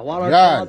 Bjale,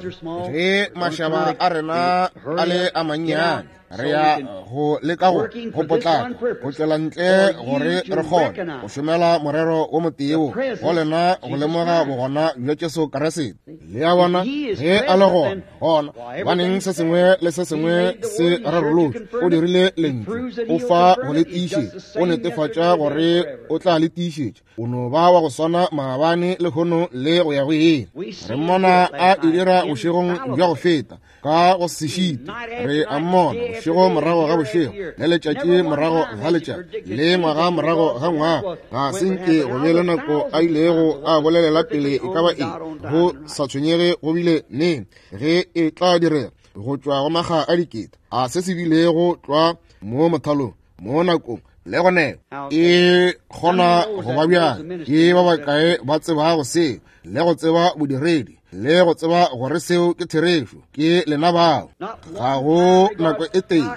ge mašaba a rena a le a mannyane, re ya go leka go go potlaka go tšwela ntle gore re kgone go šomela morero wo motee wo go lena go lemoga bogona bja Jesu Kriste. Le a bona, ge a le gona, gona baneng se sengwe le se sengwe se rarolotšwe. O dirile lentšu, o fa go le tiišetša, o netefatša gore o tla le tiišetša. O no ba wa go swana maabane, lehono le go ya go ile. Re mmona a e dira bošegong bja go feta ka go se šite. Re a mmona bošego morago ga bošego, le letšatši morago ga letšatši, le ngwaga morago ga ngwaga. Ga se nke go be le nako a ilego a bolelela pele e ka ba eng, go sa tshwenyege go bile neng ge e tla direga, go tšwa go makga a dikete a se se bilego tlwa mo mothalong mo nakong le gone e kgona go ba bjang. Ke ba bakae ba tsebago seo le go tseba bodiredi le go tseba gore seo ke therešo? Ke lena bao. Ga go nako e tee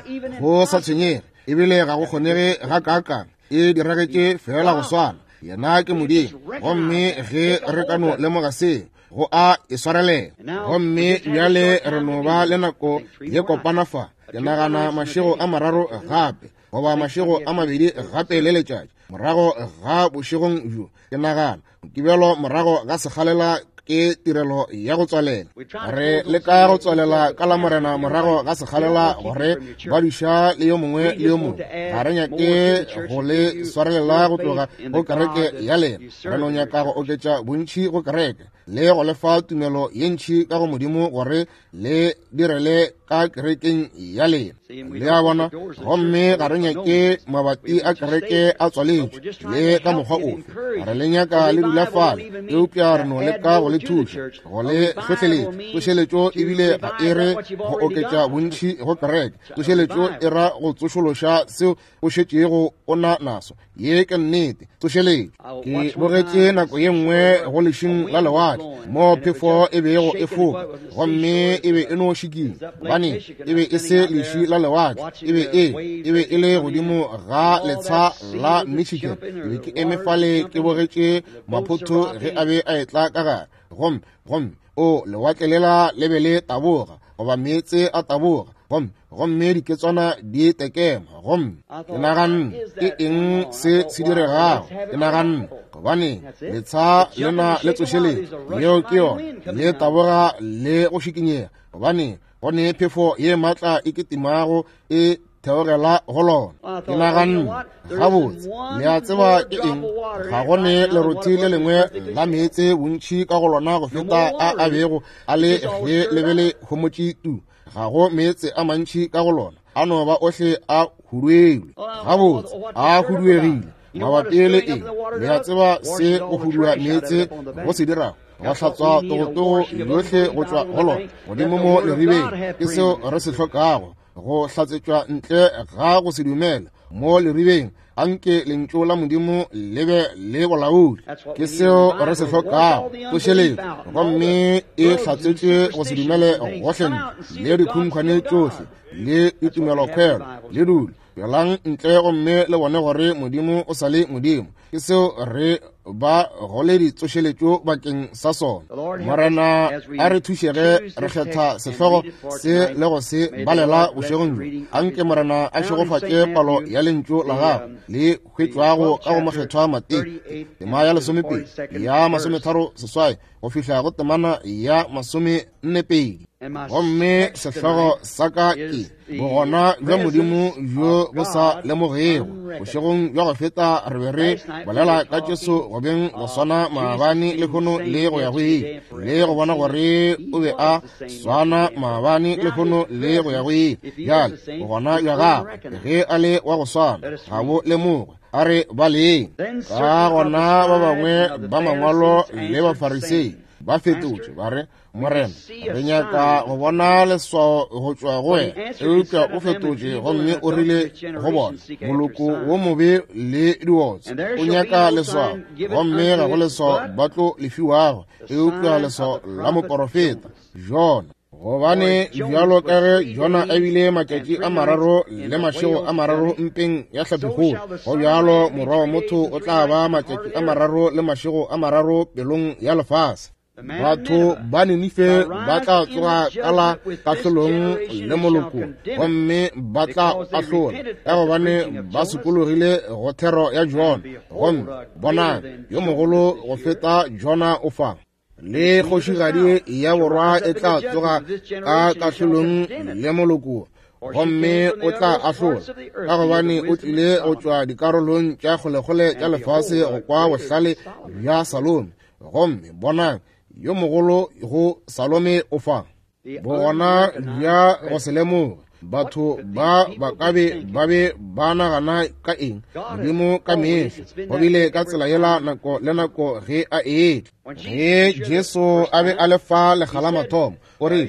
go sa tshwenyege, ebile ga go kgonege ga kaakang, e diragetše fela go swana. Yena ke Modimo, gomme ge re ka no lemoga seo, go a e swarelela. Gomme bjale re no ba le nako ye kopana fa, ke nagana mašego a mararo gape, goba mašego a mabedi gape le letšatši morago ga bošegong bjo, ke nagana ke bjalo morago ga sekgalela ke tirelo ya go tswalela. Re leka go tswalela ka Lamorena morago ga sekgalela gore ba duša le yo mongwe le yo mongwe. Ga re nyake go le swarelela go tloga go kereke ya lena. Re no nyaka go oketša bontši go kereke le go lefa tumelo ye ntši ka go Modimo gore le direle ka kerekeng ya lena. Le a bona? Gomme ga re nyake mabati a kereke a tswaletšwe le ka mokgwa ofe. Re le nyaka le dula fale, eupša re no leka go le thuša, go le hlohleletša. Tsošeletšo ebile ga e re go oketša bontši go kereke. Tsošeletšo e ra go tsošološa seo o šetšego o na naso. Ye ke nnete. Tsošeletšo. Ke bogetše nako ye nngwe go lešing la lewatle mo phefo e bego e foka, gomme e be e no šikinya, gobane e be e se leši la lewatle, e be e e be e le godimo ga letsha la Michigan. Ke be ke eme fale ke bogetše maphotho ge a be a etla ka gare, gomme gomme o lewatle lela le be le taboga, goba meetse a taboga, gomme gomme diketswana di tekema. Gomme ke naganne, ke eng se se diregago? Ke naganne, gobane letsha lena le tsošeletšo, yeo ke yona, le taboga le go šikinyega, gobane go ne phefo ye maatla e kitimago e theogela go lona. Ke naganne, gabotse, le a tseba ke eng? Ga go ne lerothi le lengwe la meetse bontši ka go lona go feta a a bego a le ge le be le homotše tu. Ga go meetse a mantši ka go lona, a no ba ohle a huduegile. Gabotse, a huduegile mabapi le eng? Le a tseba se go hudua meetse go se dirago? Go hlatswa togotogo yohle go tšwa go lona godimo mo leribeng. Ke seo re se hlokago, go hlatsetšwa ntle ga go se dumela mo leribeng. Anke lentšu la Modimo le be le bolaodi. Ke seo re se hlokago, tsošeletšo, gomme e hlatsetše go se dumele gohle ntle le dikhunkhwane tšohle le ditumelokhwelo le dule. Tšwelang ntle gomme le bone gore Modimo o sa le Modimo. Ke seo re ba go le ditsošeletšo bakeng sa sona. Morena a re thuše ge re kgetha sehlogo se le go se balela bošegong bjo. Anke Morena a šegofatše palo ya lentšu la gagwe le hwetšwago ka go Mokgethwa Mateo, tema ya lesomepedi ya 38 go fihla go temana ya 42. Gomme sehlogo sa ka ke bogona bja Modimo bjo bo sa lemogego. Bošegong bja go feta re be re bolela ka Jesu go beng go swana maabane, lehono le go ya go ile, le go bona gore o be a swana maabane, lehono le go ya go ile. Bjale bogona bja gagwe ge a le wa go swana ga bo lemogwe. A re baleng. Ka gona ba bangwe ba mangwalo le Bafarisei ba fetotše ba re, Morena, re nyaka go bona leswao go tšwa go wena. Eupša o fetotše gomme o rile go bona, moloko wo mobe le diotse o nyaka leswao, gomme ga go leswao ba tlo le fiwago eupša leswao la moporofeta Jona. Gobane bjalo ka ge Jona a bile matšatši a mararo le mašego a mararo mpeng ya hlapikgolo, go bjalo Morwa wa motho o tla ba matšatši a mararo le mašego a mararo pelong ya lefase. Batho ba Ninife ba tla tsoga ka la kahlolong le moloko gomme ba tla ahlola, ka gobane ba sokologile go thero ya Jona, gomme bonang, yo mogolo go feta Jona o fa. Le kgošigadi ya borwa e tla tsoga ka kahlolong le moloko gomme o tla ahlola, ka gobane o tlile go tšwa dikarolong tša kgolekgole tša lefase go kwa bohlale bja Salome, gomme bonang, yo mogolo go Salome o fa. Bogona bja go se lemoge, batho ba ba ka be ba be ba nagana ka eng? Modimo ka mehla go bile ka tsela yela nako le nako ge a etla. Ge Jesu a be a le fa lekga la mathomo, o re,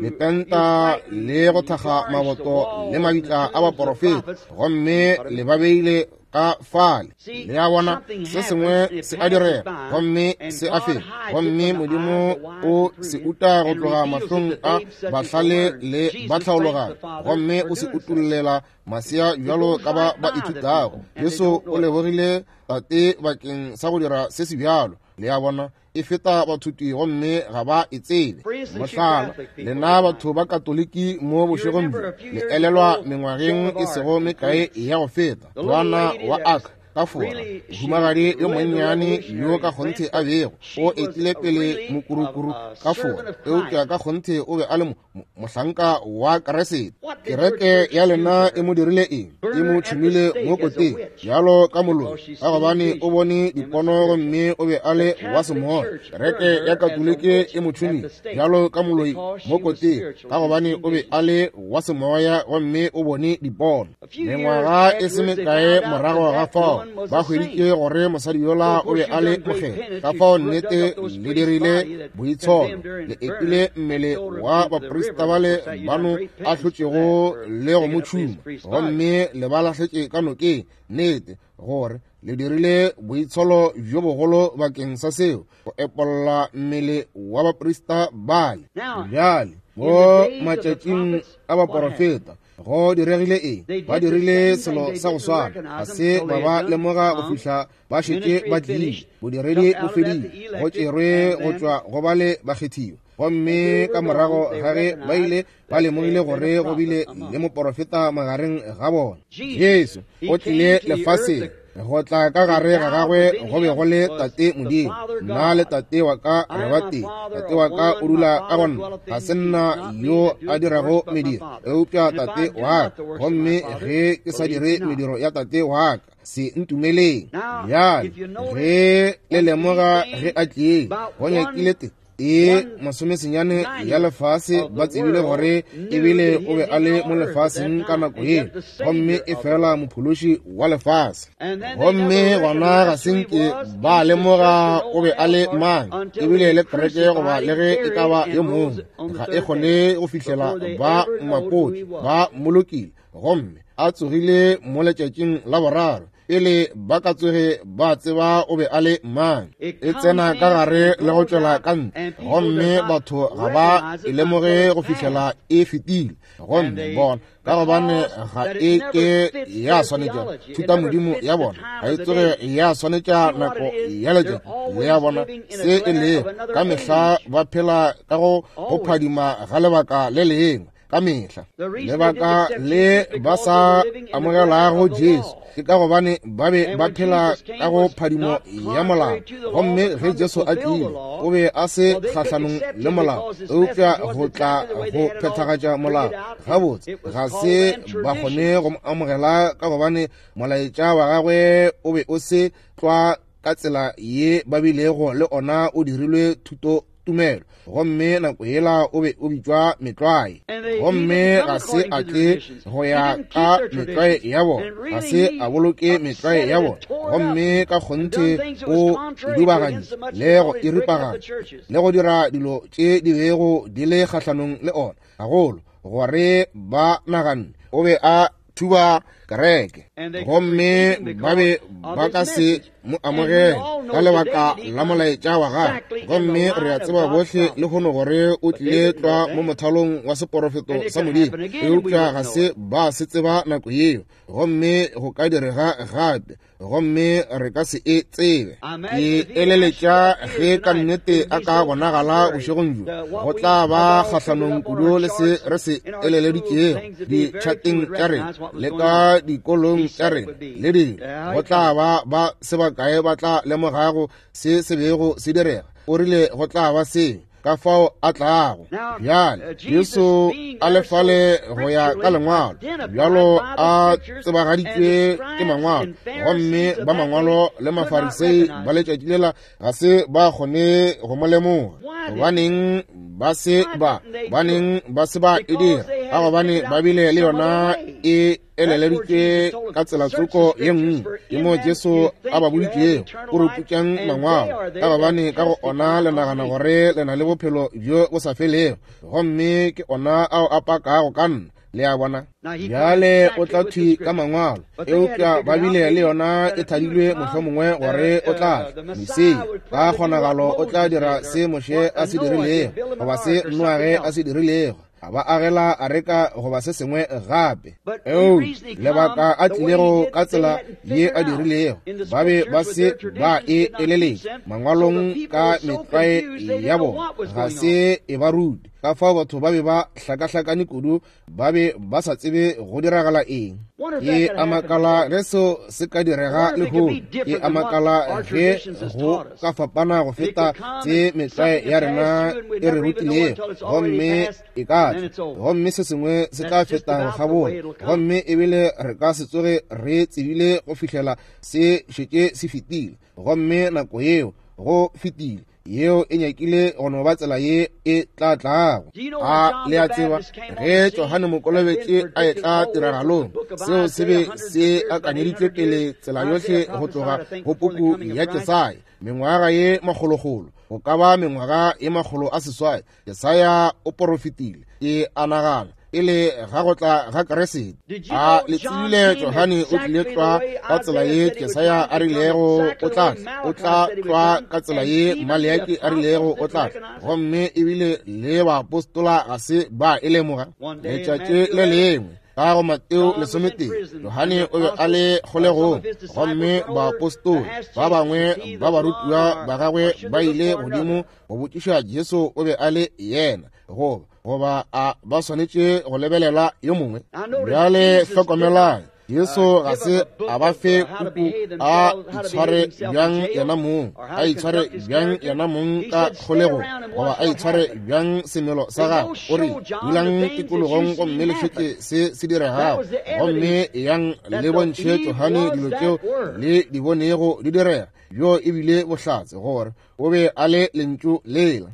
Le penta le go thakga maboto le mabitla a baporofeta, gomme le ba beile ka fale. Le a bona, se sengwe se a direga, gomme se a feta, gomme Modimo o se uta go tloga mahlong a bahlale le batlhaologanyo, gomme o se utollela masea bjalo ka ba ba ithutago. Jesu o lebogile Tate bakeng sa go dira se se bjalo. Le a bona, e feta bathuti gomme ga ba e tsebe. Mohlala, lena batho ba Katoliki mo bošegong bjo, le elelwa mengwageng e sego mekae ya go feta, Joana wa Arc ka Fora, mohumagadi yo monnyane yo ka kgonthe a bego o etile pele mokurukuru ka Fora, eupša ka kgonthe o be a le mohlanka wa Keresete. Kereke ya lena e mo dirile eng? E mo tšhumile mo koteng bjalo ka moloi, ka gobane o bone dipono gomme o be a le wa semoya. Kereke ya Katoliki e mo tšhumile bjalo ka moloi mo koteng, ka gobane o be a le wa semoya gomme o bone dipono. Mengwaga e se mekae morago ga fao, ba hweditše gore mosadi yola o be a le mokgethwa. Ka fao nnete le dirile boitsholo, le epile mmele wa baprista bale bano ahlotšego le go mo tšhuma, gomme le ba lahletše ka nokeng. Nnete gore le dirile boitsholo bjo bogolo bakeng sa seo, go epolla mmele wa baprista bale. Bjale mo matšatšing a baporofeta go diregile eng? Ba dirile selo sa go swana, ga se ba ba lemoga go fihla ba šetše ba tlile. Bodiredi bo fedile, go tšerwe go tšwa go bale bakgethiwa, gomme ka morago ga ge ba ile ba lemogile gore go bile le moporofeta magareng ga bona, Jesu o tlile lefaseng. Go tla ka gare ga gagwe go be go le Tate Modimo. Nna le Tate wa ka re ba tee. Tate wa ka o dula ka go nna. Ga se nna yo a dirago mediro, eupša Tate wa ka. Gomme ge ke sa dire mediro ya Tate wa ka, se ntumeleng. Bjale, ge le lemoga ge a tlile, go nyakile te e masomesenyane ya lefase ba tsebile gore ebile o be a le mo lefaseng ka nako ye, gomme e fela mophološi wa lefase. Gomme gona ga se nke ba lemoga o be a le mang, ebile le kereke goba le ge e ka ba yo mongwe ga e kgone go fihlela ba mmapotše ba mmolokile gomme a tsogile mo letšatšing la boraro pele ba ka tsoge ba tseba o be a le mang. E tsena ka gare le go tšwela ka ntle, gomme batho ga ba e lemoge go fihlela e fetile. Gomme bona, ka gobane ga e ke ya swanetša thutamodimo ya bona, ga e tsoge ya swanetša nako ya letšatši le ya bona se e lego. Ka mehla ba phela ka go phadima ga lebaka le lengwe. Ka mehla lebaka le ba sa amogelago Jesu ke ka gobane ba be ba phela ka go phadimo ya molao, gomme ge Jesu a tlile o be a se kgahlanong le molao, eupša go tla go phethagatša molao. Gabotse ga se ba kgone go mo amogela ka gobane molaetša wa gagwe o be o se tlwa ka tsela ye ba bilego le ona o dirilwe thuto tumelo, gomme nako yela o be o bitšwa metlwae, gomme ga se a tle go ya ka metlwae ya bona, ga se a boloke metlwae ya bona, gomme ka kgonthe o dubagantše le go e ripaganya le go dira dilo tše di bego di le kgahlanong le ona gagolo, gore ba naganne o be a thuba kereke, gomme ba be ba ka se mo amogele ka lebaka la molaetša wa gagwe. Gomme re a tseba bohle lehono gore o tlile tlwa mo mothalong wa seporofeto sa Modimo, eupša ga se ba se tseba nako yeo, gomme go ka direga gape, gomme re ka se e tsebe. Ke eleletša ge ka nnete a ka bonagala bošegong bjo, go tla ba kgahlanong kudu le se re se eleleditšego ditšhateng tša rena le ka dikolong tša rena le dilo. Go tla ba ba se bakae ba tla lemogago se se bego se direga. O rile go tla ba seo, ka fao a tlago. Bjale Jesu a le fale go ya ka lengwalo, bjalo a tsebagaditšwe ke mangwalo, gomme ba mangwalo le Mafarisei ba letšatši lela ga se ba kgone go mo lemoga. Gobaneng ba se ba, baneng ba se ba e dira? Ka gobane ba bile le yona e eleleditšwe ka tsela tsoko ye nngwe. Ke mo Jesu a ba boditšego, o re putšang mangwalo, ka gobane ka go ona le nagana gore le na le bophelo bjo bo sa felego, gomme ke ona ao a pakago ka nna. Le a bona? Bjale o tla thwi ka mangwalo, eupša ba bile le yona e thadilwe mohlomongwe gore o tla tla Mesia, ka kgonagalo o tla dira se Moshe a se dirilego, goba se Noage a se dirilego, a ba agela areka goba se sengwe gape. Eo lebaka a tlilego ka tsela ye a dirilego, ba be ba se ba e eleletše mangwalong ka metlwae ya bona, ga se e ba rute. Ka fao batho ba be ba hlakahlakane kudu, ba be ba sa tsebe go diragala eng. Ke a makala ge seo se ka direga lehono. Ke a makala ge go ka fapana go feta tse metlwae ya rena e re rutilego, gomme e ka tla, gomme se sengwe se tla feta go kgabola, gomme ebile re ka se tsoge re tsebile go fihlela se šetše se fetile, gomme nako yeo go fetile. Yeo e nyakile go no ba tsela ye e tla tlago. A le a tseba ge Johane Mokolobetši a etla tiragalong, seo se be se akanyeditšwe pele tsela yohle go tloga go puku ya Jesaya, mengwaga ye makgolokgolo, go ka ba mengwaga ye 800. Jesaya o porofetile, ke a nagana, pele ga go tla ga Kriste. A le tsebile Johane o tlile tlwa ka tsela ye Jesaya a rilego o tla tla, o tla tlwa ka tsela ye Maleaki a rilego o tla tla, gomme ebile le baapostola ga se ba e lemoga. Letšatši le lengwe ka go Mateo 11, Johane o be a le kgolegong, gomme baapostola ba bangwe ba barutiwa ba gagwe ba ile godimo go botšiša Jesu o be a le yena, goba goba a ba swanetše go lebelela yo mongwe. Bjale hlokomelang, Jesu ga se a ba fe puku a itshware bjang yena mong, a itshware bjang yena mong ka kgolegong, goba a itshware bjang semelo sa gagwe. O re, dulang tikologong gomme le šetše se se diregago, gomme yang le bontšhe Johane dilo tšeo le di bonego di direga. Bjo e bile bohlatse gore o be a le lentšu lela.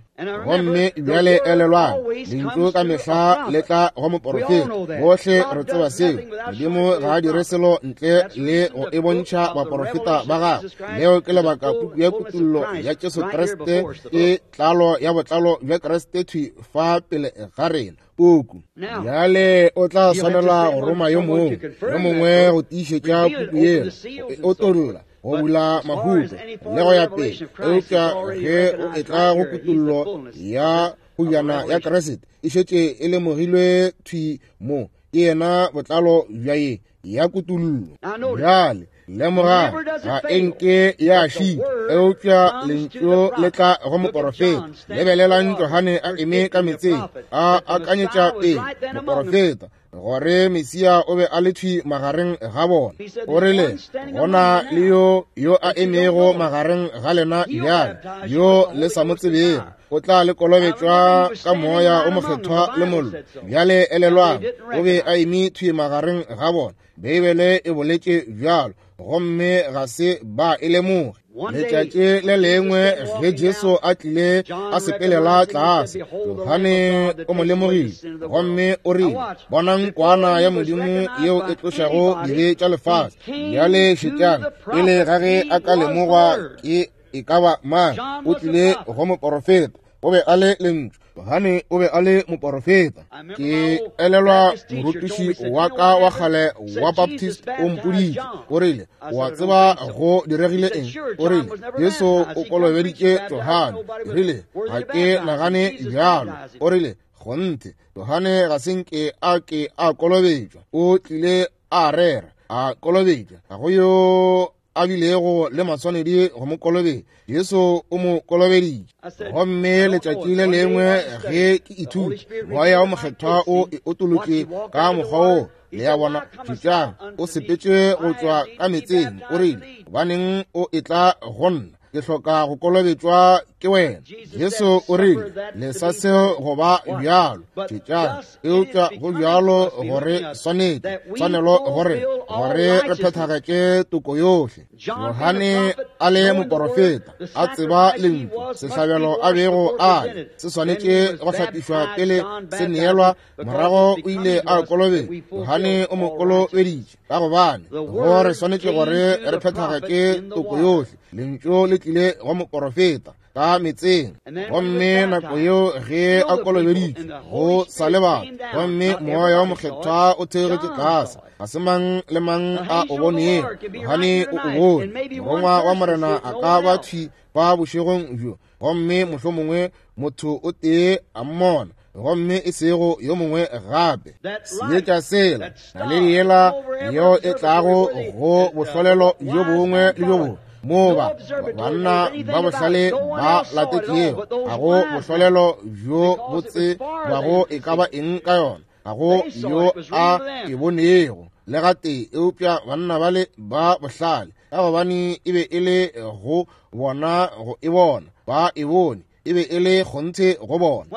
Gomme bjale elelwang, lentšu ka mehla le tla go moporofeta. Bohle re tseba seo. Modimo ga a dire selo ntle le go e bontšha baporofeta ba gagwe. Leo ke lebaka puku ya Kutullo ya Jesu Kriste ke tlalo ya botlalo bja Kriste thwi fa pele ga rena. Puku bjale o tla swanela go roma yo mongwe, yo mongwe go tiišetša puku yela, go e otolla, go bula mahuto le go ya pele. Eupša ge o etla go kutullo ya kgojana ya Kriste, e šetše e lemogilwe thwi mo, ke yena botlalo bja ye ya kutullo. Bjale lemogang, ga e nke ya šita, eupša lentšu le tla go moporofeta. Lebelelang Johane a eme ka metseng, a akanyetša pele moporofeta gore Mesia o be a le thwi magareng ga bona. O rile, go na le yo yo a emego magareng ga lena bjale, yo le sa mo tsebego, o tla le kolobetšwa ka Moya o Mokgethwa le mollo. Bjale elelwang, o be a eme thwi magareng ga bona. Beibele e boletše bjalo, gomme ga se ba e lemoge. Letšatši le lengwe ge Jesu a tlile a sepelela tlase, Johane o mo lemogile gomme o rile, bonang kwana ya Modimo yeo e tlošago dibe tša lefase. Bjale šetšang, pele ga ge a ka lemogwa ke e ka ba mang, o tlile go moporofeta, o be a le lentšu. Johane o be a le moporofeta. Ke elelwa morutiši wa ka wa kgale wa Baptist o mpoditše, o rile, o a tseba go diregile eng? O rile, Jesu o kolobeditše Johane. Ke rile, ga ke nagane bjalo. O rile, kgonthe, Johane ga se nke a ke a kolobetšwa. O tlile a rera, a kolobetšwa. Ga go yo a bilego le maswanedi go mo kolobetša. Jesu o mo kolobeditše. Gomme letšatši le lengwe ge ke ithuta, Moya wo Mokgethwa o e otolotše ka mokgwa wo. Le a bona? Šetšang, o sepetše go tšwa ka meetseng, o rile, gobaneng o etla go nna? Ke hloka go kolobetšwa ke wena. Jesu o rile, lesa seo go ba bjalo. Šetšang, eupša go bjalo gore swanetše, tshwanelo gore, gore re phethagatše toko yohle. Johane a le moporofeta, a tseba lentšu, sehlabelo a bego a le, se swanetše go hlapišwa pele se neelwa. Morago o ile a kolobetšwa, Johane o mo kolobeditše, ka gobane go re swanetše gore re phethagatše toko yohle. Lentšu le tlile go moporofeta ka metseng, gomme nako yeo ge a kolobeditšwe go sa le batho, gomme Moya wo Mokgethwa o theogetše tlase, ga se mang le mang a o bonego, Johane o o bone. Morongwa wa Morena a ka ba thwi fa bošegong bjo, gomme mohlomongwe motho o tee a mmona, gomme e sego yo mongwe gape. Seetša sela, naledi yela yeo e tlago go bohlolelo bjo bongwe le bjo bongwe, moo ba banna ba bohlale ba latetšego, ga go bohlolelo bjo bo tsebago e ka ba eng ka yona, ga go yo a e bonego le gatee, eupša banna bale ba bohlale, ka gobane e be e le go bona go e bona, ba e bone, e be e le kgonthe go bona.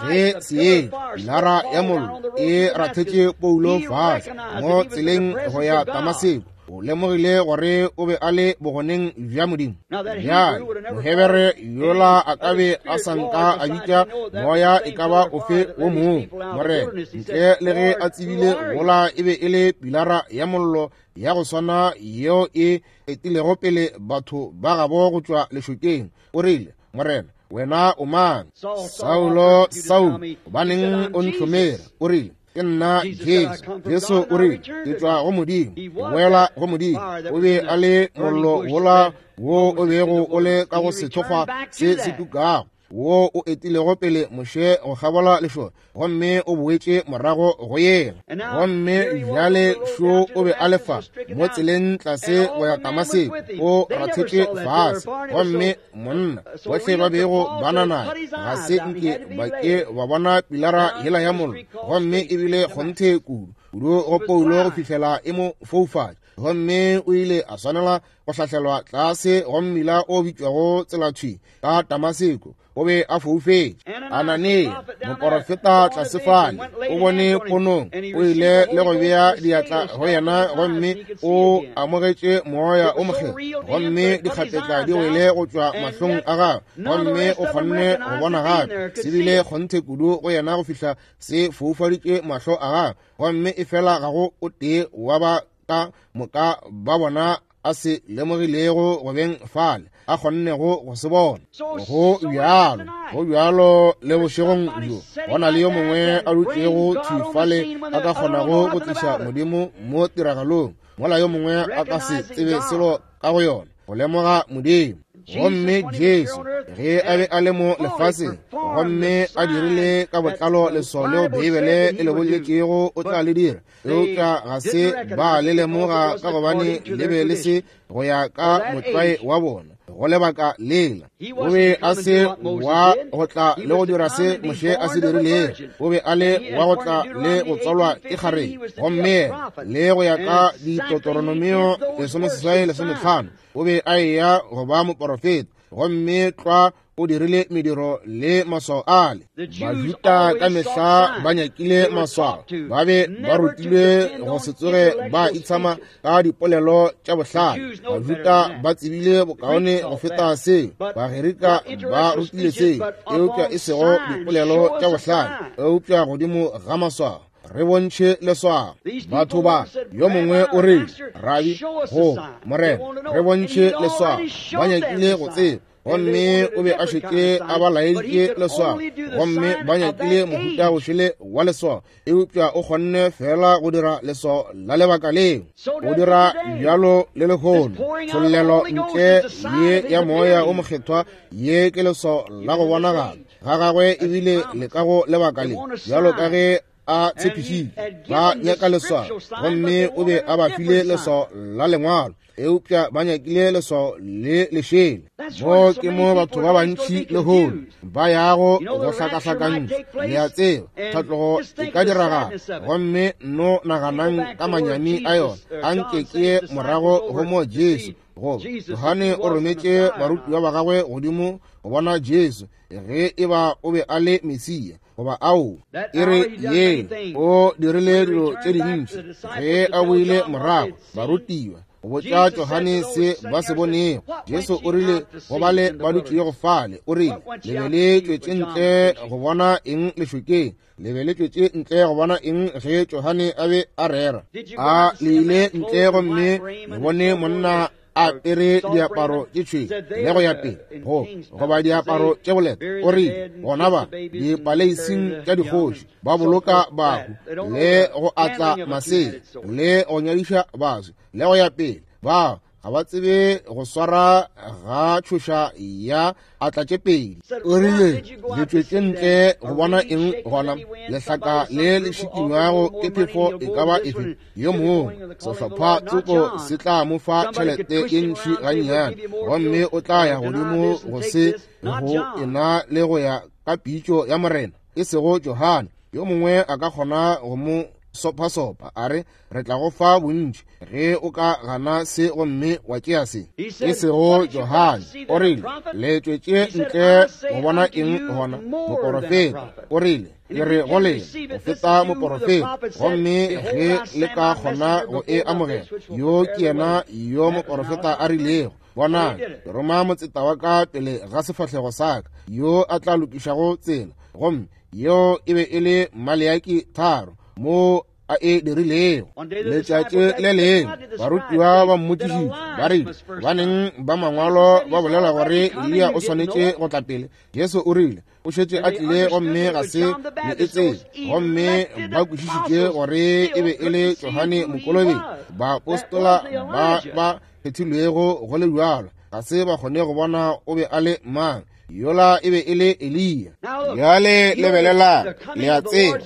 Ge seetša, pilara ya mollo, e rathetše Paulo fase mo tseleng go ya Damaseko, o lemogile gore o be a le bogoneng bja Modimo. Bjale Mohebere yola a ka be a sa nka a bitša moya e ka ba ofe wo mongwe Morena, ntle le ge a tsebile gola e be e le pilara ya mollo ya go swana yeo e etilego pele batho ba gabo go tšwa lešokeng. O rile, Morena, wena o mang? Saulo, Saulo, gobaneng o ntlhomere? O rile, ke nna Jesu. Jesu o rile, ke tšwa go Modimo, ke boela go Modimo. O be a le mollo wola wo o bego o le ka go sethokgwa se se tukago, wo o etilego pele Moshe go kgabola lešoka, gomme o boetše morago go yena. Gomme bjale šo o be a le fa mo tseleng tlase go ya Damaseko, o rathetše fase, gomme monna bohle ba bego ba na naye ga se nke ba ke ba bona pilara yela ya mollo, gomme e bile kgonthe kudu kudu go Paulo go fihlela e mo foufatša, gomme o ile a swanela go hlahlelwa tlase go mmila o bitšwago tselathwi ka Damaseko. O be a foufetše. Anania, moporofeta tlase fale, o bone ponong, o ile le go bea diatla go yena, gomme o amogetše Moya o Mokgethwa, gomme dikgapetla di wele go tšwa mahlong a gagwe, gomme o kgonne go bona gape. Se bile kgonthe kudu go yena go fihla se foufaditše mahlo a gagwe, gomme efela ga go o tee wa ba ka moka ba bona a se lemogilego go beng fale a kgonnego go se bona. Go bjalo, go bjalo le bošegong bjo, go na le yo mongwe a dutšego thwi fale a ka kgonago go tliša Modimo mo tiragalong, mola yo mongwe a ka se tsebe selo ka go yona, go lemoga Modimo. Gomme Jesu, ge a be a le mo lefaseng, gomme a dirile ka botlalo leswao leo Beibele e le boletšego o tla le dira, eupša ga se ba le lemoga ka gobane le be le se go ya ka motlwae wa bona go lebaka lela. O be a se wa go tla le go dira se Moshe a se dirilego, o be a le wa go tla le go tswalwa ke kgarebe, gomme le go ya ka Ditotoronomio 18:15 o be a eya go ba moporofeta, gomme tlwa o dirile mediro le maswao ale. Bajuda ka mehla ba nyakile maswao, ba be ba rutilwe go se tsoge ba itshama ka dipolelo tša bohlale. Bajuda ba tsebile bokaone go feta seo, Bagerika ba rutile seo, eupša e sego dipolelo tša bohlale, eupša godimo ga maswao. Re bontšhe leswao. Batho ba, yo mongwe o re, Rabi, go Morena, re bontšhe leswao. Ba nyakile go tseba. Gomme o be a šetše a ba laeditše leswao, gomme ba nyakile mohuta o šele wa leswao, eupša o kgonne fela go dira leswao la lebaka leo. O dira bjalo le lehono. Tshollelo ntle ye ya Moya o Mokgethwa, ye ke leswao la go bonagala ga gagwe ebile le ka go lebaka le, bjalo ka ge a tshepišitše. Ba nyaka leswao, gomme o be a ba file leswao la lengwalo, eupša ba nyakile leswao le lešele. Mo ke mo batho ba bantši lehono ba yago go hlakahlakantšha. Le a tseba, tlhatlogo e ka diragala, gomme no naganang ka manyami a yona. A nke ke ye morago go mo Jesu, goba Johane o rometše barutiwa ba gagwe godimo go bona Jesu, ge e ba o be a le Mesia goba ao. E re ye o dirile dilo tše dintši. Ge a boile morago, barutiwa go botša Johane se ba se bonego. Jesu o rile go bale ba dutšego fale, o rile, le be le tšwetše ntle go bona eng lešokeng? Le be le tšwetše ntle go bona eng ge Johane a be a rera? A le ile ntle gomme le bone monna a apere diaparo tše tšhweu le go ya pele, go goba diaparo tše boleta? O rile, gona ba dipaleising tša dikgoši ba boloka bahu le go atla masea le go nyadiša baswi le go ya pele. Ba ga ba tsebe go swara ga tšhoša ya atla tše pedi. O rile, le tšwetše ntle go bona eng gona? Lehlaka le le šikinywago ke phefo e ka ba efe? Yo mongwe sehlopha tsoko se tla mo fa tšhelete ye ntši gannyane, gomme o tla ya godimo go se go ena le go ya ka pitšo ya Morena, e sego Johane. Yo mongwe a ka kgona go mo sopasopa a re, re tla go fa bontši ge o ka gana se gomme wa tšea se. E sego Johane. O rile, le tšwetše ntle go bona eng gona? Moporofeta. O rile, ke re go lena, go feta moporofeta. Gomme ge le ka kgona go e amogela, yo ke yena yo moporofeta a rilego, bonang, ke roma motseta wa ka pele ga sefahlego sa ka, yo a tla lokišago tsela. Gomme yeo e be e le Maleaki 3 mo a e dirilego. Letšatši le lengwe barutiwa ba mmotšišitše ba rile, baneng ba mangwalo ba bolela gore Eliya o swanetše go tla pele. Jesu o rile, o šetše a tlile gomme ga se le e tsebe. Gomme ba kwešišitše gore e be e le Johane Mokolobetši. Baapostola ba ba kgethilwego go le bjalo ga se ba kgone go bona o be a le mang. Yola e be e le Eliya. Bjale lebelelang, le a tseba,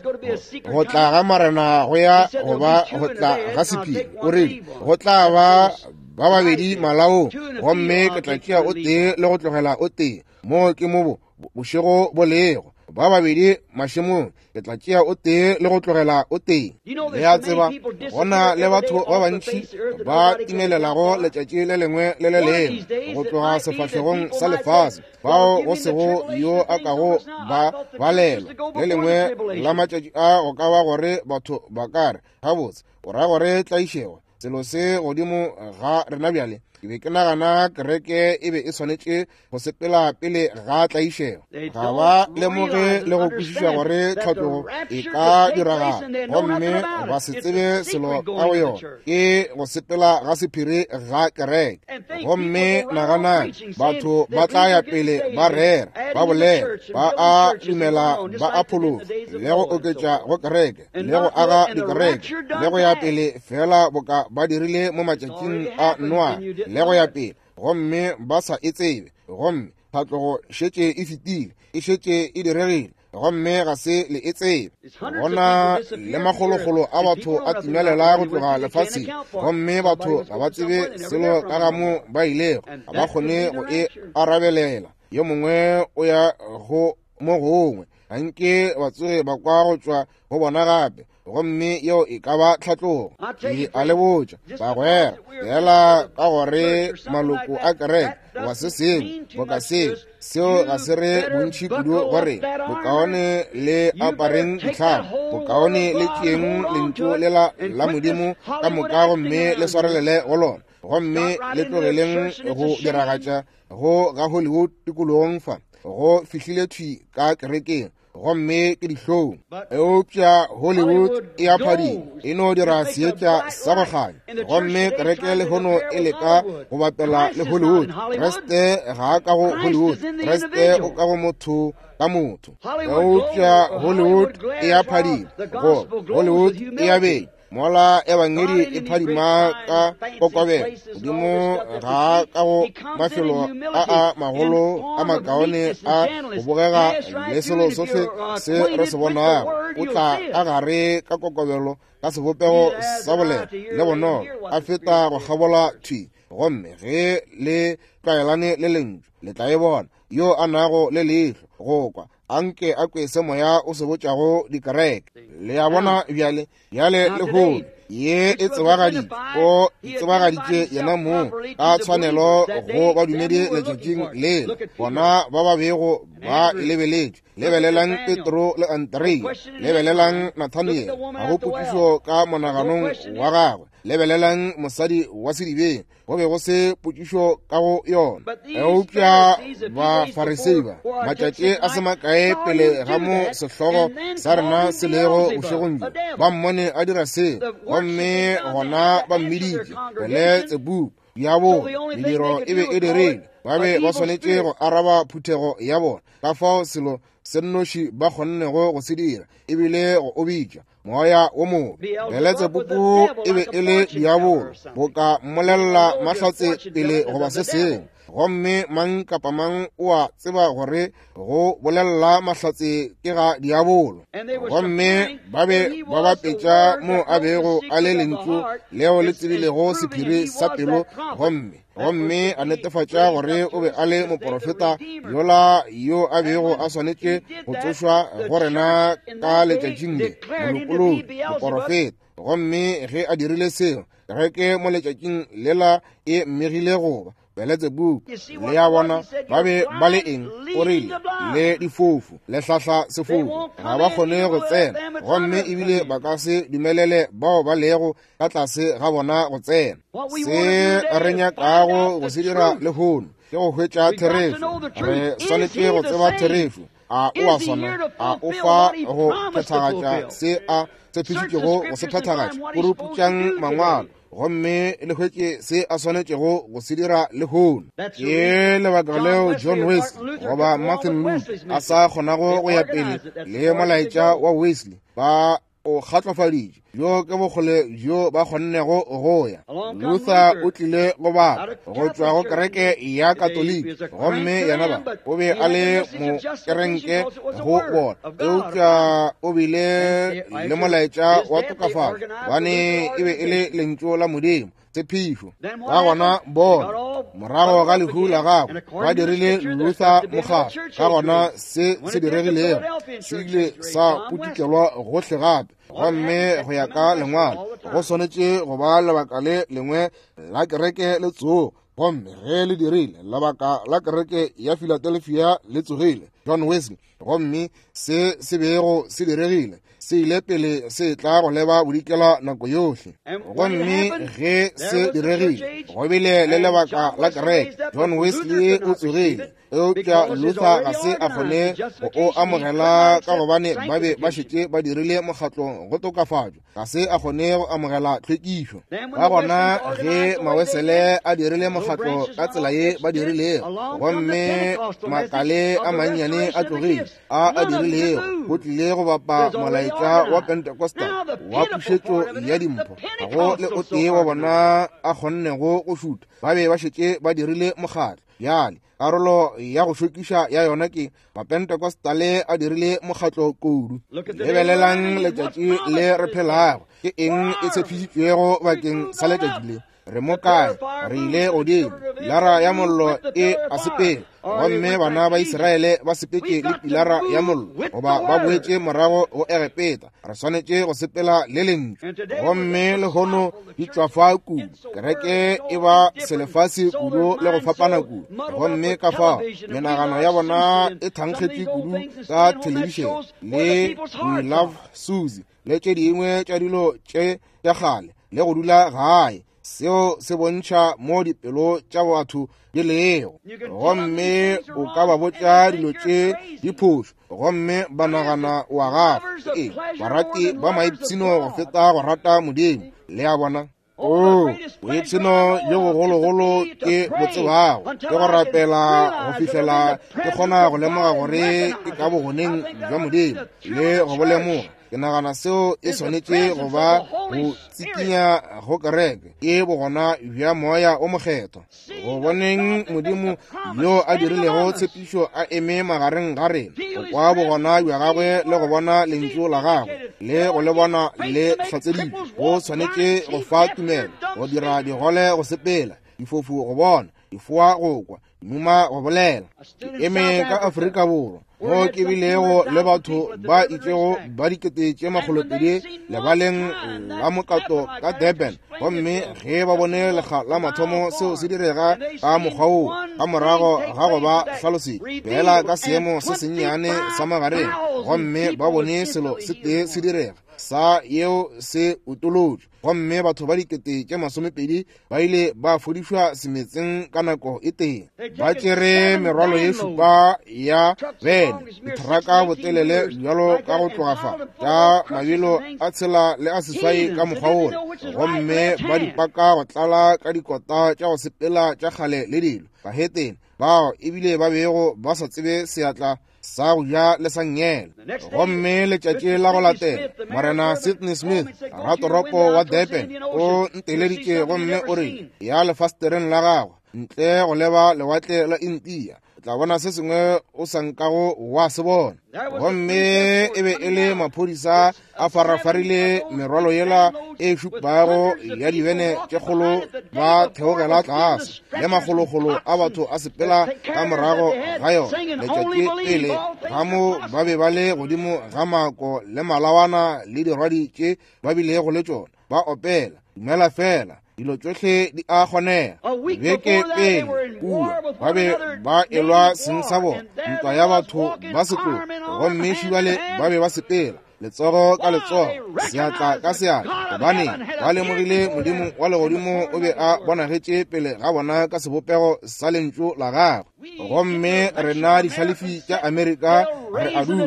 go tla ga Morena go ya go ba go tla ga sephiri. O rile, go tla ba ba babedi malaong, gomme ke tla tšea o tee le go tlogela o tee. Mo ke mo bošego bo lego. Ba babedi mašemong, ke tla tšea o tee le go tlogela o tee. Le a tseba, go na le batho ba bantši ba timelelago letšatši le lengwe le le lengwe go tloga sefahlegong sa lefase, bao go sego yo a kago ba balelwa. Le lengwe la matšatši a go ka ba gore batho ba ka re, gabotse, o ra gore tlaišego selo se godimo ga rena bjale. Ke be ke nagana kereke e be e swanetše go sepela pele ga tlaišego. Ga ba lemoge le go kwešiša gore tlhatlogo e ka diragala, gomme ba se tsebe selo ka go yona. Ke go sepela ga sephiri ga kereke. Gomme naganang, batho ba tla ya pele ba rera, ba bolela, ba a dumela, ba a phologa, le go oketša go kereke, le go aga dikereke, le go ya pele fela boka ba dirile mo matšatšing a Noa, le go ya pele, gomme ba sa e tsebe. Gomme tlhatlogo šetše e fetile, e šetše e diregile, gomme ga se le e tsebe. Gona le makgolokgolo a batho a timelela go tloga lefaseng, gomme batho ga ba tsebe selo ka ga mo ba ilego, ga ba kgone go e arabelela. Yo mongwe o ya go mo gongwe, ga nke ba tsoge ba kwa go tšwa go bona gape, gomme yeo e ka ba tlhatlogo. Ke a le botša bagwera, fela ka gore maloko a kereke goba se sengwe boka seo, seo ga se re bontši kudu gore bokaone le apareng ditlhamo, bokaone le tšeeng lentšu lela la Modimo ka moka gomme le swarelele go lona, gomme le tlogeleng go diragatša go ga Hollywood tikologong fa go fihlile thwi ka kerekeng. gomme ke dihlong. Eupša Hollywood e a phadima, e no dira seetša sa go kganya, gomme kereke lehono e leka go bapela le Hollywood. Kriste ga a ka go Hollywood, Kriste o ka go motho ka motho. Eupša Hollywood e a phadima, go Hollywood e a benya, mola ebangedi e phadima ka kokobelo. Modimo ga ka go mafelo a a magolo a makaone a go bogega le selo sohle se re se bonago, o tla ka gare ka kokobelo ka sebopego sa boleta le bonolo, a feta go kgabola thwi. Gomme ge le tlwaelane le lentšu, le tla e bona. Yo a nago le leihlo go kwa, anke a kwe se moya o se botšago dikereke. Le a bona bjale, bjale lehono ye e tsebagaditše, o tsebagaditše yena mong ka tshwanelo go badumedi letšatšing lela, bona ba ba bego ba e lebeletše. Lebelelang Petro le Andrea, lebelelang Nathaniel, ga go potšišo ka monaganong wa gagwe. Lebelelang mosadi wa sedibeng, go be go se potšišo ka go yona. Eupša Bafarisei ba, matšatši a se makae pele ga mo sehlogo sa rena se lego bošegong bjo, ba mmone a dira seo, gomme gona ba mmiditše Beletsebubu, diabolo. Mediro e be e dirile, ba be ba swanetše go araba phuthego ya bona. Ka fao selo se nnoši ba kgonnego go se dira e bile go o bitša moya wo mobe. Beletsebubu e be e le diabolo, boka mmolelela mahlatse pele goba se sengwe. Gomme mang kapa mang o a tseba gore go bolelela mahlatse ke ga diabolo. Gomme ba be ba bapetša mo a bego a le lentšu leo le tsebilego sephiri sa pelo, gomme a netefatša gore o be a le moporofeta yola yo a bego a swanetše go tsošwa go rena ka letšatšing le, molopolodi, moporofeta. Gomme ge a dirile seo, kereke mo letšatšing lela e mmegile goba Beletsebubu. Le a bona, ba be ba le eng? O rile, le difofu, le hlahla sefofu, ga ba kgone go tsena, gomme ebile ba ka se dumelele bao ba lego ka tlase ga bona go tsena. Se re nyakago go se dira lehono ke go hwetša therešo. Re swanetše go tseba therešo. A o a swana? A o fa go phethagatša se a tshepišitšego go se phethagatša? Puruputšang mangwalo gomme le hwetše se a swanetšego go se dira lehono. Ke lebaka leo John Wesley goba Martin Luther a sa kgonago go ya pele le molaetša wa Wesley. Ba o kgatlofaditše, bjo ke bokgole bjo ba kgonnego go ya. Luther o tlile go bapa go tšwa go kereke ya Katoliki, gomme yena ba o be a le mokerenke go bona, eupša o bile le molaetša wa tokafatšo, gobane e be e le lentšu la Modimo, tshepišo. Ka gona bona, morago ga lehu la gagwe, ba dirile Luther mokgatlo. Ka gona se se diregilego se ile sa putukelwa gohle gape, gomme go ya ka lengwalo go swanetše go ba lebaka le lengwe la kereke le tsogo. Gomme ge le dirile, lebaka la kereke ya Philadelphia le tsogile, John Wesley. Gomme se se bego se diregile se ile pele se tla go leba bodikela nako yohle. Gomme ge se diregile, go bile le lebaka la kereke. John Wesley o tsogile, eupša Luther ga se a kgone go o amogela ka gobane ba be ba šetše ba dirile mokgatlo go tokafatšwa. Ga se a kgone go amogela tlhwekišo. Ka gona ge Mawesele a dirile mokgatlo ka tsela ye ba dirilego, gomme makale a mannyane a tlogile a a dirilego, go tlile go bapa molaetša wa Pentecostal wa pušetšo ya dimpho, ga go le o tee wa bona a kgonnego go šutha. Ba be ba šetše ba dirile mokgatlo. Bjale karolo ya go šokiša ya yona ke Mapentecostale a dirile mokgatlo kudu. Lebelelang letšatši le re phelago. Ke eng e tshepišitšwego bakeng sa letšatši le? Re mo kae? Re ile godimo. Pilara ya mollo e a sepela, gomme bana ba Israele ba sepetše le pilara ya mollo, goba ba boetše morago go Egepeta. Re swanetše go sepela le lentšu. Gomme lehono di tšwafa kudu, kereke e ba selefase kudu le go fapana kudu, gomme ka fao menagano ya bona e thankgetše kudu ka thelebišene le We Love Susie le tše dingwe tša dilo tše tša kgale, le go dula gae. Seo se bontšha mo dipelo tša batho di lego. Gomme o ka ba botša dilo tše diphošo, gomme ba nagana wa gago. Ee, barati ba maipshino go feta go rata Modimo. Le a bona? Oo, boipshino bjo bogologolo ke bo tsebago ke go rapela go fihlela ke kgona go lemoga gore ke ka bogoneng bja Modimo le go bo lemoga. Ke nagana seo e swanetše go ba go tsikinya go kereke, ke bogona bja Moya o Mokgethwa. Go boneng Modimo yo a dirilego tshepišo a eme magareng ga rena, go kwa bogona bja gagwe le go bona lentšu la gagwe le go le bona le hlatseditšwe, go swanetše go fa tumelo, go dira digole go sepela, difofu go bona, difoa go kwa, dimuma go bolela. Ke eme ka Afrika Borwa mo ke bilego le batho ba itšego ba 200,000 lebaleng la mokato ka Durban, gomme ge ba bone lekga la mathomo seo se direga ka mokgwa woo, ka morago ga go ba hlalosetša feela ka seemo se sennyane sa magareng, gomme ba bone selo se tee se direga sa yeo se utolotšwe, gomme batho ba 20,000 ba ile ba fodišwa semetseng ka nako e tee. Ba tšere merwalo ye šupa ya bene, ditheraka botelele bjalo ka go tloga fa tša mabelo a 6 le a 8 ka mokgwa wola, gomme ba di paka go tlala ka dikota tša go sepela tša kgale le dilo. Bahetene bao ebile ba bego ba sa tsebe seatla sa go ja le sa nngele. Gomme letšatši la go latela, Morena Sidney Smith, ratoropo wa Durban, o nteleditše gomme o rile, ya lefastereng la gagwe ntle go leba lewatle la India, o tla bona se sengwe o sa nkago wa se bona. Gomme e be e le maphodisa a farafarile merwalo yela e šupago ya dibene tše kgolo ba theogela tlase, le makgolokgolo a batho a sepela ka morago ga yona. Letšatši pele ga mo ba be ba le godimo ga mako le malawana le dirwadi tše ba bilego le tšona, ba opela Dumela Fela, dilo tšohle di a kgonega. Beke pele kua ba be ba elwa seng sa bona, ntwa ya batho ba setlogo, gomme šibale ba be ba sepela letsogo ka letsogo, seatla ka seatla, gobane ba lemogile Modimo wa legodimo o be a bonagetše pele ga bona ka sebopego sa lentšu la gagwe. Gomme rena dihlalefi tša Amerika re a dula,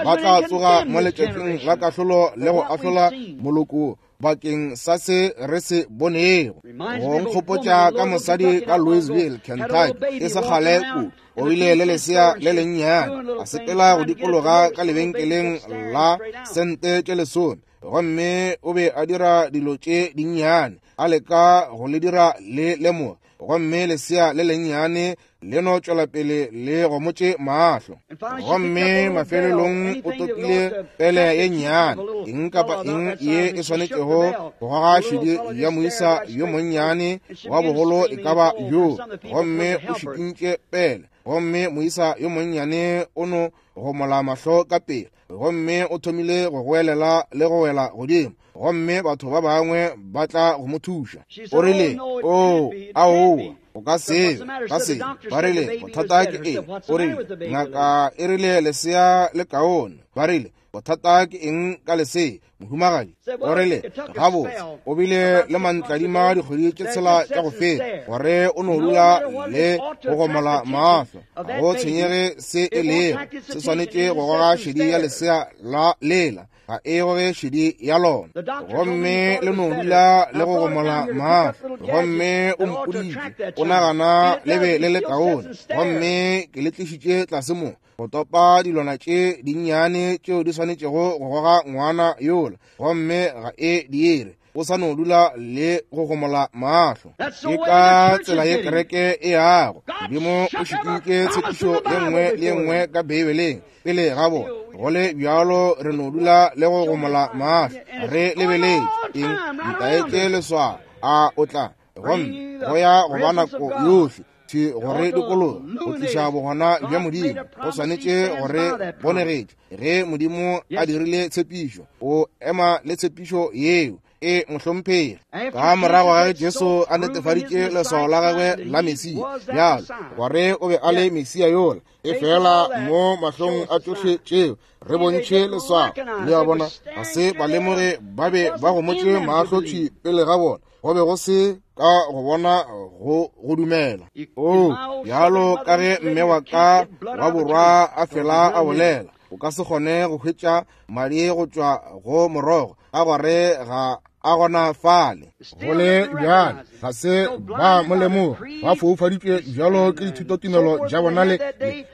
ba tla tsoga mo letšatšing la kahlolo le go ahlola moloko bakeng sa se re se bonego. Go nkgopotša ka mosadi ka Louisville, Kentucky, e se kgale kudu. O bile le lesea le lennyane, a sepela go dikologa ka lebenkeleng la sente tše 10, gomme o be a dira dilo tše dinnyane, a leka go le dira le lemoge, gomme lesea le lennyane le no tšwela pele le gomotše mahlo. Gomme mafelelong o topile pele ye nnyane, eng kapa eng ye e swanetšego go goga šedi ya moisa yo monnyane wa bogolo e ka ba bjo, gomme o šikintše pele, gomme moisa yo monnyane o no gomola mahlo ka pele, gomme o thomile go goelela le go wela godimo, gomme batho ba bangwe ba tla go mo thuša. O rile, Oo, aowa, o ka se be, ka se. Ba rile, bothata ke eng? O rile, ngaka e rile lesea le kaone. Ba rile, bothata ke eng ka lesea, mohumagadi? O rile, gabotse, o bile le mantladima dikgwedi tše 6 tša go feta, gore o no dula le go gomola mahlo. Ga go tshwenyege se e lego, se swanetše go goga šedi ya lesea la lela, ga e goge šedi ya lona. Gomme le no dula le go gomola mahlo. Gomme o mpoditše o nagana le be le le kaone, gomme ke le tlišitše tlase mo go topa dilwana tše dinnyane tšeo di swanetšego go goga ngwana yola, gomme ga e dire. O sa no dula le go gomola mahlo. Ke ka tsela ye kereke e yago. Modimo o šikintše tshepišo ye nngwe le ye nngwe ka Beibeleng pele ga bona. Go le bjalo re no dula le go gomola mahlo, re lebeletše eng? Ntaetše leswao. A o tla? Gomme go ya go ba nako yohle thwi gore dikologa go tliša bogona bja Modimo, go swanetše gore bonegetše. Ge Modimo a dirile tshepišo, o ema le tshepišo yeo. E, mohlomphegi. Ka morago ga ge Jesu a netefaditše leswao la gagwe la Mesia, bjalo gore o be a le Mesia yola, e fela mo mahlong a tšohle tšeo re bontšhe leswao. Le a bona, ga se ba lemoge, ba be ba gomotše mahlo thwi pele ga bona. Go be go se ka go bona go go dumela. O, bjalo ka ge mme wa ka wa borwa a fela a bolela, o ka se kgone go hwetša madi go tšwa go morogo, ka gore ga a gona fale. Go le bjalo, ga se ba mo lemoga, ba foufaditšwe bjalo ke dithutotumelo tša bona le,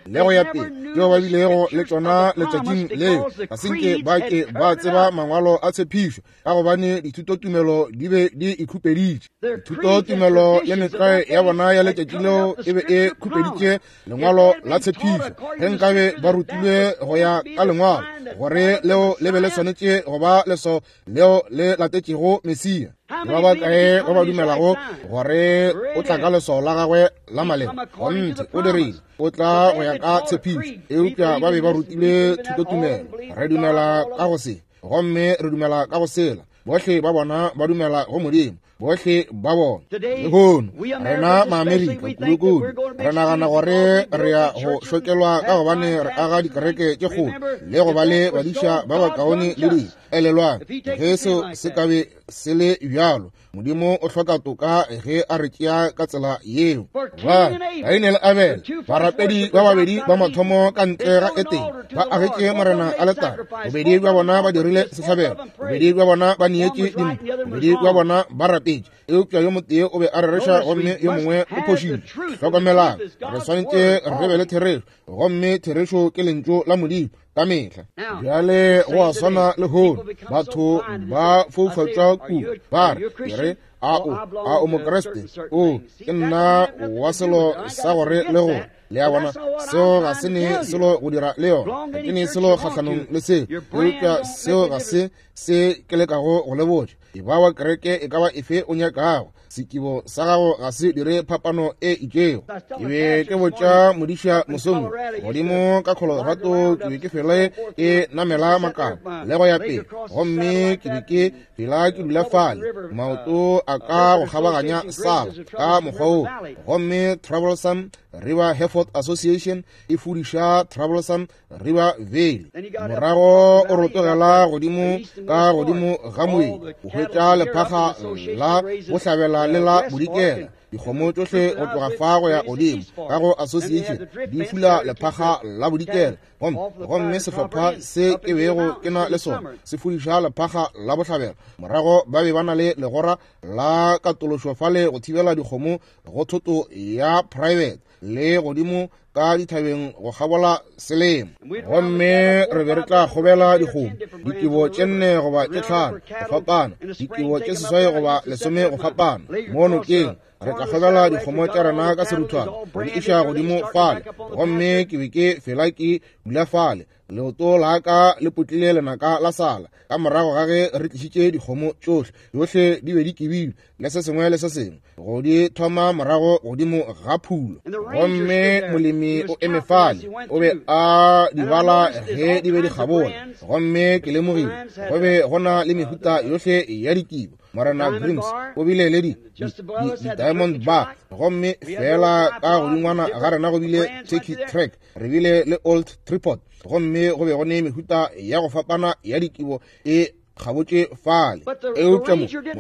le go ya pele tšeo ba bilego le tšona letšatšing leo. Ga se nke ba ke ba tseba mangwalo a tshepišo, ka gobane dithutotumelo di be di ikhupeditše. Dithutotumelo le metlwae ya bona ya letšatši leo e be e khupeditše lengwalo la tshepišo. Ge nkabe ba rutilwe go ya ka lengwalo, gore leo le be le swanetše go ba leswao leo le latetšego Mesia. Ke ba bakae ba ba dumelago gore o tla ka leswao la gagwe la maleba? Kgonthe, o dirile. O tla go ya ka tshepišo. Eupša ba be ba rutilwe thutotumelo. Re dumela ka go se, gomme re dumela ka go sela. Bohle ba bona ba dumela go Modimo, bohle ba bona. Lehono rena Maamerika kudu-kudu re nagana gore re ya go šokelwa ka gobane re aga dikereke tše kgolo le go ba le badiša ba bakaone le dilo. Elelwang, ge seo se ka be se le bjalo, Modimo o hloka toka ge a re tšea ka tsela yeo. Ba Kaine le Abele, barapedi ba babedi ba mathomo ka ntle ga Etene, ba agetše Morena aletare. Bobedi bja bona ba dirile sehlabelo, bobedi bja bona ba neetše dimpho, bobedi bja bona ba rapetše, eupša yo motee o be a rereša gomme yo mongwe o phošitše. Hlokomelang, re swanetše re be le therešo, gomme therešo ke lentšu la Modimo ka mehla. Bjale go a swana lehono, batho ba foufatšwa kudu, ba re, ke re, a o, a o Mokriste? O, ke nna wa selo sa gore le gore. Le a bona, seo ga se ne selo go dira le yona. Ga ke ne selo kgahlanong le seo, eupša seo ga se se ke lekago go le botša. E ba wa kereke e ka ba efe o nyakago, sekibo sa gago ga se dire phapano e itšego. Ke be ke botša modiša mosong godimo ka Colorado, ke be ke fele ke namela makala le go ya pele, gomme ke be ke fela ke dula fale, maoto a ka go kgabaganya sala ka mokgwa wo, gomme Troublesome River Hereford Association e fudiša Troublesome River Valley. Morago o rotogela godimo ka godimo ga moedi, o hwetša lephaga la bohlabela le la bodikela. Dikgomo tšohle go tloga fa go ya godimo ka go association di fula lephaga la bodikela, gomme, gomme sehlopha se ke bego ke na le sona se fudiša lephaga la bohlabela. Morago ba be ba na le legora la katološo fale go thibela dikgomo go thoto ya private le godimo ka dithabeng go kgabola selemo. Gomme re be re tla kgobela dikgomo dikebo tše 4 goba tše 5 go fapana, dikebo tše 8 goba 10 go fapana mo nokeng. Re tla kgobela dikgomo tša rena ka seruthwana go di iša godimo fale. Gomme ke be ke fela ke dula fale, leoto la ka le potlile lenaka la sala ka morago ga ge re tlišitše dikgomo tšohle, tšohle di be di kibilwe le se sengwe le se sengwe, go di thoma morago godimo ga phulo. Gomme molemi o eme fale, o be a di bala ge di be di kgabola. Gomme ke lemogile go be go na le mehuta yohle ya dikibo. Morena Grims o bile le di-diamond bar, gomme fela ka godingwana ga rena go bile Turkey Track, re bile le Old Tripod, gomme go be go ne mehuta ya go fapana ya dikibo e kgabotše fale. Eupša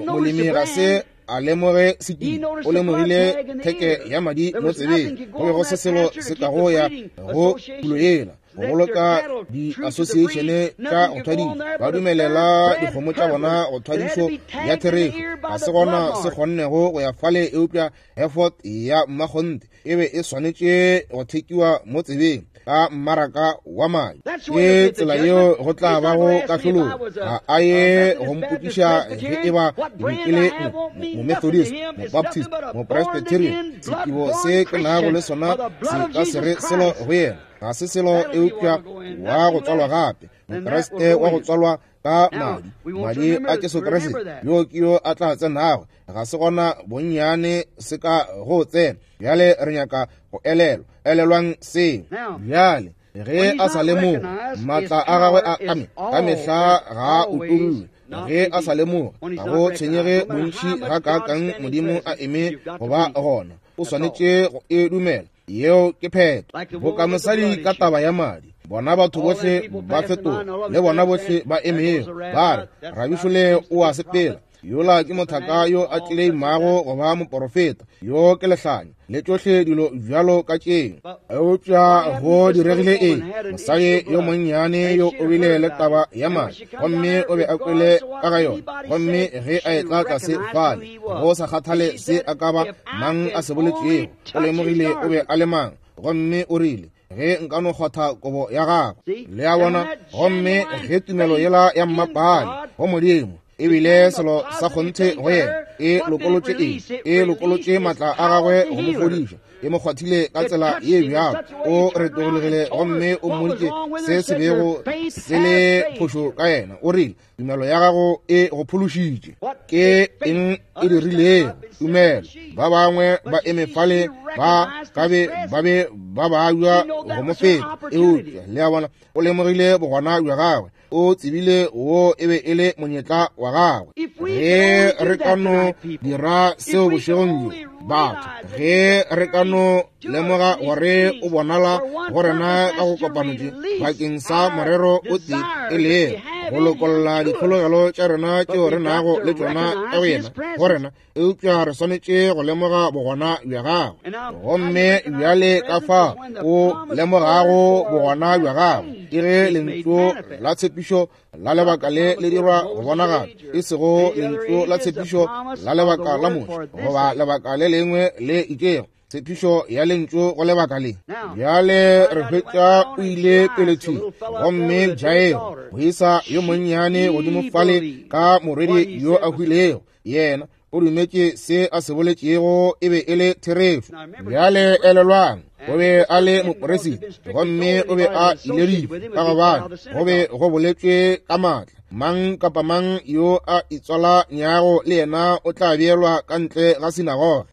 molemi ga se a lemoge sekibo, o lemogile theke ya madi mo tsebeng. Go be go se selo se kago ya go phulo yela go boloka di-association tša go thwadiša, ba dumelela dikgomo tša bona go thwadišo ya therešo. Ga se gona se kgonnego go ya fale, eupša Hereford ya mmakgonthe e be e swanetše go thekiwa mo tsebeng ka mmaraka wa madi. Ke tsela yeo go tla bago kahlolong. Ga a ye go mpotšiša ge e ba ke be ke le Momethodist, Mobaptist, Mopresbyterian. Sekibo se ke nago le sona se ka se re selo go yena. Ga se selo eupša wa go tswalwa gape, Mokriste wa go tswalwa ka madi, madi a Jesu Kriste, yo ke yo a tla tsenago. Ga se gona bonnyane se ka go tsena. Bjale re nyaka go elelwa. Elelwang seo. Bjale Ge a sa lemoge, maatla a gagwe a ka mehla ga a utollwe. Ge a sa lemoge, ga go tshwenyege bontši gakaakang Modimo a eme go ba gona, o swanetše go e dumela. Yeo ke phetho. Boka mosadi ka taba ya madi, bona batho bohle ba fetoga, le bona bohle ba emego, ba re, Rabišole o a sepela. Yola ke mothaka yo a tleleimago go ba moporofeta, yo ke lehlanya, le tšohle dilo bjalo ka tšeo. Eupša go diregile eng? Mosadi yo monnyane yo o bile le taba ya madi, gomme o be a kwele ka ga yona. Gomme ge a etla tlase fale, go sa kgathale se a ka ba mang a se boletšego, o lemogile o be a le mang, gomme o rile, Ge nka no kgwatha kobo ya gagwe. Le a bona? Gomme ge tumelo yela ya mmapale go Modimo e bile selo sa kgonthe go yena, e lokolotše eng? E lokolotše maatla a gagwe go mo fodiša. E mo kgwathile ka tsela ye bjalo, o retologile gomme o mmoditše se se bego se le phošo ka yena. O rile, Tumelo ya gago e go phološitše. Ke eng e dirilego? Tumelo. Ba bangwe ba eme fale ba ka be ba be ba babja go mo feta, eupša le a bona, o lemogile bogona bja gagwe. O tsebile wo e be e le monyetla wa gagwe. Ge re ka no dira seo bošegong bjo, batho, ge re ka no lemoga gore o bonala go rena ka go kopano tše bakeng sa morero o tee, e lego go lokolla ditlhologelo tša rena tšeo re nago le tšona ka go yena go rena, eupša re swanetše go lemoga bogona bja gagwe. Gomme bjale ka fa o lemogago bogona bja gagwe ke ge lentšu la tshepišo la lebaka le le dirwa go bonagala, e sego lentšu la tshepišo la lebaka la Moshe goba lebaka le lengwe le itšego, tshepišo ya lentšu go lebaka le. Bjale re hwetša o ile pele thwi, gomme Jairo, moisa yo monnyane godimo fale ka morwedi yo a hwilego, yena o dumetše se a se boletšego e be e le therešo. Bjale elelwang, o be a le moperisita, gomme o be a ileditšwe ka gobane go be go boletšwe ka maatla. Mang kapa mang yo a itswalanyago le yena o tla beelwa ka ntle ga sinagoge.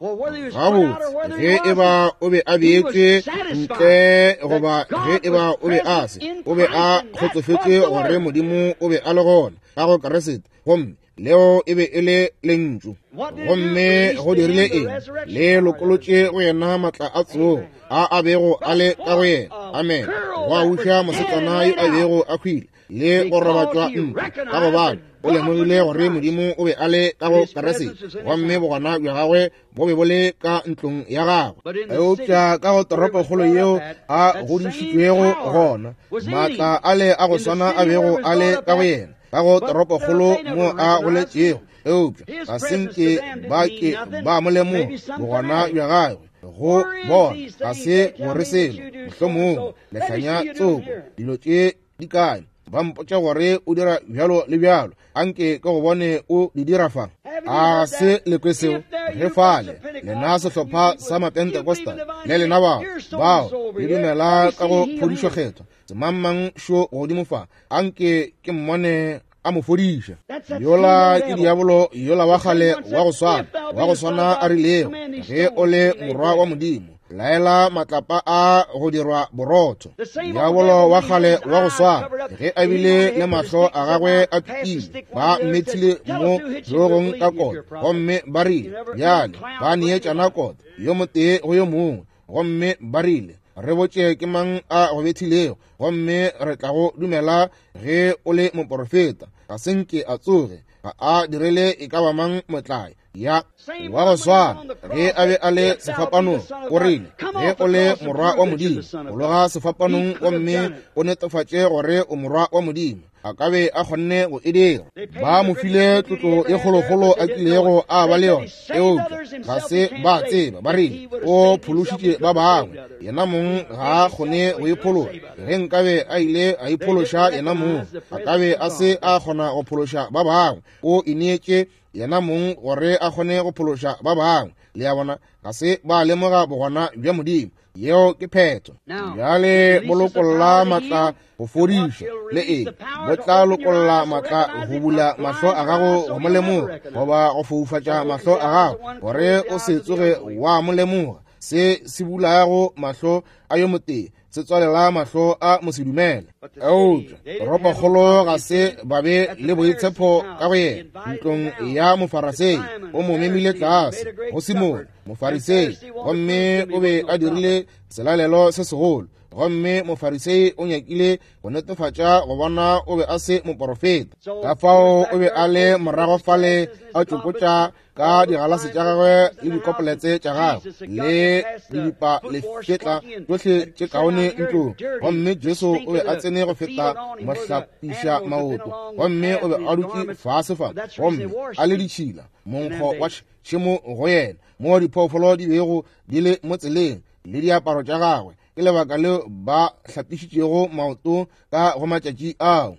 Gabotse, ge e ba o be a beetšwe ntle goba ge e ba o be a se, o be a kgotsofetše gore Modimo o be a le gona ka go Kriste, gomme leo e be e le lentšu. Gomme go dirile eng? Le lokolotše go yena maatla a tsogo a a bego a le ka go yena. Amen. Go a uša mosetsana yo a bego a hwile le go robatšwa ntlo, ka gobane o lemogile gore Modimo o be a le ka go Kriste, gomme bogona bja gagwe bo be bo le ka ntlong ya gagwe. Eupša ka go toropokgolo yeo a godišitšwego gona, maatla a le a go swana a bego a le ka go yena ka go toropokgolo mo a goletšego, eupša ga se nke ba ke ba mo lemoga bogona bja gagwe go bona, ga se gore selo, mohlomongwe lehlanya tsoko, dilo tše di kae, ba mpotša gore o dira bjalo le bjalo, anke ke go bone o di dira fa. A se le kwe seo? Ge fale lena sehlopha sa Mapentecostal le lena bao bao le dumela ka go phodišo kgethwa, semangmang šo godimo fa, anke ke mmone a mo fodiša. Yola ke diabolo yola wa kgale wa go swana, wa go swana a rilego, ge o le morwa wa Modimo, laela matlapa a go dirwa borotho. Diabolo wa kgale wa go swana, ge a bile le mahlo a gagwe a pipile, ba mmethile mo hlogong ka kota, gomme ba rile, bjale ba neetšana kota, yo motee go yo mongwe, gomme ba rile, re botše ke mang a go bethilego, gomme re tla go dumela ge o le moporofeta. Ga se nke a tsoge, ga a direle e ka ba mang motlae. Ya wa go swana ge a be a le sefapanong, o rile, ge o le morwa wa Modimo, fologa sefapanong gomme o netefatše gore o morwa wa Modimo. A ka be a kgonne go e dira. Ba mo file tlotlo e kgolokgolo a kilego a ba le yona, eupša ga se ba tseba. Ba rile o phološitše ba bangwe, yena mong ga a kgone go iphološa. Ge nkabe a ile a iphološa yena mong, a ka be a se a kgona go phološa ba bangwe. O ineetše yena mong gore a kgone go phološa ba bangwe. Le a bona, ga se ba lemoga bogona bja Modimo. Yeo ke phetho. Bjale bo lokolla matla go fodiša le eng, bo tla lokolla matla go bula mahlo a gago go mo lemoga, goba go foufatša mahlo a gago gore o se tsoge wa mo lemoga. Se se bulago mahlo a yo motee, se tswalela mahlo a mosedumele. Eupša toropokgolo ga se ba be le boitshepo ka go yena. Ntlong ya Mofarasei, o mo memile tlase go Simone Mofarisei, gomme o be a dirile selalelo se segolo. Gomme Mofarisei o nyakile go netefatša go bona o be a se moporofeta. Ka fao o be a le morago fale a tšokotša ka digalase tša gagwe le dikopoletse tša gagwe le dibipa lefetla tšohle tše kaone ntlong. Gomme Jesu o be a tsene go feta mohlapiša maoto, gomme o be a dutše fase fa, gomme a le ditšhila, monkgo wa tšhemo go yena, moo diphoofolo di bego di le mo tseleng, le diaparo tša gagwe. Ke lebaka leo ba hlapišitšego maoto ka go matšatši ao.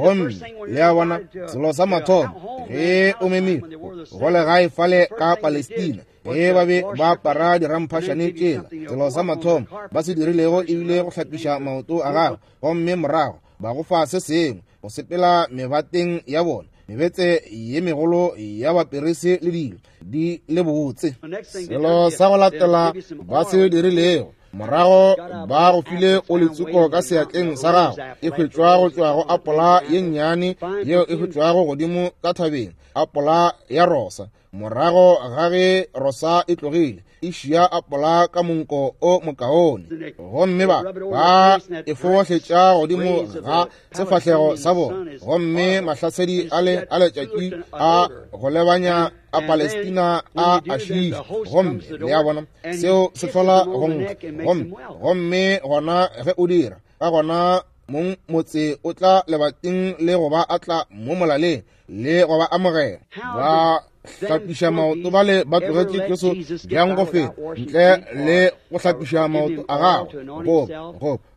Gomme le a bona, selo sa mathomo ge o memile go legae fale ka Palestina, ge ba be ba apara diramphašane tšela, selo sa mathomo ba se dirilego ebile go hlapiša maoto a gago, gomme morago ba go fa se sengwe go sepela mebateng ya bona, mebetse ye megolo ya baperese le dilo di le botse. Selo sa go latela ba se dirilego, morago ba go file o letsuko ka seatleng sa gago, e hwetšwa go tšwa go apola ye nnyane yeo e hwetšwago godimo ka thabeng, apola ya rosa. Morago ga ge rosa e tlogile, e šia apola ka monko o mokaone, gomme ba ba e fohletša godimo ga sefahlego sa bona, gomme mahlasedi a le a letšatši a go lebanya a Palestina a a šiiša. Gomme le a bona, seo se hlola go nkga. Gomme gomme gona ge o dira, ka gona mong motse o tla lebating le go ba atla mo molaleng le go ba amogela. Ba hlapiša maoto bale ba tlogetše Jesu bjang go feta ntle le go hlapiša maoto a gagwe,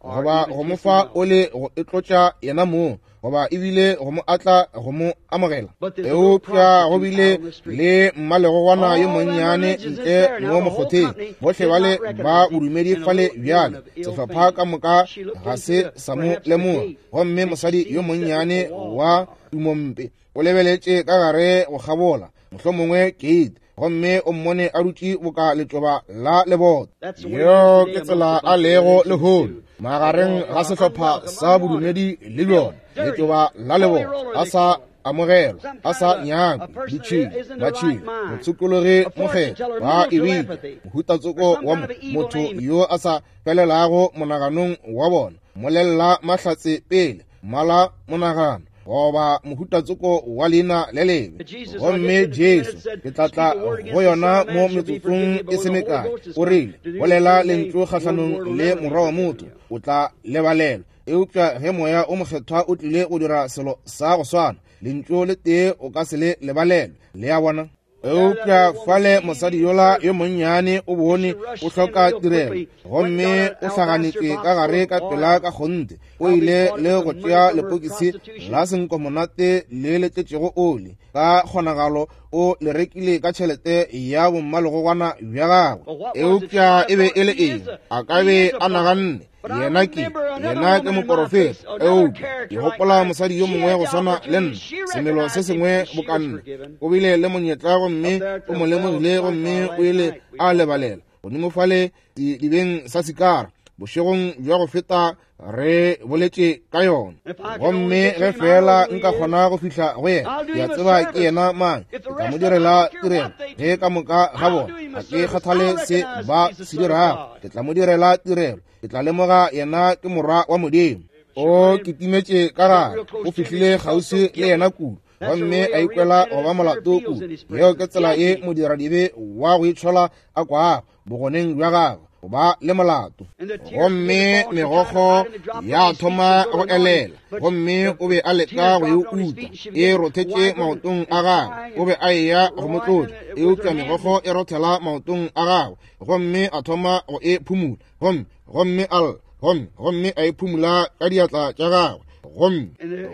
goba go mo fa ole go itlotša yena mong, goba ebile go mo atla go mo amogela. Eupša go bile le mmalegogwana yo monnyane ntle mo mokgotheng, bohle bale ba bodumedi fale bjale, sehlopha ka moka ga se sa mo lemoga. Gomme mosadi yo monnyane wa tumompe o lebeletše ka gare go kgabola mohlomongwe keite, gomme o mmone a dutše boka letšoba la leboto. Yeo ke tsela a lego lehono magareng ga sehlopha sa bodumedi le bjona, letšoba la leboto, a sa amogelwa, a sa nyakwe, ditšhila, matšhila, motshokologi mokgethwa, ba e bitša mohutatsoko wa motho yo a sa felelago monaganong wa bona, molelela mahlatse pele, mala monagano, goba mohutatsoko wa leina le lebe. Gomme Jesu, ke tla tla go yona mo metsotsong e se mekae, o rile, bolela lentšu kgahlanong le Morwa wa motho, o tla lebalelwa. Eupša ge Moya o Mokgethwa o tlile go dira selo sa go swana, lentšu le tee o ka se le lebalelwe. Le a bona? Eupša fale mosadi yola yo monnyane o bone o hloka tirelo, gomme o hlaganetše ka gare ka pela ka kgonthe. O ile le go tšea lepokisi la senkomonate le le tletšego oli, ka kgonagalo o le rekile ka tšhelete ya bommalegogwana bja gagwe. Eupša e be e le eng? A ka be a naganne yena ke yena ke moporofeta. Eupša ke gopola mosadi yo mongwe go swana le nna, semelo se sengwe boka nna, o bile le monyetla gomme o mo lemogile, gomme o ile a lebalela godimo fale dibeng sa Sikara bošegong bja go feta re boletše ka yona. Gomme ge fela nka kgona go fihla go yena, ke a tseba ke yena mang, ke tla mo direla tirelo. Ge ka moka ga bona, ga ke kgathale se ba se dirago, ke tla mo direla tirelo. Ke tla lemoga yena ke Morwa wa Modimo. O kitimetše ka gare, o fihlile kgauswi le yena kudu, gomme a ikwela go ba molato kudu. Yeo ke tsela ye modiradibe wa go itshola a kwago bogoneng bja gagwe, go ba le molato. Gomme megokgo ya thoma go elela, gomme o be a leka go e uta, e rothetše maotong a gagwe. O be a eya go mo tlotša, eupša megokgo e rothela maotong a gagwe, gomme a thoma go e phumula, gomme gomme a lla, gomme gomme a e phumula ka diatla tša gagwe, gomme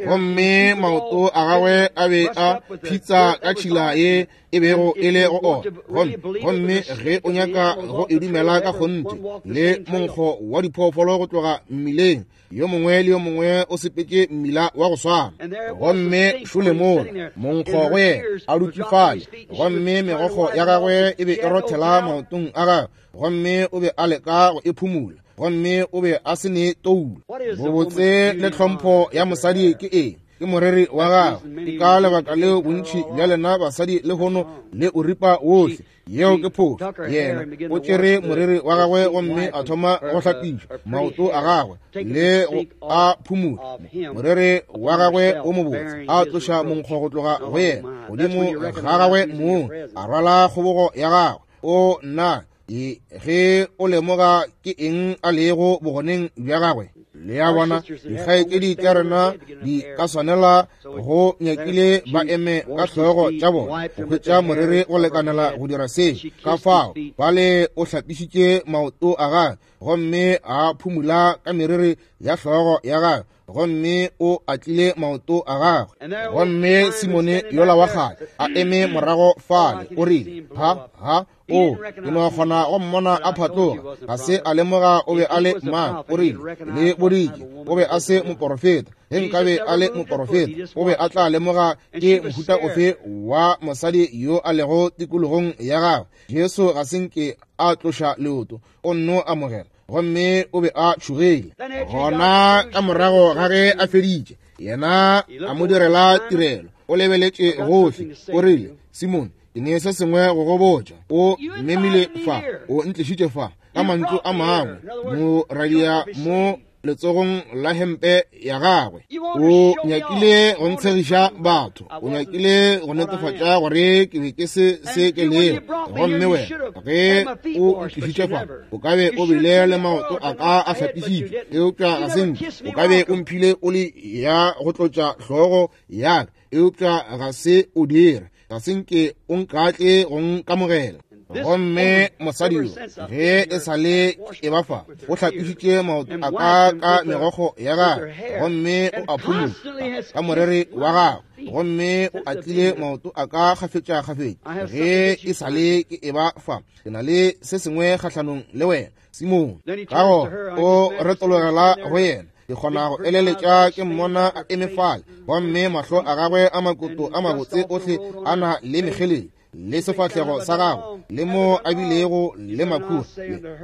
gomme maoto a gagwe a be a phitsa ka tšhila ye e bego e le go ona. Gomme gomme ge o nyaka go e dumela ka kgonthe, le monkgo wa diphoofolo go tloga mmileng, yo mongwe le yo mongwe o sepetše mmila wa go swana. Gomme šole mola monkgo go yena a dutše fale, gomme megokgo ya gagwe e be e rothela maotong a gagwe, gomme o be a leka go e phumula. gomme o be a se ne toulo. Bobotse le tlhompho ya mosadi ke eng? Ke moreri wa gagwe. Ke ka lebaka leo bontši bja lena basadi lehono le o ripa wohle. Yeo ke phošo. Yena o tšere moriri wa gagwe gomme a thoma go hlapiša maoto a gagwe le go a phumula moriri wa gagwe o mobotse, a tloša monkgo go tloga go yena godimo ga gagwe mong, a rwala kgobogo ya gagwe. O nna, ge o lemoga ke eng a lego bogoneng bja gagwe. Le a bona, dikgaetšedi tša rena di ka swanela go nyakile ba eme ka hlogo tša bona go hwetša moriri go lekanela go dira se. Ka fao bale o hlapišitše maoto a gagwe gomme a phumula ka meriri ya hlogo ya gagwe, gomme o atlile maoto a gagwe. Gomme Simone yola wa kgale a eme morago fale, o rile, Ha, ha, o, ke no kgona go mmona a phatloga. Ga se a lemoga o be a le mang. O rile, Le boditše o be a se moporofeta. Ge nkabe a le moporofeta, o be a tla lemoga ke mohuta ofe wa mosadi yo a lego tikologong ya gagwe. Jesu ga se nke a tloša leoto, o nno amogela, gomme o be a tšhogile. Gona ka morago ga ge a feditše, yena a mo direla tirelo, o lebeletše gohle, o rile, Simone, ke ne se sengwe go go botša. O mmemile fa, o ntlišitše fa. Ka mantšu a mangwe, mo radia mo letsogong la hempe ya gagwe. O nyakile go ntshegiša batho, o nyakile go netefatša gore ke be ke se se ke lego. Gomme wena ge o ntlišitše fa, o ka be o bile le maoto a ka a hlapišitšwe, eupša ga se nke. O ka be o mphile oli ya go tlotša hlogo ya ka, eupša ga se o dire. Ga se nke o nkatle go nkamogela. Gomme mosadi yo, ge e sa le e ba fa, o hlapišitše maoto a ka ka megokgo ya gagwe, gomme o a phumola ka moreri wa gagwe, gomme o atlile maoto a ka kgafetša-kgafetša. Ge e sa le ke e ba fa, ke na le se sengwe kgahlanong le wena, Simone. Ka gona o retologela go yena. Ke kgona go eleletša ke mmona a eme fale, gomme mahlo a gagwe a makoto a mabotse ohle a na le mekgeledi, le sefahlego sa gagwe le mo a bilego le makhura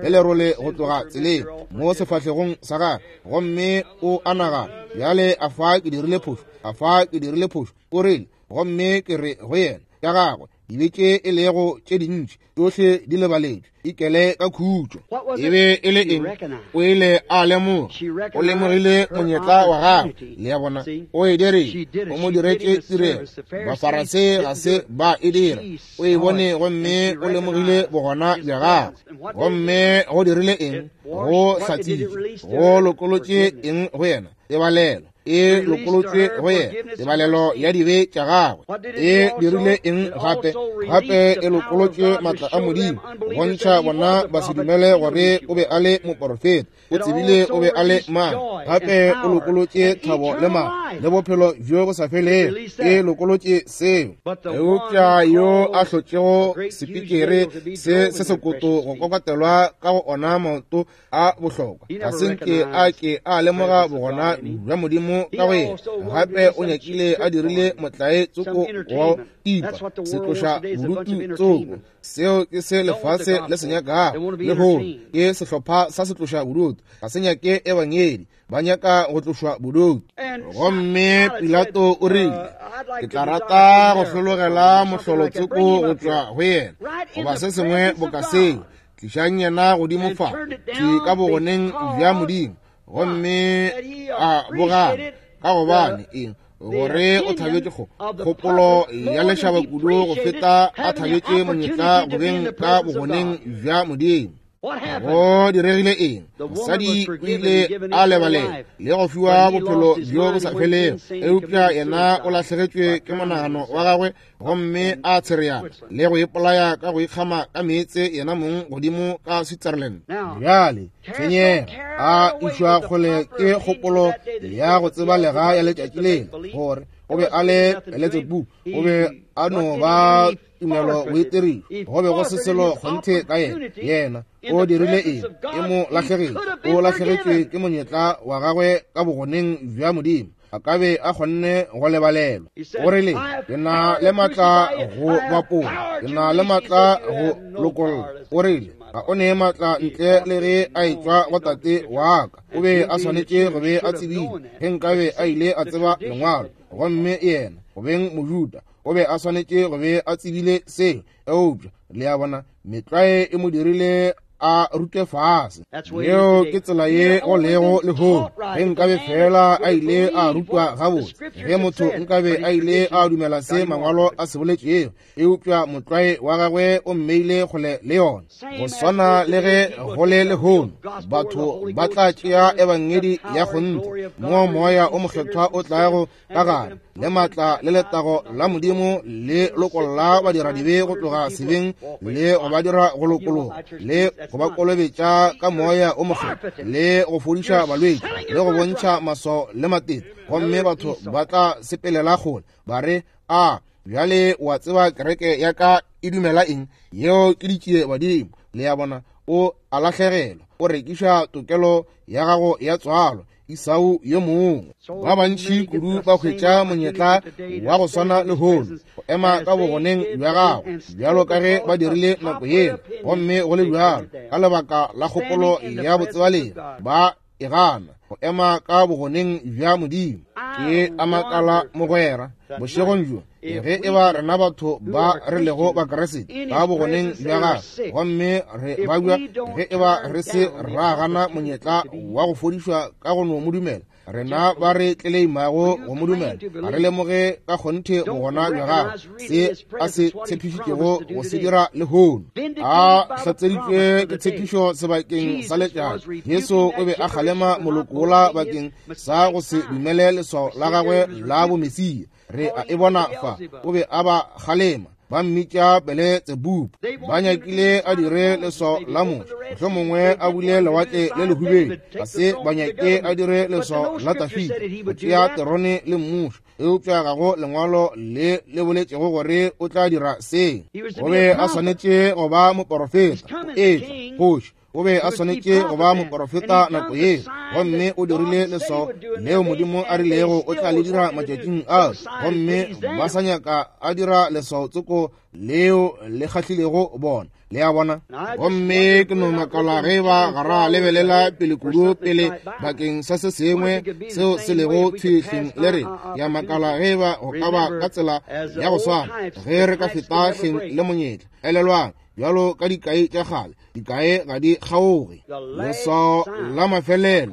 le lerole go tloga tseleng mo sefahlegong sa gagwe. Gomme o a nagana, bjale a fa ke dirile phošo, a fa ke dirile phošo. O rile, gomme ke re go yena, tša gagwe dibe tše e lego tše dintši tšohle di lebaletšwe, ikele ka khutšo. E be e le eng? O ile a lemoga, o lemogile monyetla wa gagwe. Le a bona, o e dirile, o mo diretše tirelo. Bafarasei ga se ba e dira. O e bone gomme o lemogile bogona bja gagwe. Gomme go dirile eng? Go hlatsitše, go lokolotše eng go yena? Tebalelo e lokolotšwe go yena, tebalelo ya dibe tša gagwe. E dirile eng gape? Gape e lokolotšwe maatla a Modimo go bontšha bona basedumele gore o be a le moporofeta. O tsebile o be a le mang. Gape o lokolotše thabo le maatla le bophelo bjo bo sa felego. E lokolotše seo. Eupša yo a hlotšego sepikere se se sekoto go kokatelwa ka go ona maoto a bohlokwa, ga se nke a ke a lemoga bogona bja Modimo ka go yena. Gape o nyakile a dirile motlae tsoko wa tipa setloša bodutu tsoko. Seo ke se lefase le se nyakago lehono, ke sehlopha sa setloša bodutu. Ga se nyake ebangedi, ba nyaka go tlošwa bodutu. Gomme Pilato o rile, ke tla rata go hlologela mohlolo tsoko go tšwa go yena, goba se sengwe boka seo. Tlišang yena godimo fa, ke ka bogoneng bja Modimo, gomme a bogana, ka gobane eng? Gore o thabetše kgopolo ya lešaba kudu go feta a thabetše monyetla go beng ka bogoneng bja Modimo. Go diregile eng? Mosadi o ile a lebalela le go fiwa bophelo bjo bo sa felego, eupša yena o lahlegetšwe ke monagano wa gagwe gomme a tshereana le go ipolaya ka go ikgama ka meetse yena mong godimo ka Switzerland. Bjale tshwenyega a išwa kgole ke kgopolo ya go tseba lega ya letšatši lela gore o be a le Beletsebu, o be a no ba tumelo boitirišo, go be go se selo kgonthe ka yena. Yena o dirile eng? E mo lahlegetše, o lahlegetšwe ke monyetla wa gagwe ka bogoneng bja Modimo. A ka be a kgonne go lebalelwa. O rile, ke na le maatla go bapola, ke na le maatla go lokolla. O rile, Ga o ne maatla ntle le ge a etšwa go Tate wa Ka. O be a swanetše go be a tsebile, ge nkabe a ile a tseba Lengwalo. Gomme yena, go beng Mojuda, o be a swanetše go be a tsebile seo. Eupša, le a bona, metlwae e mo dirile a rutwe fase. Yeo ke tsela ye go lego lehono. Ge nkabe fela a ile a rutwa gabotse, ge motho nkabe a ile a dumela se Mangwalo a se boletšego, eupša motlwae wa gagwe o mmeile kgole le yona. Go swana le ge go le lehono, batho ba tla tšea Ebangedi ya kgonthe, moo Moya o Mokgethwa o tlago ka gare le maatla le letago la Modimo le lokolla badiradibe go tloga sebeng le go ba dira go lokologa le go ba kolobetša ka Moya o Mokgethwa le go fodiša balwetši le go bontšha maswao le matete, gomme batho ba tla sepelela kgole ba re, A bjale wa tseba kereke ya ka e dumela eng? Yeo ke ditšie badimo. Le a bona, o a lahlegelwa, o rekiša tokelo ya gago ya tswalo. Esau yo mongwe. Ba bantši kudu ba hwetša monyetla wa go swana lehono go ema ka bogoneng bja gagwe bjalo ka ge ba dirile nako yela, gomme go le bjalo ka lebaka la kgopolo ya botsebalegi ba e gana go ema ka bogoneng bja Modimo. Ke a makala mogwera bošegong bjo ge e ba rena batho ba re lego Bakriste ka bogoneng bja gagwe gomme re babja, ge e ba re se ra gana monyetla wa go fodišwa ka go no mo dumela, rena ba re tleleimago go mo dumela ga re lemoge ka kgonthe bogona bja gagwe, se a se tshepišitšego go se dira lehono. A hlatseditšwe ke tshepišo sebakeng sa letšatši, Jesu o be a kgalema moloko wola bakeng sa go se dumele leswao la gagwe la bomesia. Re a e bona fa, o be a ba kgalema, ba mmitša Beletsebubu. Ba nyakile a dire leswao la Moshe, mohlomongwe a bule lewatle le lehubedu. Ga se ba nyake a dire leswao la Dafida, go tšea terone le mmušo, eupša ga go lengwalo le le boletšego gore o tla dira se. O be a swanetše go ba moporofeta, o etla kgoši. O be a swanetše go ba moporofeta nako ye, gomme o dirile leswao leo Modimo a rilego o tla le dira matšatšing a, gomme ba sa nyaka a dira leswao tsoko leo le kgahlilego bona. Le a bona? Gomme ke no makala ge ba ga ra lebelela pele kudu pele bakeng sa se sengwe seo se lego thwihleng le re. Ke a makala ge ba go ka ba ka tsela ya go swana ge re ka feta hleng le monyetla. Elelwang, bjalo ka dikai tša kgale, dikae ga di kgaoge. Leswao la mafelelo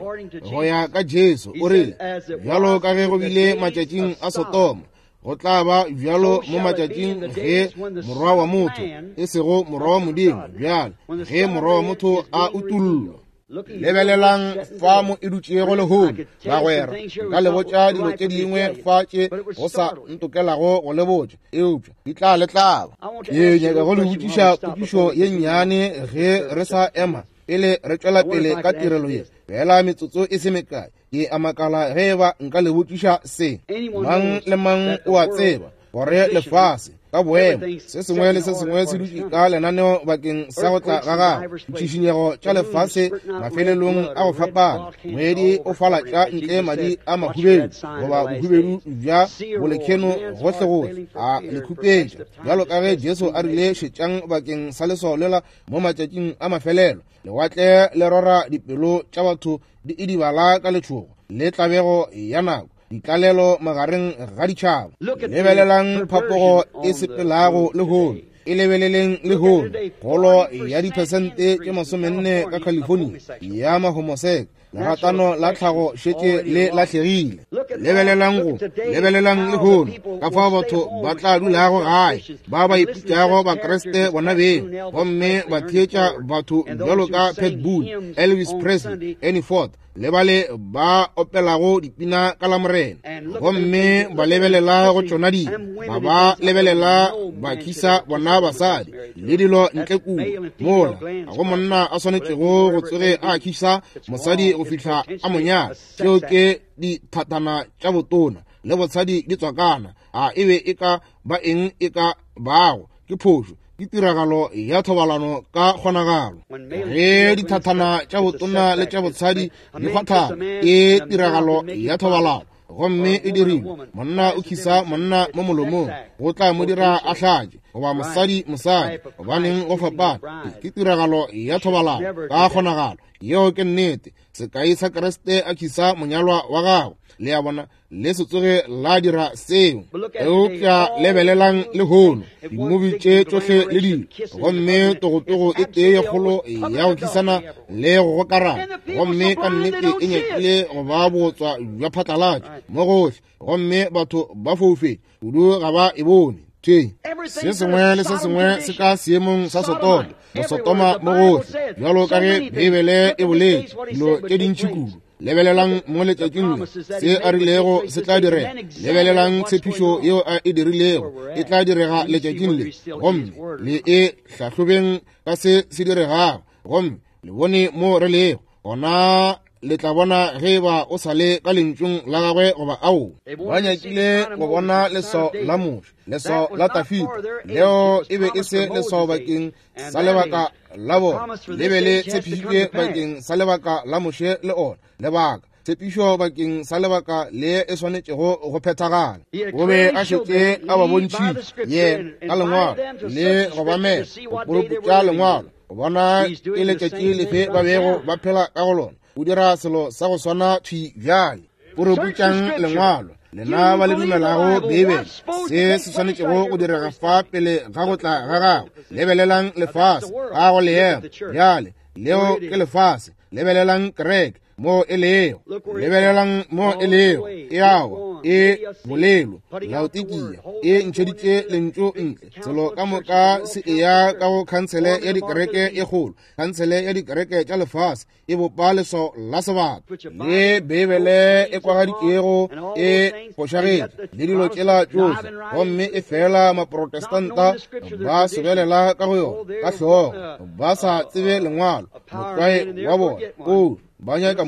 go ya ka Jesu o rile, bjalo ka ge go bile matšatšing a Sodoma, go tla ba bjalo mo matšatšing ge Morwa wa motho, e sego Morwa wa Modimo, bjale ge Morwa wa motho a utollwa. Lebelelang fa mo e dutšego lehono, bagwera. Nka le botša dilo tše dingwe fa tše go sa ntokelago go le botša, eupša di tla le tlaba. Ke nyaka go le botšiša potšišo ye nnyane ge re sa ema pele re tšwela pele ka tirelo ye, feela metsotso e se mekae. Ke a makala ge eba nka le botšiša se. Mang le mang o a tseba gore lefase ka boemo se sengwe le se sengwe se dutše ka lenaneo bakeng sa go tla ga gagwe. Ditšhišinyego tša lefase mafelelong a go fapana, moedi o falatša ntle madi a mahubedu goba bohubedu bja bolekheno gohlegohle, a le khupetša bjalo ka ge Jesu a rile, šetšang bakeng sa leswao lela mo matšatšing a mafelelo. Lewatle le rora dipelo tša batho di idibala ka letšhogo le tlabego ya nako, ditlalelo magareng ga ditšhaba. Lebelelang phapogo e sepelago lehono, e lebeleleng lehono, kgolo ya diphesente tše 40 ka California ya mahomoseka. Leratano la tlhago šetše le lahlegile. Lebelelang go, lebelelang lehono, ka fao batho ba tla dulago gae, ba ba ipitšago Bakriste bona beng, gomme ba theetša batho bjalo ka Pat Boone, Elvis Presley, Ernie Ford, le bale ba opelago dipina ka Lamorena, gomme ba lebelela go tšona dilo, ba ba lebelela ba khisa bona basadi le dilo ntle kua mola ga go monna a swanetšego go tsoge a khisa mosadi go fihla a mo nyala. Tšeo ke dithatana tša botona le botshadi di tswakana. A e be e ka ba eng e ka bago ke phošo, ke tiragalo ya thobalano ka kgonagalo. Ge dithathana tša botona le tša botshadi di kgwathana, ke tiragalo ya thobalano, gomme e dirilwe. Monna o khisa monna mo molomong, go tla mo dira a hlatše. goba mosadi mosadi. Gobaneng go fapana? Ke tiragalo ya thobalano ka kgonagalo. Yeo ke nnete. Sekai sa Kriste a khisa monyalwa wa gagwe. Le a bona, le se tsoge la dira seo. Eupša lebelelang lehono, dimubi tše tšohle le dilo, gomme togotogo e tee ye kgolo ya go khisana le go gokarana, gomme ka nnete e nyakile go ba bootswa bja phatlalatšo mo gohle, gomme batho ba foufetše kudu ga ba e bone. Thwe se sengwe le se sengwe se ka seemong sa Sotoma, Bosotoma mo gohle, bjalo ka ge Beibele e boletše dilo tše dintši kudu. Lebelelang mo letšatšing le, se a rilego se tla direga. Lebelelang tshepišo yeo a e dirilego e tla direga letšatšing le, gomme le e hlahlobeng ka se se diregago, gomme le bone mo re lego gona. Le tla bona ge eba o sa le ka lentšung la gagwe goba ao. Ba nyakile go bona leswao la Moshe, leswao la Dafida. Leo e be e se leswao bakeng sa lebaka la bona, le be le tshepišitšwe bakeng sa lebaka la Moshe le ona lebaka. Tshepišo bakeng sa lebaka le e swanetšego go phethagala. O be a šetše a ba bontšhitše yena ka lengwalo le go ba mema go puruputša lengwalo, go bona ke letšatši lefe ba bego ba phela ka go lona. O dira selo sa go swana thwi bjale. Puruputšang lengwalo, lena ba le dumelago Beibele, se se swanetšego go direga fa pele ga go tla ga gagwe. Lebelelang lefase ga go leemo bjale, leo ke lefase. Lebelelang kereke mo e lego, lebelelang mo e lego, e awa e bolelo Laodikia e ntšheditše lentšu ntle. Selo ka moka se eya ka go khansele ya dikereke e kgolo, khansele ya dikereke tša lefase e bopa leswao la sebata, le Beibele e kwagaditšego e fošagetše le dilo tšela tšohle, gomme e fela Maprotestanta ba sobelela ka go yona ka hlogo, ba sa tsebe lengwalo. Motlwae wa bona o ba nyaka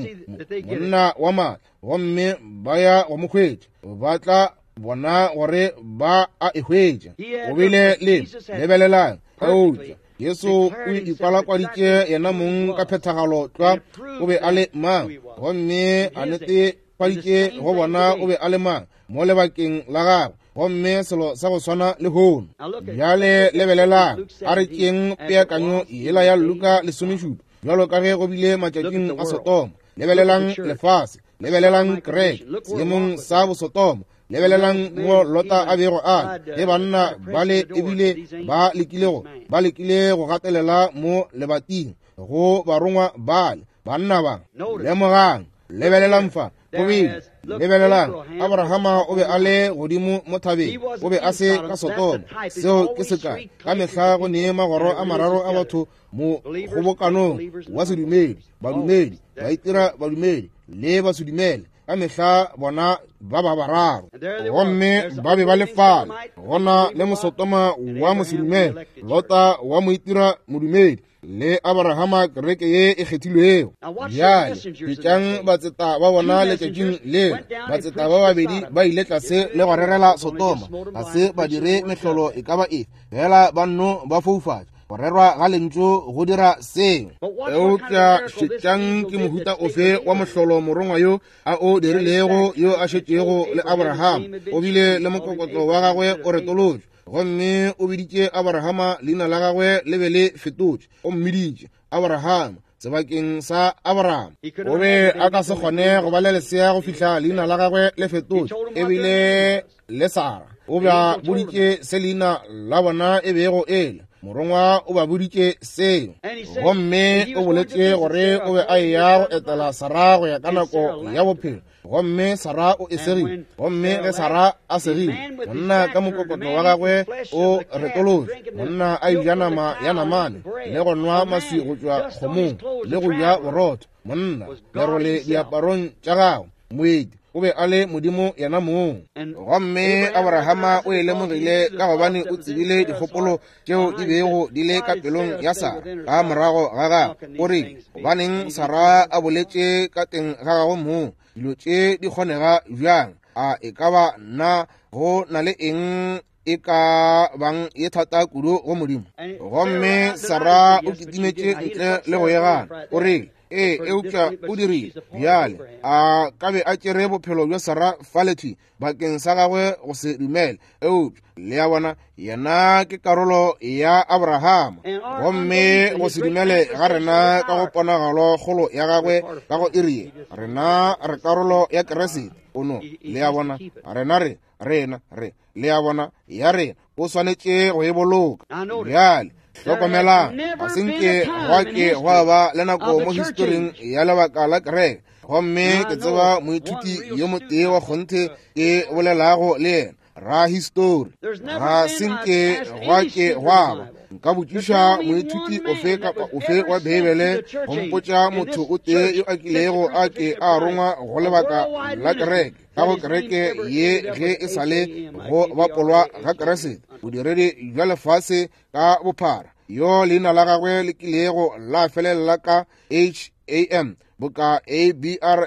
monna wa maatla, gomme ba ya go mo hwetša, ba tla bona gore ba a e hwetša. O bile le lebelelang, eupša Jesu o ikwalakwaditše yena mong ka phethagalo tlwa o be a le mang, gomme a netefaditše go bona o be a le mang mo lebakeng la gagwe, gomme selo sa go swana le hono. Bjale lebelelang, a re tšeeng peakanyo yela ya Luka 17, bjalo ka ge go bile matšatšing a Sotoma. Lebelelang lefase, lebelelang kereke seemong sa bosotoma, lebelelang mo Lota a bego a le, ge banna ba le ebile ba lekile go gatelela mo lebating go barongwa bale, banna ba. Lemogang, lebelelang fa, go bile, lebelelang, Abrahama o be a le godimo mo thabeng, o be a se ka Sotoma. Seo ke sekai. Ka mehla go ne magoro a mararo a batho mo kgobokanong wa sedumedi, badumedi, baitira badumedi le basedumele. Ka mehla bona ba ba bararo, gomme ba be ba le fale. Gona le Mosotoma wa mosedumele, Lota wa moitira modumedi, le Abrahama kereke ye e kgethilwego. Bjale bitšang batseta ba bona letšatšing leo. Batseta ba babedi ba ile tlase le go rerela Sotoma, ga se ba dire mehlolo e ka ba efe, fela ba nno ba foufatša. Go rerwa ga lentšu go dira seo. Eupša šetšang ke mohuta ofe wa mohlolo morongwa yo a o dirilego, yo a šetšego le Abraham. O bile le mokokotlo wa gagwe o retolotšwe, gomme o biditše Abrahama, leina la gagwe le be le fetotšwe. O mmiditše Abraham sebakeng sa Abraham. O be a ka se kgone go ba le lesea go fihla leina la gagwe le fetotšwe, ebile le Sara o ba boditše se leina la bona e bego e le. Morongwa o ba boditše seo, gomme o boletše gore o be a eya go etela Sara go ya ka nako ya bophelo, gomme Sara o e segile. Gomme ge Sara a segile, monna ka mokokotlo wa gagwe o retolotšwe, monna a eja nama ya namane le go nwa maswi go tšwa kgomong le go ja borotho, monna lerole diaparong tša gagwe, moeti o be a le Modimo yena mong. Gomme Abrahama o e lemogile ka gobane o tsebile dikgopolo tšeo di bego di le ka pelong ya Sara ka morago ga gagwe. O rile, gobaneng Sara a boletše ka teng ga gagwe mong? Dilo tše di kgonega bjang? A e ka ba nna go na le eng e ka bang ye thata kudu go Modimo? Gomme Sara o kitimetše ntle le go e gana. O rile, Ee, eupša o dirile. Bjale, a ka be a tšere bophelo bja Sarah falethwi bakeng sa gagwe go se dumele. Eupša, le a bona, yena ke karolo ya Abrahama. Gomme go se dumele ga rena ka go ponagalo kgolo ya gagwe ka go iri ye, rena re karolo ya Kriste. O no, le a bona, rena re, rena re, le a bona, ya rena, o swanetše go e boloka. Bjale, hlokomelang, ga se nke gwa ke gwa ba le nako mo historing ya lebaka la kereke, gomme ke tseba moithuti yo motee wa kgonthe ke bolelago le yena, rahistori. Ga se nke gwa ke gwa ba. Nka botšiša moithuti ofe kapa ofe wa Beibele go mpotša motho o tee yo a kilego a ke a rongwa go lebaka la kereke, ka go kereke ye ge e sa le go bapolwa ga Kriste, bodiredi bja lefase ka bophara, yo leina la gagwe le kilego la felela ka H-A-M, boka A-B-R-A-H-A-M,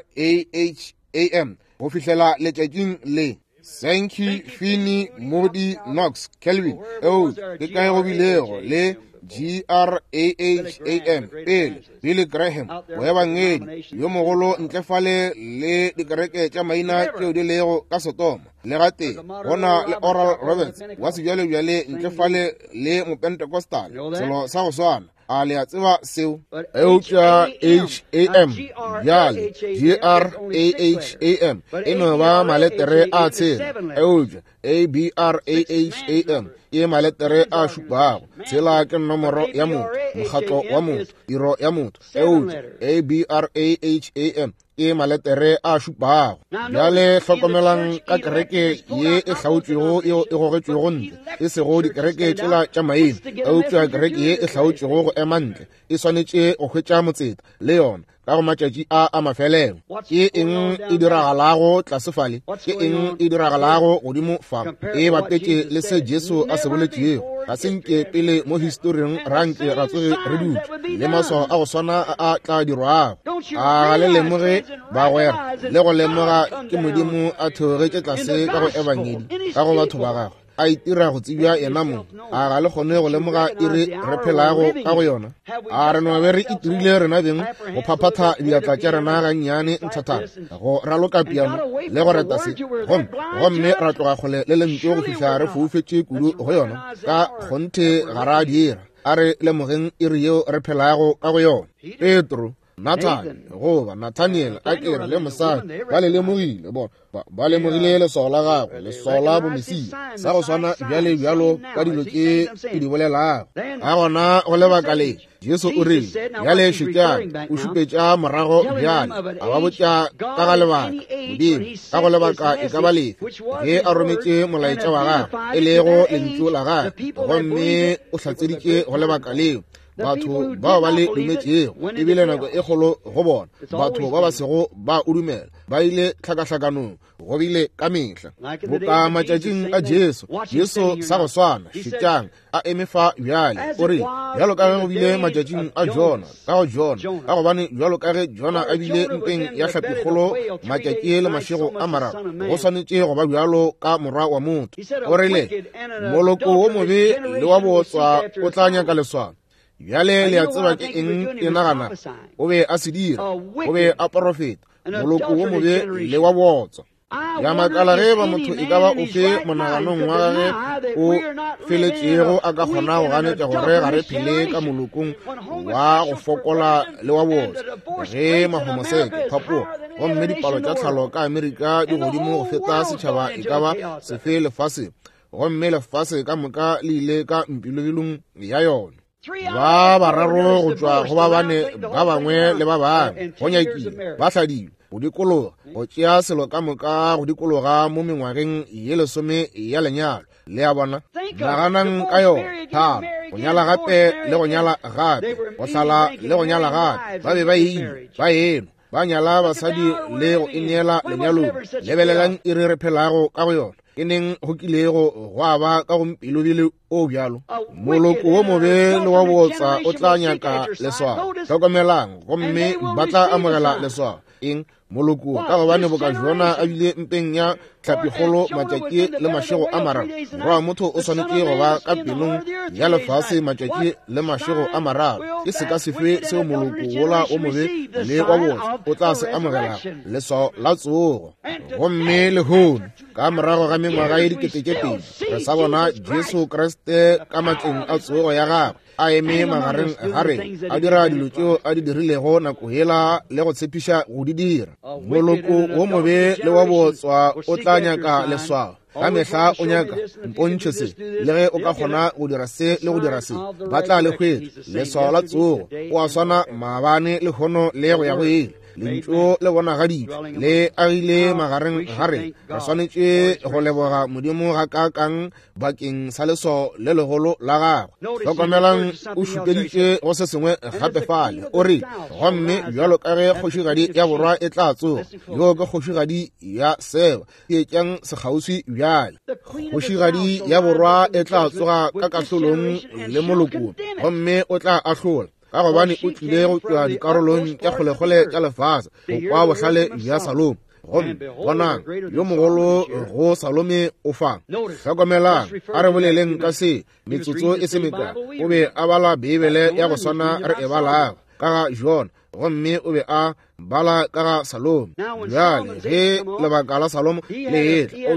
go fihlela letšatšing le. Sankey, Finney, Moody, Knox, Calvin, eo ke kae go bilego le G-R-A-H-A-M pele, Billy Graham, moebangedi yo mogolo ntle fale le dikereke tša maina tšeo di lego ka Sodoma, le gatee go na le Oral Roberts wa sebjalebjale ntle fale le Mopentecostal, selo sa go swana. A le a tseba seo? Eupša H-A-M, bjale, G-R-A-H-A-M, e no ba maletere a tshela, eupša A-B-R-A-H-A-M ke maletere a šupago. Tshela ke nomoro ya motho, mokgatlo wa motho, tiro ya motho, eupša A-B-R-A-H-A-M ke maletere a šupago. Bjale hlokomelang ka kereke ye e hlaotšwego yeo e gogetšwego ntle, e sego dikereke tšela tša maina, eupša kereke ye e hlaotšwego go ema ntle e swanetše go hwetša motseta le yona ka go matšatši a a mafelelo. Ke eng e diragalago tlase fale? Ke eng e diragalago godimo fa? E bapetše le se Jesu a se boletšego. Ga se nke pele mo historing ra nke ra tsoge re dutše le maswao a go swana a a tla dirwago. A ga le lemoge, bagwera, le go lemoga ke Modimo a theogetše tlase ka go Ebangedi ka go batho ba gagwe, a itira go tsebja yena mong? A ga le kgone go lemoga iri re phelago ka go yona? A re no be re itirile rena beng go phaphatha diatla tša rena gannyane nthathana, go raloka piano le go reta se, gomme, gomme ra tloga kgole le lentšu go fihla re foufetše kudu go yona? Ka kgonthe ga ra dira. A re lemogeng iri yeo re phelago ka go yona. Petro, Nathan, goba Nathaniel, a ke re, le mosadi, ba le lemogile, bona, ba, ba lemogile leswao la gagwe, leswao la bomesia, sa go swana bjale bjalo ka dilo tše ke di bolelago. Ka gona go lebaka le, Jesu o rile, bjale šetšang, o šupetša morago bjale, a ba botša ka ga lebaka, Modimo, ka go lebaka e ka ba lefe, ge a rometše molaetša wa gagwe, e lego lentšu la gagwe, gomme o hlatseditše go lebaka leo. Batho bao ba le dumetšego e bile nako e kgolo go bona. Batho ba ba sego ba o dumela ba ile tlhakahlakanong, go bile ka mehla. Boka matšatšing a Jesu, Jesu sa go swana, šetšang, a eme fa bjale, o re, bjalo ka ge go bile matšatšing a Jona, ka go Jona, ka gobane bjalo ka ge Jona a bile mpeng ya hlapikgolo matšatši le mašego a mararo, go swanetše go ba bjalo ka Morwa wa motho. O rile, moloko wo mobe le wa bootswa o tla nyaka leswao. Bjale le a tseba ke eng ke nagana o be a se dira? O be a porofeta, moloko wo mobe le wa bootswa. Ya makala ge ba motho e ka ba ofe monaganong wa gage o feletšego a ka kgona go ganetša gore ga re phele ka molokong wa go fokola le wa bootswa, ge mahomoseke, phapogo, gomme dipalo tša tlhalo ka Amerika di godimo go feta setšhaba e ka ba sefe lefaseng, gomme lefase ka moka le ile ka mpilobilong ya yona. Ba bararo go tšwa go ba bane ba bangwe le ba bangwe go nyakile ba hladilwe go dikologa, go tšea selo ka moka go dikologa mo mengwageng ye lesome ya lenyalo. Le a bona? Naganang ka yona. Tharo, go nyala gape le go nyala gape, go hlala le go nyala gape. Ba be ba ile ba enwa, ba nyala basadi le go ineela lenyalong. Lebelelang iri re phelago ka go yona. Ke neng go kilego gwa ba ka go mpilobile o bjalo? Moloko wo mobe le wa bootswa o tla nyaka leswao. Hlokomelang, gomme ba tla amogela leswao. Eng? Moloko, ka gobane boka Jona a bile mpeng ya hlapikgolo matšatši le mašego a mararo, Morwa wa motho o swanetše go ba ka pelong ya lefase matšatši le mašego a mararo. Ke seka sefe seo moloko wola o mobe le wa botse o tla se amogelago? Leswao la tsogo. Gomme lehono, ka morago ga mengwaga ye 2000, re sa bona Jesu Kriste ka matleng a tsogo ya gagwe a eme magareng ga rena, a dira dilo tšeo a di dirilego nako yela le go tshepiša go di dira. Moloko wo mobe le wa bootswa o tla nyaka leswao. Ka mehla o nyaka, mpontšhe se, le ge o ka kgona go dira se le go dira se, ba tla le hwetša. Leswao la tsogo, o a swana maabane, lehono le go ya go ile. Lentšu le bonagaditšwe le agile magareng ga rena. Re swanetše go leboga Modimo gakaakang bakeng sa leswao le legolo la gagwe. Hlokomelang, o šupeditše go se sengwe gape fale. O re, gomme bjalo ka ge kgošigadi ya borwa e tla tsoga, yoo ke kgošigadi ya Seba. Theetšang sekgauswi bjale. Kgošigadi ya borwa e tla tsoga ka kahlolong le moloko, gomme o tla ahlola, ka gobane o tlile go tšwa dikarolong tša kgolekgole tša lefase go kwa bohlale bja Salomo. Gomme bonang, yo mogolo go Salome o fa. Hlokomelang, a re boleleng ka se metsotso e se mekae. O be a bala Beibele ya go swana re e balago ka ga Jona, gomme o be a bala ka ga Salomo. Bjale ge lebaka la Salomo le etla,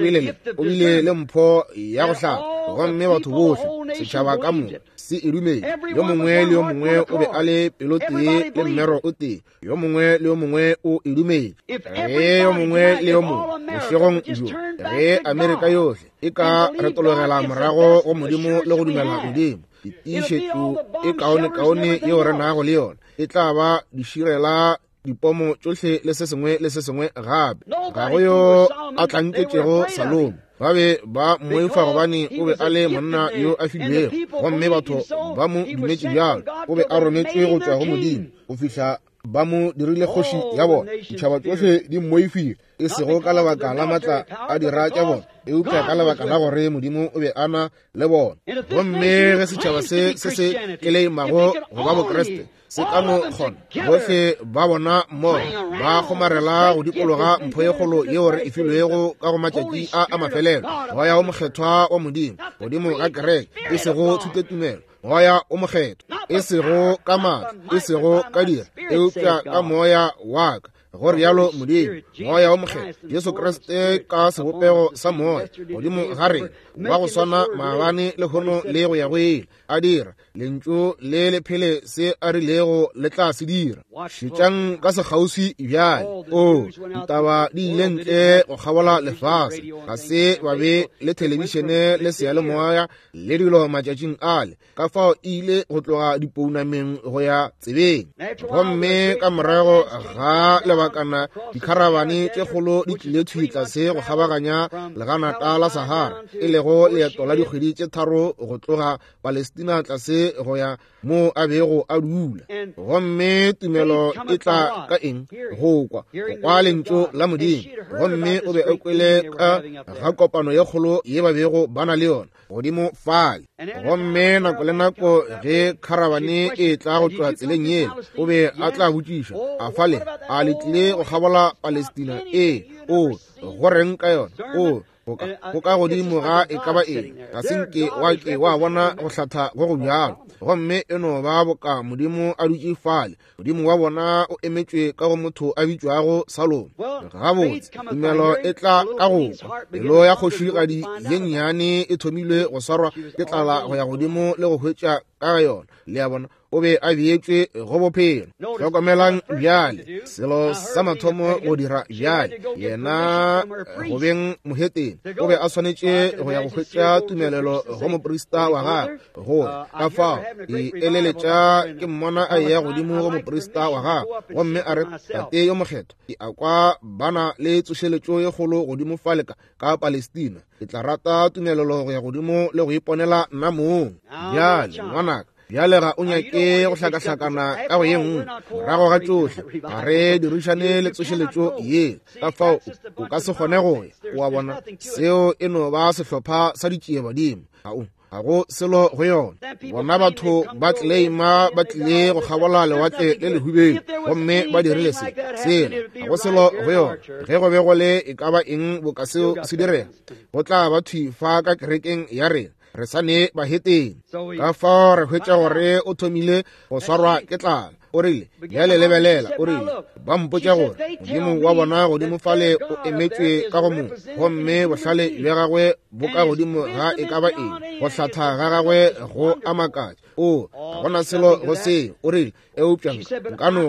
o bile le mpho ya go hlaka, gomme batho bohle, setšhaba ka moka, se e dumetše. Yo mongwe le yo mongwe o be a le pelo tee le mmero o tee. Yo mongwe le yo mongwe o e dumetše. Ge yo mongwe le yo mongwe bošegong bjo, ge Amerika yohle e ka retologela morago go Modimo le go dumela Modimo, tiišetšo e kaonekaone yeo re nago le yona e tla ba diširela dipomo tšohle le se sengwe le se sengwe gape. Ga go yo a tlanketšego Salomo. Ba be ba mmoifa gobane o be a le monna yo a filwego, gomme batho ba mo dumetše bjalo. O be a rometšwe go tšwa go Modimo go fihla ba mo dirile kgoši ya bona. Ditšhaba tšohle di mmoifile, e sego ka lebaka la matla a dira tša bona, eupša ka lebaka la gore Modimo o be a na le bona. Gomme ge setšhaba se se se keleimago go ba Bokriste se ka no kgona, bohle ba bona mmogo ba kgomarela go dikologa mpho ye kgolo yeo re e filwego ka go matšatši a a mafelelo, Moya o Mokgethwa wa Modimo godimo ga kereke, e sego thutotumelo, Moya o Mokgethwa, e sego ka maatla, e sego ka dira, eupša ka Moya wa ka, go rialo Modimo. Moya o Mokgethwa, Jesu Kriste ka sebopego sa Moya godimo ga rena, wa go swana maabane, lehono le go ya go ile, a dira lentšu le le phele se a rilego le tla se dira. Šetšang ka sekgauswi bjale. O, ditaba di ile ntle go kgabola lefase. Ga se ba be le thelebišene le seyalemoya le dilo matšatšing ale, ka fao e ile go tloga dipounameng go ya tsebeng. Gomme ka morago ga lebakana dikharabane tše kgolo di tlile thwi tlase go kgabaganya leganata la Sahara, e lego leeto la dikgwedi tše 3 go tloga Palestina tlase go ya mo a bego a dula. Gomme tumelo e tla ka eng? Go kwa, go kwa lentšu la Modimo. Gomme o be a kwele ka ga kopano ye kgolo ye ba bego ba na le yona godimo fale. Gomme nako le nako ge kharabane e tla go tšwa tseleng yela, o be a tla botšiša, a fale a le tlile go kgabola Palestina? Ee. O, go reng ka yona? O, go ka godimo ga e ka ba eng, ga se nke wa ke wa bona go hlatha go go bjalo. Gomme e no ba boka Modimo a dutše fale, Modimo wa bona o emetšwe ka go motho a bitšwago Salomo. Gabotse, tumelo e tla ka go kwa. Pelo ya kgošigadi ye nnyane e thomilwe go swarwa ke tlala go ya godimo le go hwetša ka ga yona. Le a bona, o be a beetšwe go bophelo. Hlokomelang bjale, selo sa mathomo go dira bjale, yena go beng mohetene, o be a swanetše go ya go hwetša tumelelo go moprista wa gagwe. Gore ka fao ke eleletša ke mmona a eya godimo go moprista wa gagwe, gomme a re, Tate yo mokgethwa, ke a kwa ba na le tsošeletšo ye kgolo godimo fale ka Palestina. Ke tla rata tumelelo go ya godimo le go iponela nna mong. Bjale, ngwanaka, bjale ga o nyake go hlakahlakana ka go ye nngwe. Morago ga tšohle, ga re dirišane le tsošeletšo ye, ka fao o ka se kgone go ya. O a bona, seo e no ba sehlopha sa ditšiebadimo. Ga o. Ga go selo go yona. Bona batho ba tleleima ba tlile go kgabola lewatle le lehubeng gomme ba dirile se sela. Ga go selo go yona. Ge go be go le e ka ba eng boka seo se direga, go tla ba thwi fa ka kerekeng ya rena. Re sa ne baheteng. Ka fao re hwetša gore o thomile go swarwa ke tlala. O rile, bjale lebelela, o rile, ba mpotša gore Modimo wa bona godimo fale o emetšwe ka go mong, gomme bohlale bja gagwe bo ka godimo ga e ka ba eng, go hlatha ga gagwe go a makatša. O, ga gona selo go seo. O rile, eupša nka no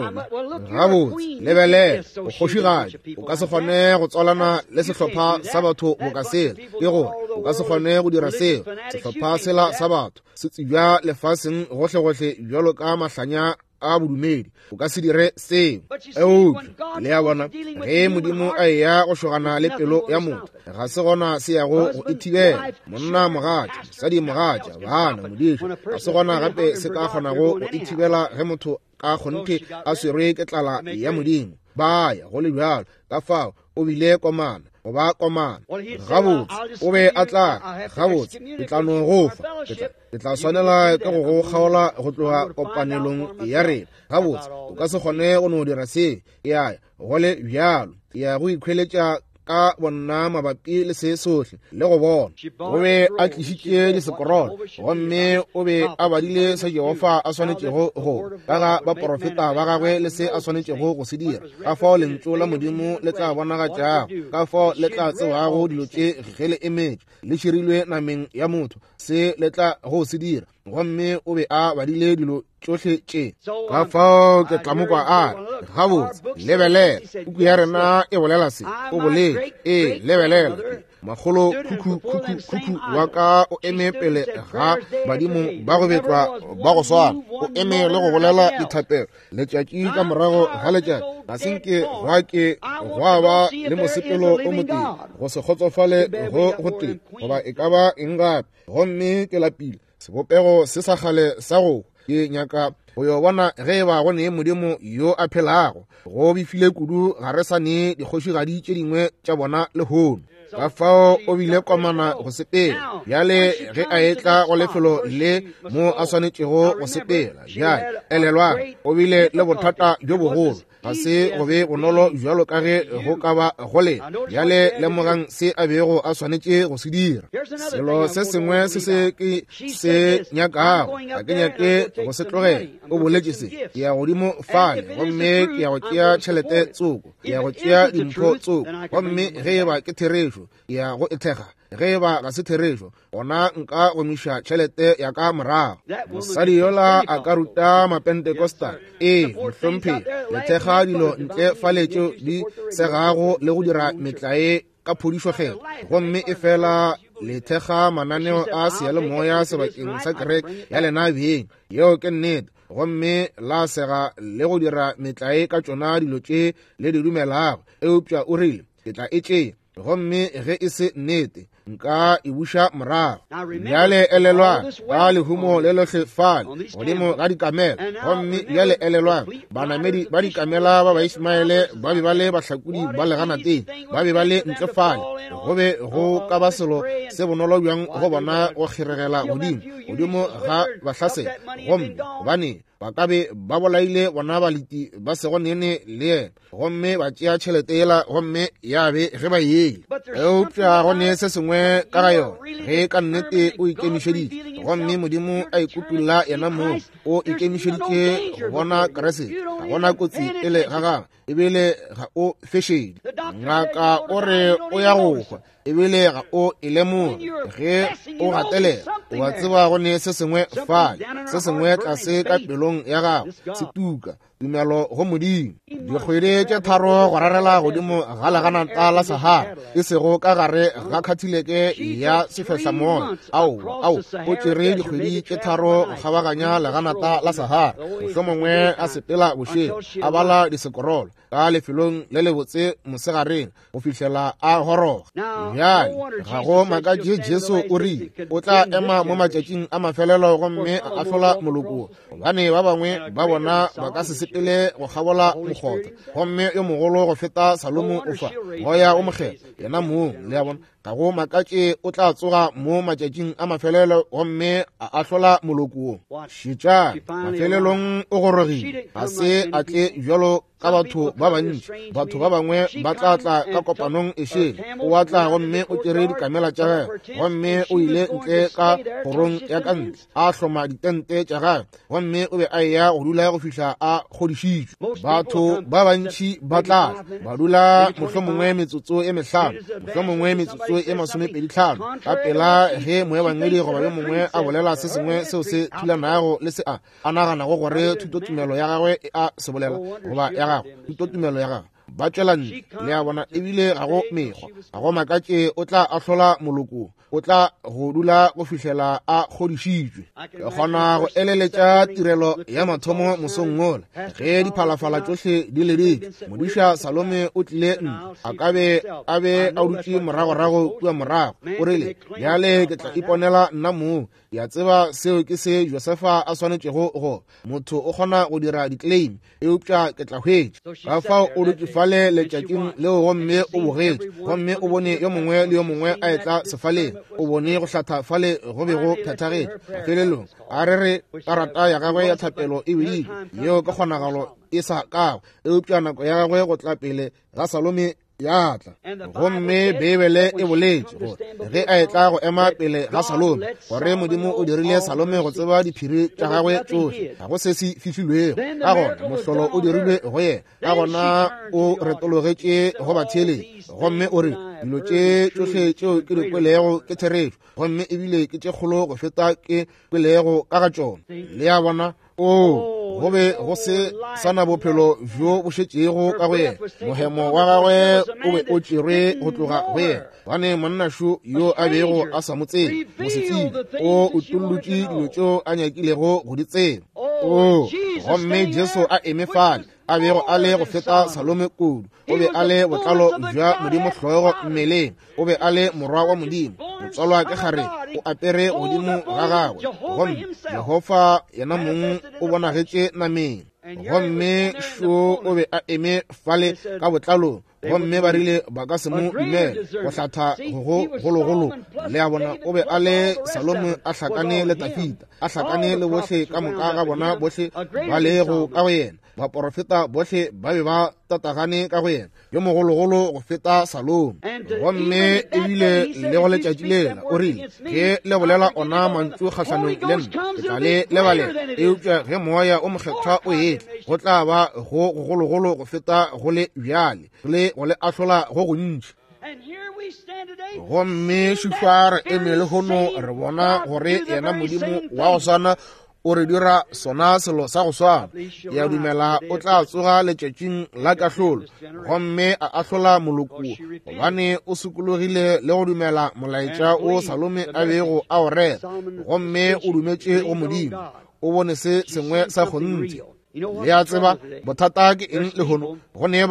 gabotse lebelela, o kgošigadi, o ka se kgone go tswalana le sehlopha sa batho boka sela. Ke gore o ka se kgone go dira seo. Sehlopha sela sa batho se tsebja lefaseng gohlegohle bjalo ka mahlanya a bodumedi. O ka se dire seo. Eupša le a bona, ge Modimo a eya go šogana le pelo ya motho, ga se gona se yago go e thibela. Monna mogatša, mosadi mogatša, bana modiša, ga se gona gape se ka kgonago go e thibela ge motho ka kgonthe a swerwe ke tlala ya Modimo. Ba ya go le bjalo. Ka fao o bile komana go ba komana. Gabotse o be a tla, gabotse ke tla no go fa, ke tla swanela ke go go kgaola go tloga kopanelong ya rena. Gabotse o ka se kgone go no dira se. Ya go le bjalo, ya go ikhweletša ka bonna mabapi le se sohle le go bona. O be a tlišitše disekorolo gomme o be a badile se Jehofa a swanetšego go ka ga baporofeta ba gagwe le se a swanetšego go se dira, ka fao lentšu la Modimo le tla bonagatšago, ka fao le tla tsebago dilo tše ge le emetšwe le širilwe nameng ya motho, se le tla go se dira. Gomme o be a badile dilo tšohle tše. Ka fao ke tla mo kwa a re, gabotse lebelela, puku ya rena e bolela se. O boletše, ee, lebelela, makgolo khukhu khukhu khukhu wa ka o eme pele ga badimo ba go betlwa ba go swana, o eme le go bolela dithapelo letšatši ka morago ga letšatši. Ga se nke gwa ke gwa ba le mosepelo o motee, go se kgotsofale go gotee goba e ka ba eng gape. Gomme ke lapile sebopego se sa kgale sa go ke nyaka go yo bona ge e ba go ne Modimo yo a phelago. Go befile kudu ga re sa ne dikgošigadi tše dingwe tša bona lehono. Ka fao o bile komana go sepela. Bjale ge a etla go lefelo le mo a swanetšego go sepela, bjale elelwang, o bile le bothata bjo bogolo. Ga se go be bonolo bjalo ka ge go ka ba go le. Bjale lemogang se a bego a swanetše go se dira. Selo se sengwe se se ke se nyakago, ga ke nyake go se tlogela. O boletše se, ke ya godimo fale gomme ke ya go tšea tšhelete tsoko, ke ya go tšea dimpho tsoko, gomme ge e ba ke therešo, ke ya go e thekga. Ge e ba ga se therešo, gona nka gomiša tšhelete ya ka morago. Mosadi yola a ka ruta Mapentecostal, ee mohlomphegi, le thekga dilo ntle fale tšeo di segago le go dira metlae ka phodišo kgethwa, gomme e fela le thekga mananeo a seyalemoya sebakeng sa kereke ya lena beng. Yeo ke nnete. Gomme la sega le go dira metlae ka tšona dilo tše le di dumelago. Eupša o rile, ke tla e tšea, gomme ge e se nnete, nka e buša morago. Bjale elelwang, ka lehumo le lohle fale godimo ga dikamela. Gomme bjale elelwang, banamedi ba dikamela ba Baismaele ba be ba le bahlakodi ba leganateng, ba be ba le ntle fale. Go be go ka ba selo se bonolo bjang go bona go kgeregela godimo godimo ga bahlasela, gomme gobane ba ka be ba bolaile bona baleti ba sego nene le yena, gomme ba tšea tšhelete yela gomme ya be ge ba yele. Eupša go ne se sengwe ka ga yona, ge ka nnete o ikemišeditše, gomme Modimo a ikutulla yena mong, o ikemišeditše go bona Kriste, ga gona kotsi pele ga gagwe, ebile ga o fešedi. Ngaka o re o ya go hwa, ebile ga o e lemoge. Ge o gatelela, o a tseba go ne se sengwe fale, se sengwe tlase ka pelong ya gago se tuka, tumelo go Modimo. Dikgwedi tše tharo go rarela godimo ga leganata la Sahara, e sego ka gare ga khathileke ya sefehlamoya. Aowa, ao, o tšere dikgwedi tše tharo go kgabaganya leganata la Sahara, mohlomongwe a sepela bošego, a bala disekorolo ka lefelong le lebotse mosegareng go fihlela a goroga. Bjale ga go makatše Jesu o rile o tla ema mo matšatšing a mafelelo gomme a ahlola moloko, gobane ba bangwe ba bona ba ka se sepele go kgabola mokgotha, gomme yo mogolo go feta Salomo o fa, Moya o Mokgethwa yena mong. Le a bona? Ga go makatše o tla tsoga mo matšatšing a mafelelo gomme a ahlola moloko wo. Šetšang, mafelelong o gorogile. Ga se a tle bjalo ka batho ba bantši. Batho ba bangwe ba tla tla ka kopanong e šele. O a tla gomme o tšere dikamela tša gagwe, gomme o ile ntle ka kgorong ya ka ntle, a hloma ditente tša gagwe, gomme o be a eya go dula go fihla a kgodišitšwe. Batho ba bantši ba tla ba dula mohlomongwe metsotso e mehlano, mohlomongwe metsotso e 25, ka pela ge moebangedi goba yo mongwe a bolela se sengwe seo se thulanago le se a naganago gore thutotumelo ya gagwe e a se bolela, goba ya gagwe thutotumelo ya gagwe, ba tšwela ntle. Le a bona, ebile ga go mekgwa, ga go makatše o tla ahlola moloko, o tla go dula go fihlela a kgodišitšwe. Ke kgona go eleletša tirelo ya mathomo mosong wola ge diphalafala tšohle di leditšwe. Modiša Salome o tlile ntle, a ka be a be a dutše moragorago kua morago. O rile, bjale ke tla iponela nna mong. Ke a tseba seo ke se Josefa a swanetšego go. Motho o kgona go dira di-claim, eupša ke tla hwetša. Ka fao o dutše fale letšatšing leo gomme o bogetše, gomme o bone yo mongwe le yo mongwe a etla sefaleng. O bone go hlatha fale go be go phethagetše. Mafelelong a re re karata ya gagwe ya thapelo e biditšwe, yeo ke kgonagalo e sa kago, eupša nako ya gagwe go tla pele ga Salome ya tla. Gomme Beibele e boletše gore ge a etla go ema pele ga Salome, gore Modimo o dirile Salome go tseba diphiri tša gagwe tšohle, ga go se se fihlilwego. Ka gona mohlolo o dirilwe go yena. Ka gona o retologetše go batheeletši gomme o re, dilo tše tšohle tšeo ke di kwelego ke therešo, gomme ebile ke tše kgolo go feta ke kwelego ka ga tšona. Le a bona? O, go be go se sa na bophelo bjo bo šetšego ka go yena. Mohemo wa gagwe o be o tšerwe go tloga go yena, gobane monnašo yo a bego a sa mo tsebe, mosetsebje, o utollotše dilo tšeo a nyakilego go di tseba. O, gomme Jesu a eme fale, a bego a le go feta Salome kudu. O be a le botlalo bja Modimo hlogo mmeleng. O be a le morwa wa Modimo, motswalwa ke kgarebe, o apere godimo ga gagwe, gomme Jehofa yena mong o bonagetše nameng. Gomme šo o be a eme fale ka botlalong, gomme ba rile ba ka se mo dumele go hlatha go gologolo. Le a bona, o be a le Salome a hlakane le Dafida, a hlakane le bohle ka moka ga bona bohle ba lego ka go yena. Baporofeta bohle ba be ba tatagane ka go yena, yo mogologolo go feta Salome. Gomme ebile le go letšatši lela o rile, ge le bolela ona mantšu kgahlanong le nna, ke tla le lebalela. Eupša ge Moya o Mokgethwa o etla, go tla ba go gogologolo go feta go le bjale, le go le ahlola go gontši. Gomme šupa re eme lehono re bona gore yena Modimo wa go swana o re dira sona selo sa go swana. Ke a dumela o tla tsoga letšatšing la kahlolo gomme a ahlola moloko, gobane o sokologile le go dumela molaetša o Salome a bego a o rera, gomme o dumetše go Modimo. O bone se sengwe sa kgonthe. Le a tseba bothata ke eng lehono? Go ne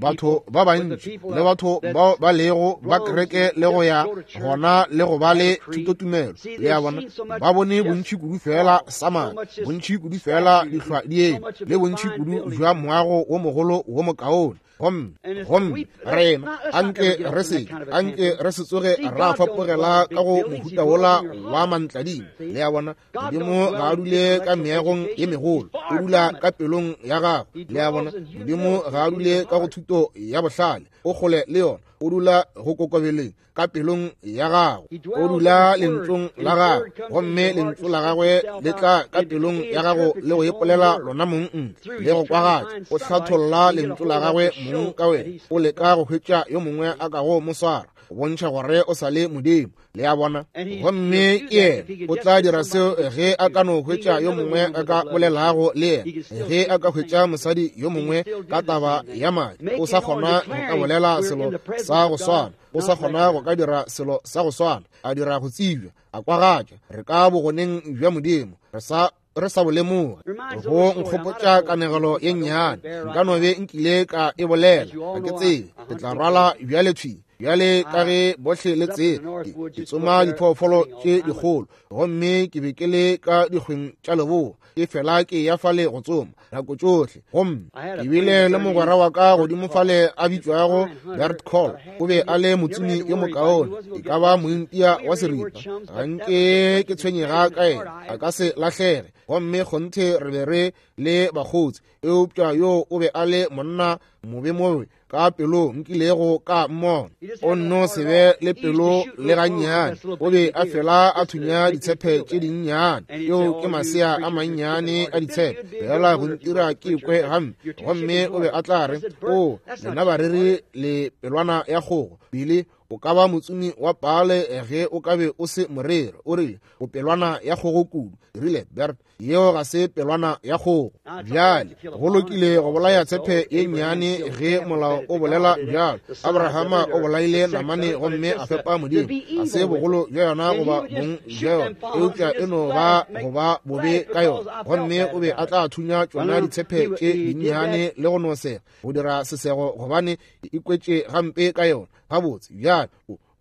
batho ba bantši le batho bao ba lego ba kereke le go ya gona le go ba le thutotumelo. Le a bona, ba bone bontši kudu fela sa madi, bontši kudu fela dihlwa di eme, le bontši kudu bja moago wo mogolo wo mokaone. Gomme, gomme rena anke re se, anke re se tsoge ra fapogela ka go mohuta wola wa mantladima. Le a bona, Modimo ga a dule ka meagong ye megolo, o dula ka pelong ya gago. Le a bona, Modimo ga a dule ka go thuto ya bohlale, o kgole le yona, o dula go kokobeleng ka pelong ya gago. O dula lentsong la gago, gomme lentso la gagwe le tla ka pelong ya gago le go ipolela lona mong ntle le go kwagatša. O hlatholla lentso la gagwe mong ka wena, o leka go hwetša yo mongwe a kago mo swara, go bontšha gore o sa le Modimo. Le a bona? Gomme ke yena o tla dira seo ge a ka no hwetša yo mongwe a ka bolelago le yena, ge a ka hwetša mosadi yo mongwe ka taba ya madi, o sa kgona go ka bolela selo sa go swana, o sa kgona go ka dira selo sa go swana, a dira go tsebja, a kwagatša. Re ka bogoneng bja Modimo, re sa re sa bo lemoge. Go nkgopotša kanegelo ye nnyane, nka no be nkile ka e bolela, ga ke tsebe. Ke tla rwala bjale thwi. Bjale ka ge bohle le tseba, ke tsoma diphoofolo tše dikgolo, gomme ke be ke le ka dikgweng tša leboa, ke fela ke ya fale go tsoma nako tšohle. Gomme ke bile le mogwera wa ka godimo fale a bitšwago Bert Call, o be a le motsomi yo mokaone, e ka ba mointia wa seripa. Ga nke ke tshwenyega ka yena, a ka se lahlege. Gomme kgonthe re be re le bakgotsi, eupša yo o be a le monna mobe mobe ka pelo nkilego ka mmona. O nno se be le pelo le gannyane, o be a fela a thunya ditshepe tše dinnyane. Yeo ke masea a mannyane a ditshepe, fela go ntira ke kwe gampe. Gomme o be a tla re, O, lena bareri le pelwana ya kgogo. Billy, o ka ba motsomi wa paale ge o ka be o se moreri. O rile, O pelwana ya kgogo kudu. Rile, Bert, yeo ga se pelwana ya kgogo. Bjale, go lokile go bolaya tshepe ye nnyane ge molao o bolela bjalo. Abrahama o bolaile namane gomme a fepa Modimo. Ga se bogolo bja yona goba bong bja yona, eupša e no ba go ba bobe ka yona. Gomme o be a tla thunya tšona ditshepe tše dinnyane le go no sega, go dira sesego, gobane e ikwetše gampe ka yona. Gabotse, bjale,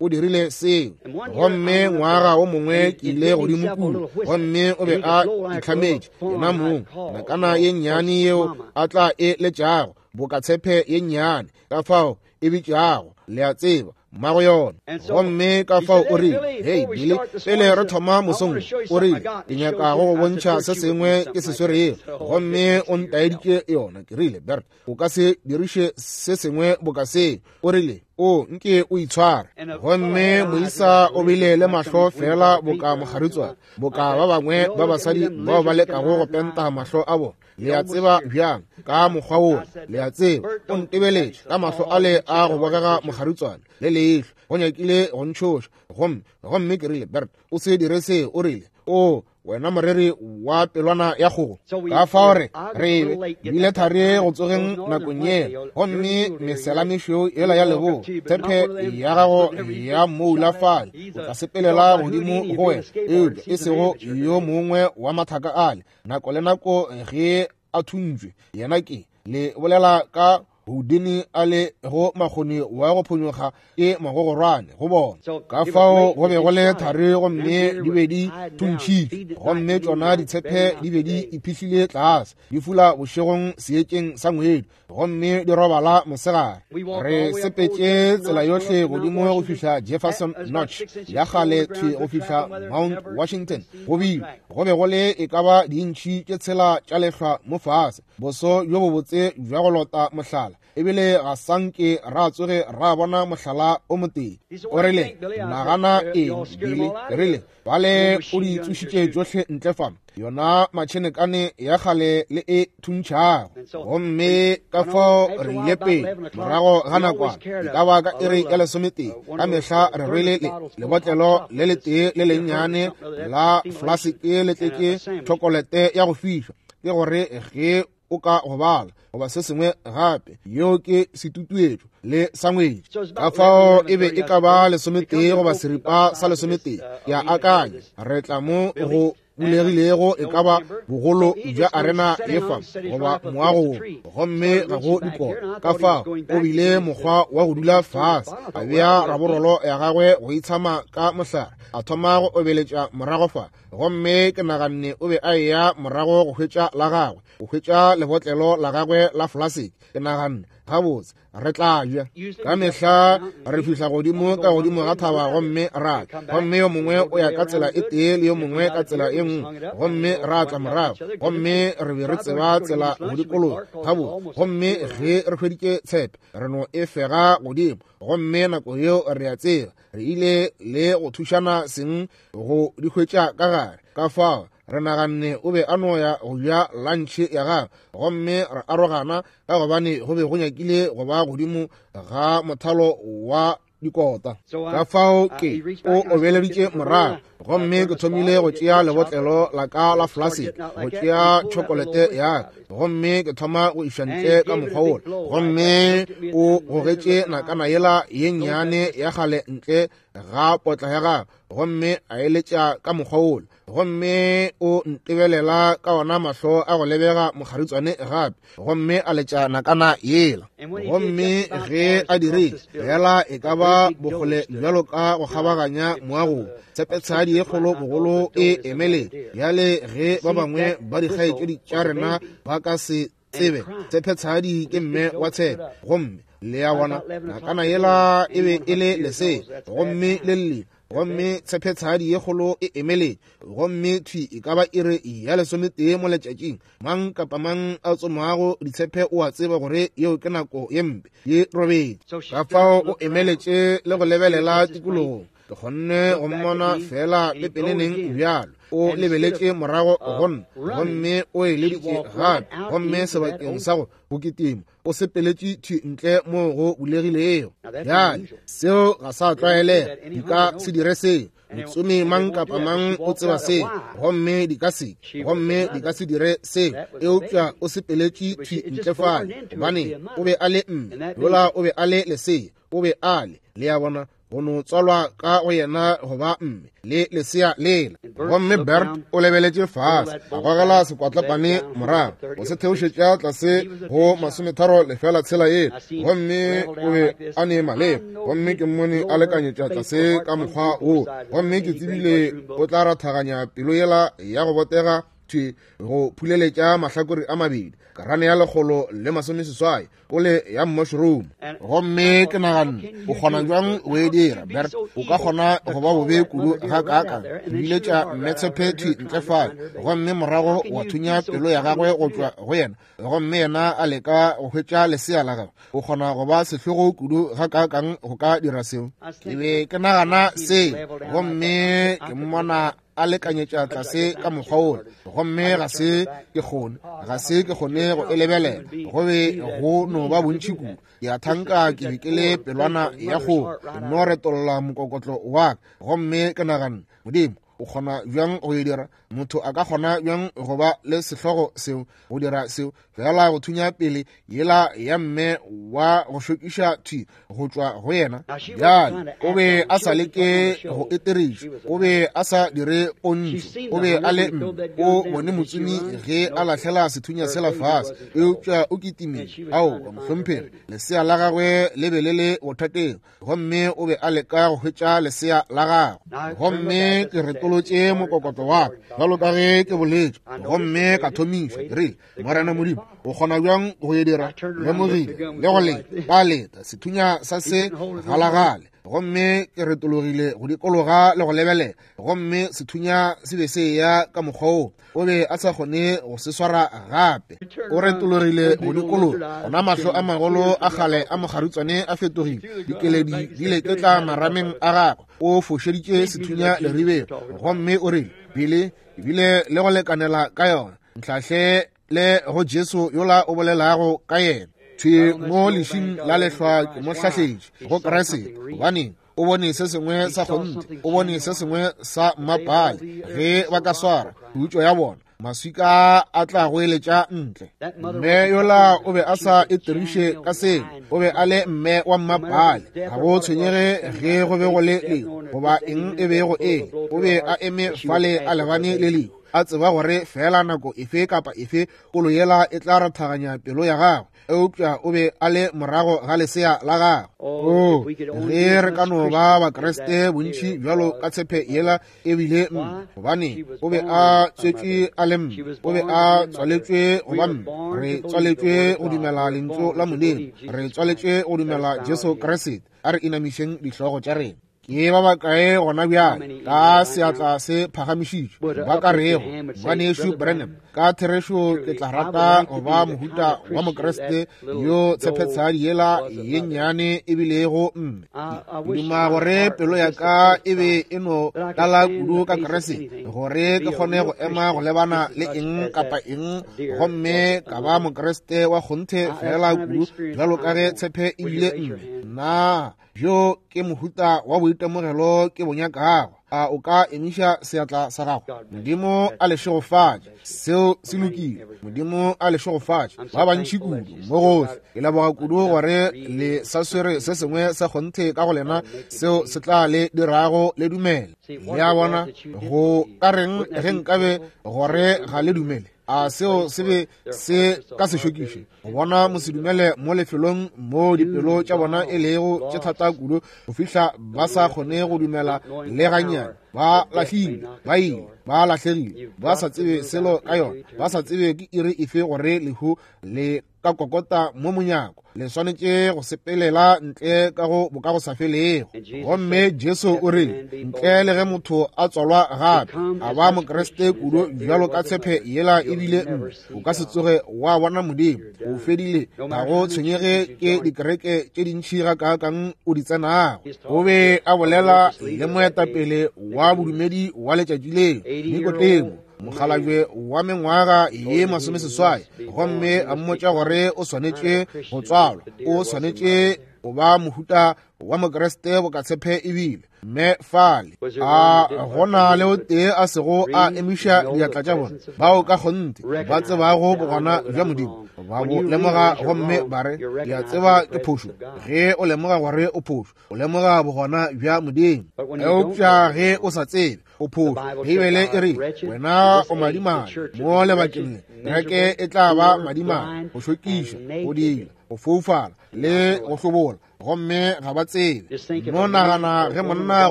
o dirile seo. Gomme ngwaga o mongwe ke ile godimo kua, gomme o be a itlhametše yena mong nakana ye nnyane yeo a tla e letšago boka tshepe ye nnyane, ka fao e bitšago, le a tseba, mmago yona. Gomme ka fao o rile, Hei, Billy, pele re thoma mosong, o rile, ke nyaka go go bontšha se sengwe ke se swerego. Gomme o ntaeditše yona. Ke rile, Bert, o ka se diriše se sengwe boka seo. O rile, O nke o itshware. Gomme moisa o bile le mahlo feela boka mogaritswana, boka ba bangwe ba basadi bao ba lekago go penta mahlo a bona. Le a tseba bjang, ka mokgwa wola, le a tseba. O ntebeletše ka mahlo ale a go bogega mogaritswana le leihlo, go nyakile go ntšhoša. Gomme, gomme ke rile, Bert, o se dire seo. O rile, O, wena moreri wa pelwana ya kgogo. Ka fao re re bile thari go tsogeng nakong yela, gomme mesela mešweu yela ya leboa, tshepe ya gago ya moula fale, o tla sepelela godimo go wena, eupša e sego yo mongwe wa mathaka ale. Nako le nako ge a thuntšwe, yena ke le bolela ka Houdini a le go makgoni wa go phonyokga ke magogorwane go bona. Ka fao go be go le thari gomme di be di thuntšhitšwe, gomme tšona ditshepe di be di iphihlile tlase, di fula bošegong seetšeng sa ngwedi, gomme di robala mosegare. Re sepetše tsela yohle godimo go fihla Jefferson Notch ya kgale thwi go fihla Mount Washington. Go bile go be go le e ka ba diintšhi tše tshela tša lehlwa mo fase. Boso bjo bobotse bja go lota mohlala, ebile ga sa nke ra tsoge ra bona mohlala o motee. O rile, Nagana eng, Billy? Ke rile, Bale o di tsošitše tšohle ntle fa, yona matšhenekane ya kgale le e thuntšhago. Gomme ka fao re ile pele, morago ga nakwana, e ka ba ka iri ya lesometee, ka mehla re rwele le lebotlelo le letee le lennyane la flaseke le tletše tšhokolete ya go fišwa, ke gore ge o ka gobala goba se sengwe gape, yeo ke setutuetšo le sangwetši. Ka fao e be e ka ba lesometee goba seripa sa lesometee, ke a akanya. Re tla mo go bulegilego e ka ba bogolo bja arena ye fa goba moago wo, gomme ga go dikota. Ka fao o bile mokgwa wa go dula fase, a bea raborolo ya gagwe go itshama ka mohlare, a thoma go obeletša morago fa. Gomme ke naganne o be a eya morago go hwetša la gagwe, go hwetša lebotlelo la gagwe la flasiki. Ke naganne, gabotse, re tla ja. Ka mehla re fihla godimo ka godimo ga thaba gomme ra tla, gomme yo mongwe o ya ka tsela e tee le yo mongwe ka tsela e nngwe, gomme ra tla morago, gomme re be re tseba tsela go dikologa. Gabotse, gomme ge re hweditše tshepe, re no e fega godimo, gomme nako yeo re a tseba re ile le go thušana seng go di hwetša ka gare. Ka fao re naganne o be a no ya go ja lantšhe ya gagwe, gomme re arogana ka gobane go be go nyakile go ba godimo ga mothalo wa dikota. Ka fao ke o obeleditše morago, gomme ke thomile go tšea lebotlelo la ka la flasiki, go tšea tšhokolete ya ka, gomme ke thoma go iša ntle ka mokgwa wola, gomme o gogetše nakana yela ye nnyane ya kgale ntle. ga potla ya gagwe, gomme a eletša ka mokgwa wola, gomme o ntebelela ka ona mahlo a go lebega mokgaritswane gape, gomme a letša nakana yela. Gomme ge a dirile fela e ka ba bokgole bjalo ka go kgabaganya moagong, tshepetshadi ye kgolo bogolo e emeletše. Bjale ge ba bangwe ba dikgaetšedi tša rena ba ka se tsebe, tshepetshadi ke mme wa tshepe. Gomme le a bona, nakana yela e be e le lesea, gomme le llile, gomme tshepetshadi ye kgolo e emeletše, gomme thwi e ka ba iri ya 11 mo letšatšing. Mang kapa mang a tsomago ditshepe o a tseba gore yeo ke nako ye mpe, ye robetše. Ka fao o emeletše le go lebelela tikologong. Ke kgonne go mmona fela pepeneneng bjalo. O lebeletše morago go nna, gomme o eleditše gape, gomme sebakeng sa go kitima o sepeletše thwi ntle moo go bulegilego. Bjale seo ga sa tlwaelega, di ka se dire seo. Motsomi mang kapa mang o tseba seo, gomme di ka se, gomme di ka se dire seo. Eupša o sepeletše thwi ntle fale, gobane o be a le mme, yola o be a le lesea, o be a le, le a bona, go no tswalwa ka go yena go ba mme le lesea lela. Gomme Bert o lebeletše fase, a gogela sekwatlapane morago go se theošetša tlase go 30.6 yela, gomme o be a ne maleba. Gomme ke mmone a lekanyetša tlase ka mokgwa wo, gomme ke tsebile o tla rathaganya pelo yela ya go botega thwi go phuleletša mahlakore a mabedi, karane ya 180 ole ya mushroom. Gomme ke naganne, o kgona bjang go e dira, Bert? O ka kgona go ba bobe kudu ga kaakang, biletša mmetshepe thwi ntle fale, gomme morago wa thunya pelo ya gagwe go tšwa go yena, gomme yena a leka go hwetša lesea la gagwe. O kgona go ba sehlogo kudu ga kaakang go ka dira seo. Ke be ke nagana se, gomme ke mmona a lekanyetša tlase ka mokgwa wola, gomme ga se ke kgone go e lebelela, go be go no ba bontši kudu. Ke a thanka ke be ke le pelwana ya kgogo, ke no retolla mokokotlo wa ka, gomme ke naganne, Modimo, o kgona bjang go e dira? Motho a ka kgona bjang go ba le sehlogo seo, go dira seo, fela go thunya pele yela ya mme wa go šokiša thwi go tšwa go yena? Bjale o be a sa leke go eteriša, o be a sa dire pontšo, o be a le mme. O bone motsomi ge a lahlela sethunya sela fase, eupša o kitimile. Aowa, mohlomphegi, lesea la gagwe le be le le bothateng, gomme o be a leka go hwetša lesea la gagwe. Gomme ke retolotše mokokotlo wa ka bjalo ka ge ke boletše, gomme ka thomiša ke rile, Morena Modimo, o kgona bjang go e dira? Lemogile le go leta, ka leta sethunya sa se galagale, gomme ke retologile go dikologa le go lebelela, gomme sethunya se be se eya ka mokgwa wo, o be a sa kgone go se swara gape. O retologile go dikologa, gona mahlo a magolo a kgale a mokgaritswane a fetogile, dikeledi di leketla marameng a gagwe. O fošeditše sethunya leribeng, gomme o rile, Bile ebile le go lekanela ka yona, ntlhahle le go Jesu yola o bolelago ka yena. Thwi mo lešing la lehlwa ke mo hlahletše go Kriste, gobane o bone se sengwe sa kgonthe, o bone se sengwe sa mmapale. Ge ba ka swara khutšo ya bona, maswika a tla go eletša ntle. Mme yola o be a sa etiriše ka seo, o be a le mme wa mmapale. Ga go tshwenyege ge go be go le lehu goba eng e bego e, o be a eme fale a lebane le lehu, a tseba gore fela nako efe kapa efe kolo yela e tla rathaganya pelo ya gagwe, eupša o be a le morago ga lesea la gagwe. O, ge re ka no ba Bakriste bontši bjalo ka tshepe yela e bile mme, gobane o be a tswetšwe a le mme, o be a tswaletšwe go ba mme. Re tswaletšwe go dumela lentšu la Modimo, re tswaletšwe go dumela Jesu Kriste. A re inamišeng dihlogo tša rena. Ke ba bakae gona bjale ka seatla se phagamišitšwe ba ka rego, Ngwanešu Branham, ka therešo ke tla rata go ba mohuta wa Mokriste yo tshepetshadi yela ye nnyane e bilego mme. Ke duma gore pelo ya ka e be e no tlala kudu ka Kriste gore ke kgone go ema go lebana le eng kapa eng, gomme ka ba Mokriste wa kgonthe fela kudu bjalo ka ge tshepe e bile mme. Nna bjo ke mohuta wa boitemogelo ke bo nyakago. A o ka emiša seatla sa gago? Modimo a le šegofatše. Seo se lokile. Modimo a le šegofatše. Ba bantši kudu mo gohle. Ke leboga kudu gore le sa swere se sengwe sa kgonthe ka go lena seo se tla le dirago le dumele. Le a bona, go ka reng ge nkabe gore ga le dumele? A seo se be se ka se šokiše go bona mosedumele mo lefelong mo dipelo tša bona e lego tše thata kudu go fihla ba sa kgone go dumela le gannyane? Ba lahlile, ba ile, ba lahlegile, ba sa tsebe selo ka yona, ba sa tsebe ke iri efe gore lehu le ka kokota mo monyako. Le swanetše go sepelela ntle ka go bokagosafelego. Gomme Jesu o rile, ntle le ge motho a tswalwa gape a ba Mokriste kudu bjalo ka tshepe yela ebile nne, o ka se tsoge wa bona Modimo. O fedile. Ga go tshwenyege ke dikereke tše dintši gakaakang o di tsenago. O be a bolela le moetapele wa bodumedi wa letšatši leo, Nikodemo, mokgalabje wa mengwaga ye 80, gomme a mmotša gore o swanetše go tswalwa, o swanetše go ba mohuta wa Mokriste bokatshepe ebile. Mme fale a gona le o tee a sego a emiša diatla tša bona, bao ka kgonthe ba tsebago bogona bja Modimo, ba bo lemoga gomme ba re, ke a tseba ke phošo. Ge o lemoga gore o phošo, o lemoga bogona bja Modimo. Eupša ge o sa tsebe, o phošo. Beibele e re, wena o madimabe mo lebakeng le. Kereke e tla ba madimabe, go šokiša, go dila, go foufala le go hlobola, gomme ga ba tsebe. No nagana ge monna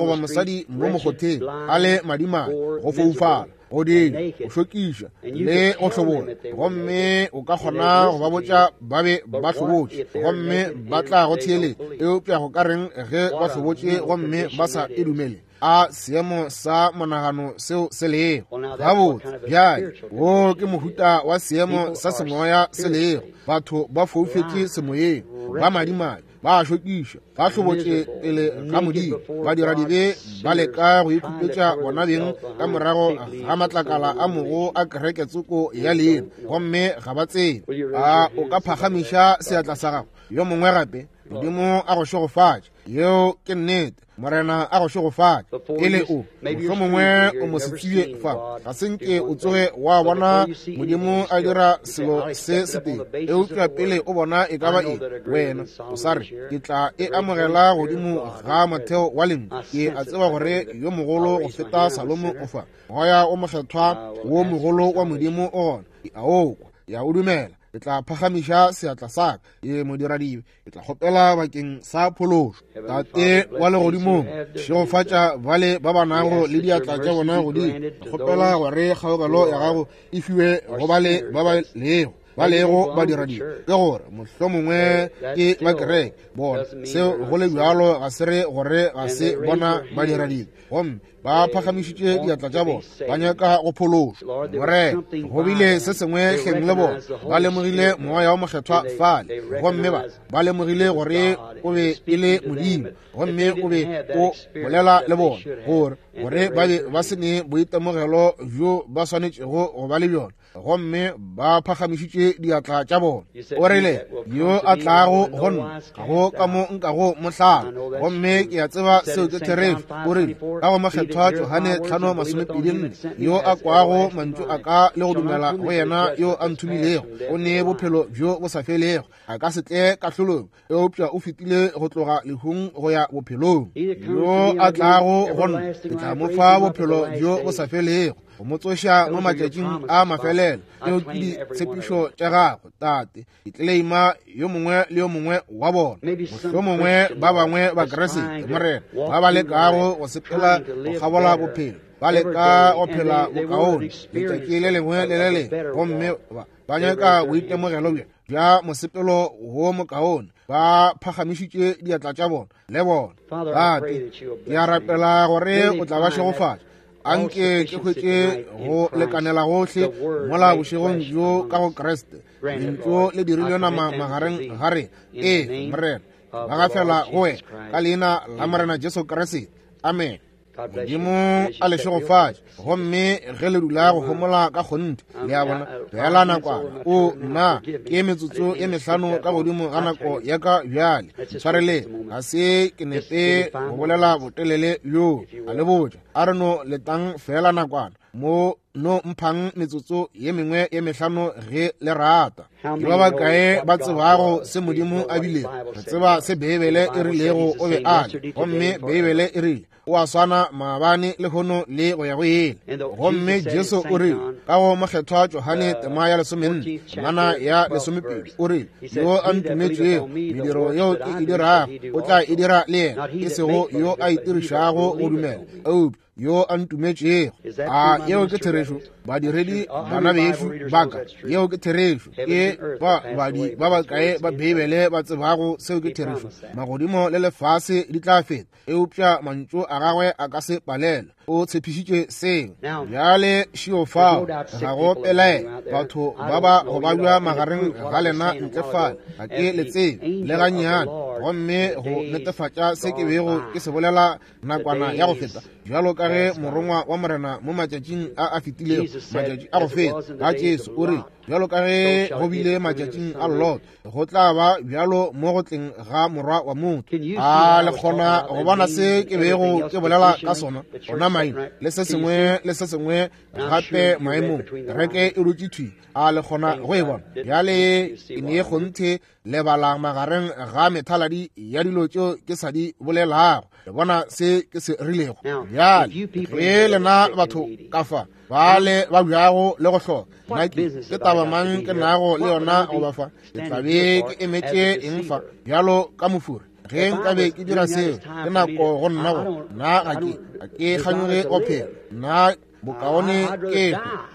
goba mosadi mo mokgotheng a le madimabe, go foufala, go dila, go šokiša le go hlobola, gomme o ka kgona go ba botša ba be ba hlobotše gomme ba tla go theeletša. Eupša go ka reng ge ba hlobotše gomme ba sa e dumele? A seemo sa monagano seo se lego. Gabotse bjale, wo ke mohuta wa seemo sa semoya se lego. Batho ba foufetše semoyeng, ba madimabe, ba šokiša, ba hlobotše pele ga Modimo, ba dira dibe, ba leka go ikhupetša bona beng ka morago ga matlakala a mogo a kereke tsoko ya leina, gomme ga ba tsebe. A o ka phagamiša seatla sa gago? Yo mongwe gape? Modimo a go šegofatše. Yeo ke nnete. Morena a go šegofatše. Pele o mohlomongwe o mo se tsebje fa, ga se nke o tsoge wa bona Modimo a dira selo se setee. Eupša pele o bona e ka ba eng, wena o sa re, ke tla e amogela godimo ga motheo wa lentšu. Ke a tseba gore yo mogolo go feta Salomo o fa. Moya o mokgethwa wo mogolo wa Modimo o gona. Ke a o kwa, ke a o dumela. Ke tla phagamiša seatla sa ka. Ke modiradibe. Ke tla kgopela bakeng sa phološo. Tate wa legodimong, šegofatša bale ba ba nago le diatla tša bona godimo. Ke kgopela gore kgaogelo ya gago e fiwe go bale ba ba lego ba lego badiradibe, ke gore mohlomongwe ke ba kereke bona. Seo go le bjalo ga se re gore ga se bona badiradibe, gomme ba phagamišitše diatla tša bona, ba nyaka go phološwa. Morena, go bile se sengwe hleng le bona, ba lemogile Moya wo Mokgethwa fale, gomme ba lemogile gore o be e le Modimo, gomme o be o bolela le bona, gore ba be ba se ne boitemogelo bjo ba swanetšego go ba le bjona, gomme ba phagamišitše diatla tša bona. O rile, yo a tlago go nna, ga go ka mo nkago mo hlala. Gomme ke a tseba seo ke therešo. O rile, ka go Mokgethwa Johane 5:24, yo a kwago mantšu a ka le go dumela go yena yo a nthomilego, o ne bophelo bjo bo sa felego, a ka se tle kahlolong, eupša o fetile go tloga lehung go ya bophelong. Yo a tlago go nna, ke tla mo fa bophelo bjo bo sa felego, go mo tsoša mo matšatšing a mafelelo. Tšeo ke ditshepišo tša gago, Tate. Ke tleleima yo mongwe le yo mongwe wa bona, mohlomongwe ba bangwe ba Kriste, Morena, ba ba lekago go sepela go kgabola bophelo, ba leka go phela bokaone letšatši le lengwe le le lengwe, gomme ba nyaka boitemogelo bja mosepelo wo mokaone. Ba phagamišitše diatla tša bona le bona. Tate, ke a rapela gore o tla ba šegofatša. Anke ke hwetše go lekanela gohle mola bošegong bjo ka go Kriste. Lentšu le dirilwe nama magareng ga rena. Ee, Morena, ba gafela go wena ka leina la Morena Jesu Kriste. Amen. Modimo a le šegofatše. Gomme ge le dula go homola ka kgonthe, le a bona, feela nakwana. O, nna, ke metsotso e mehlano ka godimo ga nako ya ka bjale. Ntshwareleng, ga se ke nepe go bolela botelele bjoo. A le botša, a re no letang feela nakwana. Mo no mphang metsotso ye mengwe ye mehlano ge le rata. Ke ba bakae ba tsebago se Modimo a bilego? Re tseba se Beibele e rilego o be a le, gomme Beibele e rile o a swana maabane, lehono le go ya go ile. Gomme Jesu o rile ka go Mokgethwa Johane tema ya 14, temana ya 12, o rile, yo a ntumetšego, mediro yeo ke e dirago o tla e dira le yena, e sego yo a itirišago go dumela, eupša yo a ntumetšego. A yeo ke therešo, badiredi bana bešo ba ka? Yeo ke therešo. Ke ba badi ba bakae ba Beibele ba tsebago seo ke therešo? Magodimo le lefase di tla feta, eupša mantšu a gagwe a ka se palelwe. O tshepišitše seo. Bjale šio fao, ga go pelaelo, batho ba ba go babja magareng ga lena ntle fale, ga ke le tsebe le gannyane. Gomme go netefatša se ke bego ke se bolela nakwana ya go feta, bjalo ka ge morongwa wa Morena mo matšatšing a a fetilego, matšatši a go feta, ga Jesu o rile, bjalo ka ge go bile matšatšing a Lot, go tla ba bjalo mo go tleng ga Morwa wa motho. A le kgona go bona se ke bego ke bolela ka sona? Ona maina le se sengwe le se sengwe gape maemong, kereke e dutše thwi. A le kgona go e bona bjale? E ne kgonthe lebala magareng ga methaladi ya dilo tšeo ke sa di bolelago. Le bona se ke se rilego? Bjale ge lena batho ka fa ba le ba bjago le go hloka, nna ke taba mang ke nago le yona goba fa? Ke tla be ke emetše eng fa bjalo ka mofuri? Ge nkabe ke dira seo, ke nako go nna go nna ga ke kganyoge go phela. Nna bokaone ke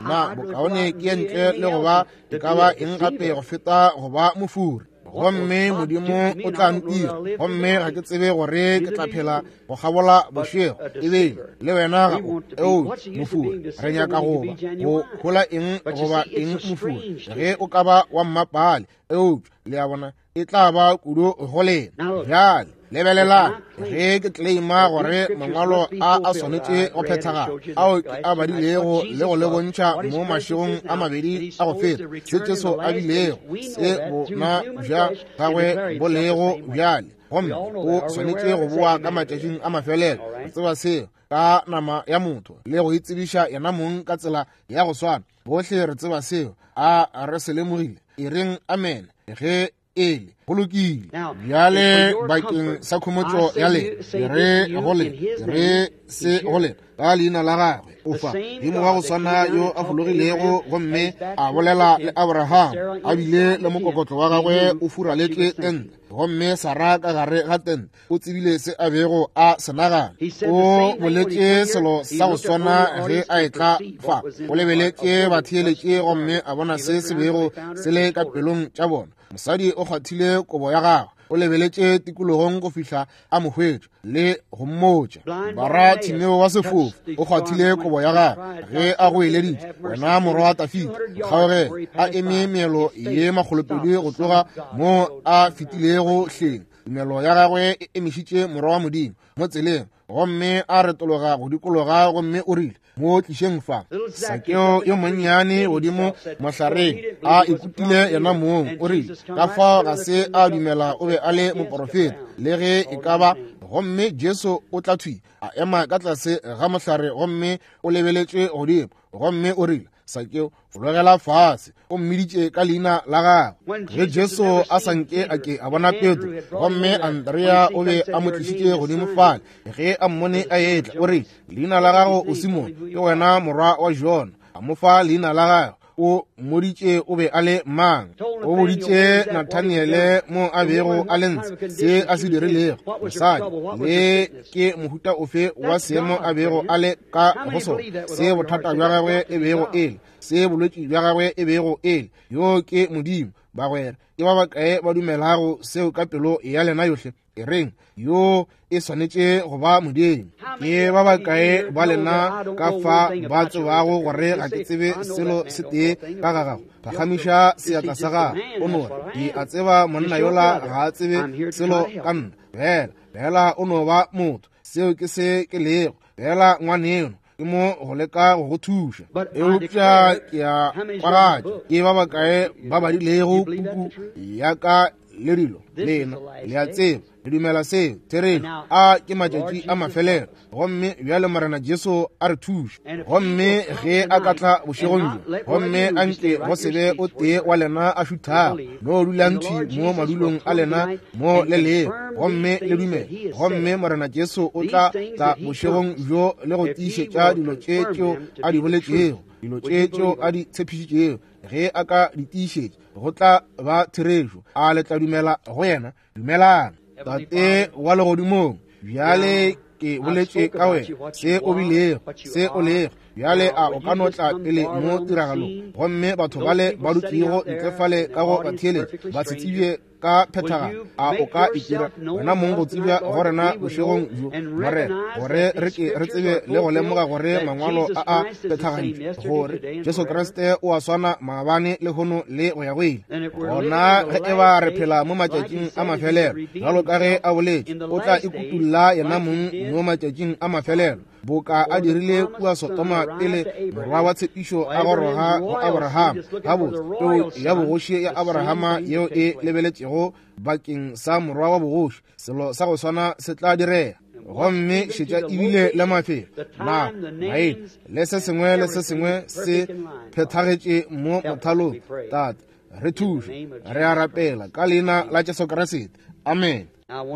na bokaone ke ntle le go ba e ka ba eng gape go feta go ba mofuri. Gomme Modimo o tla ntira, gomme ga ke tsebe gore ke tla phela go kgabola bošego ebile le wena ga o eo mofuri. Re nyaka go ba go hola eng goba eng mofuri ge o ka ba wa mmapale, eupša le a bona e tla ba kudu go lena. Bjale lebelelang, ge ke claima gore mangwalo a a swanetše go phethagala ao ke a badilego le go le bontšha mo mašegong a mabedi a go feta, se Jesu a bilego, se bona bja gagwe bo lego bjale, gomme o swanetše go boa ka matšatšing a mafelelo. Re tseba seo ka nama ya motho le go itsebiša yena mong ka tsela ya go swana. Bohle re tseba seo. A re se lemogile? E reng amen ge ele go lokile. Bjale bakeng sa khomotšo ya lena, ke re go lena, ke re se go lena ka leina la gagwe. O fa Modimo wa go swana yo a fologilego gomme a bolela le Abraham, a bile le mokokotlo wa gagwe o furaletše tente, gomme Sara ka gare ga tente o tsebile se a bego a se nagana. O boletše selo sa go swana ge a etla fa. O lebeletše batheeletše gomme a bona se se bego se le ka pelong tša bona. Mosadi o kgwathile kobo ya gagwe, o lebeletše tikologong go fihla a mo hwetša le go mmotša. Bara Timeo wa sefofu o kgwathile kobo ya gagwe ge a goeleditše, wena morwa wa Dafida, nkgaogele. A eme meelo ye 200 go tloga mo a fetilego hleng. Tumelo ya gagwe e emišitše Morwa wa Modimo mo tseleng, gomme a retologa go dikologa gomme o rile, mo tlišeng fa. Sakeo yo monnyane godimo mohlareng a ikutile yena mong, o rile, ka fao ga se a dumela o be a le moporofeta le ge e ka ba. Gomme Jesu o tla thwi a ema ka tlase ga mohlare gomme o lebeletše godimo gomme o rile, Sakeo, fologela fase. O mmiditše ka leina la gagwe. Ge Jesu a sa nke a ke a bona Petro, gomme Andrea o be a mo tlišitše godimo fale, ge a mmone a etla, o rile, leina la gago o Simone, ke wena morwa wa Jona. A mo fa leina la gagwe. O mmoditše o be a le mang. O boditše Nathaniele mo a bego a le ntshe, se a se dirilego, mosadi, le ke mohuta ofe wa seemo a bego a le ka go sona, se bothata bja gagwe e bego e le, se bolwetši bja gagwe e bego e le. Yo ke Modimo, bagwera. Ke ba bakae ba dumelago seo ka pelo ya lena yohle? E reng, yo e swanetše go ba Modimo. Ke ba bakae ba lena ka fa ba tsebago gore ga ke tsebe selo se tee ka ga gago? Phagamiša seatla sa gago. O no re, ke a tseba monna yola ga a tsebe selo ka nna. Fela, fela o no ba motho. Seo ke se ke lego. Fela ngwaneno ke mo go leka go go thuša. Eupša ke a kwagatša ke ba bakae ba badilego puku ya ka le dilo lena le a tseba le dumela seo therešo. A ke matšatši a mafelelo, gomme bjale Morena Jesu a re thuše. Gomme ge a ka tla bošegong bjo, gomme a nke go se be o tee wa lena a šuthago, no dulang thwi mo madulong a lena mo le lego, gomme le dumele. Gomme Morena Jesu o tla tla bošegong bjo le go tiišetša dilo tše tšeo a di boletšego, dilo tše tšeo a di tshepišitšego. Ge a ka di tiišetša, go tla ba therešo. A le tla dumela go yena? Dumelang. Tate wa legodimong, bjale ke boletše ka wena, se o bilego, se o lego. Bjale a o ka no tla pele mo tiragalong, gomme batho bale ba dutšego ntle fale ka go batheeletši ba se tsebje ka phethagalo, a o ka itira wena mong go tsebja go rena bošegong bjo, Morena, gore re ke re tsebe le go lemoga gore mangwalo a a phethagaditšwe, gore Jesu Kriste o a swana maabane, lehono le go ya go ile. Gona ge e ba re phela mo matšatšing a mafelelo, bjalo ka ge a boletše, o tla ikutulla yena mong mo matšatšing a mafelelo, boka a dirile kua Sodoma pele morwa wa tshepišo a goroga go Abrahama. Gabotse, peu ya bogoši ya Abrahama yeo e lebeletšego bakeng sa morwa wa bogoši, selo sa go swana se tla direga. Gomme šetša ebile le mafelo, nako, maina, le se sengwe le se sengwe se phethagetše mo mothalong. Tate, re thuše, re a rapela ka leina la Jesu Kriste. Amen.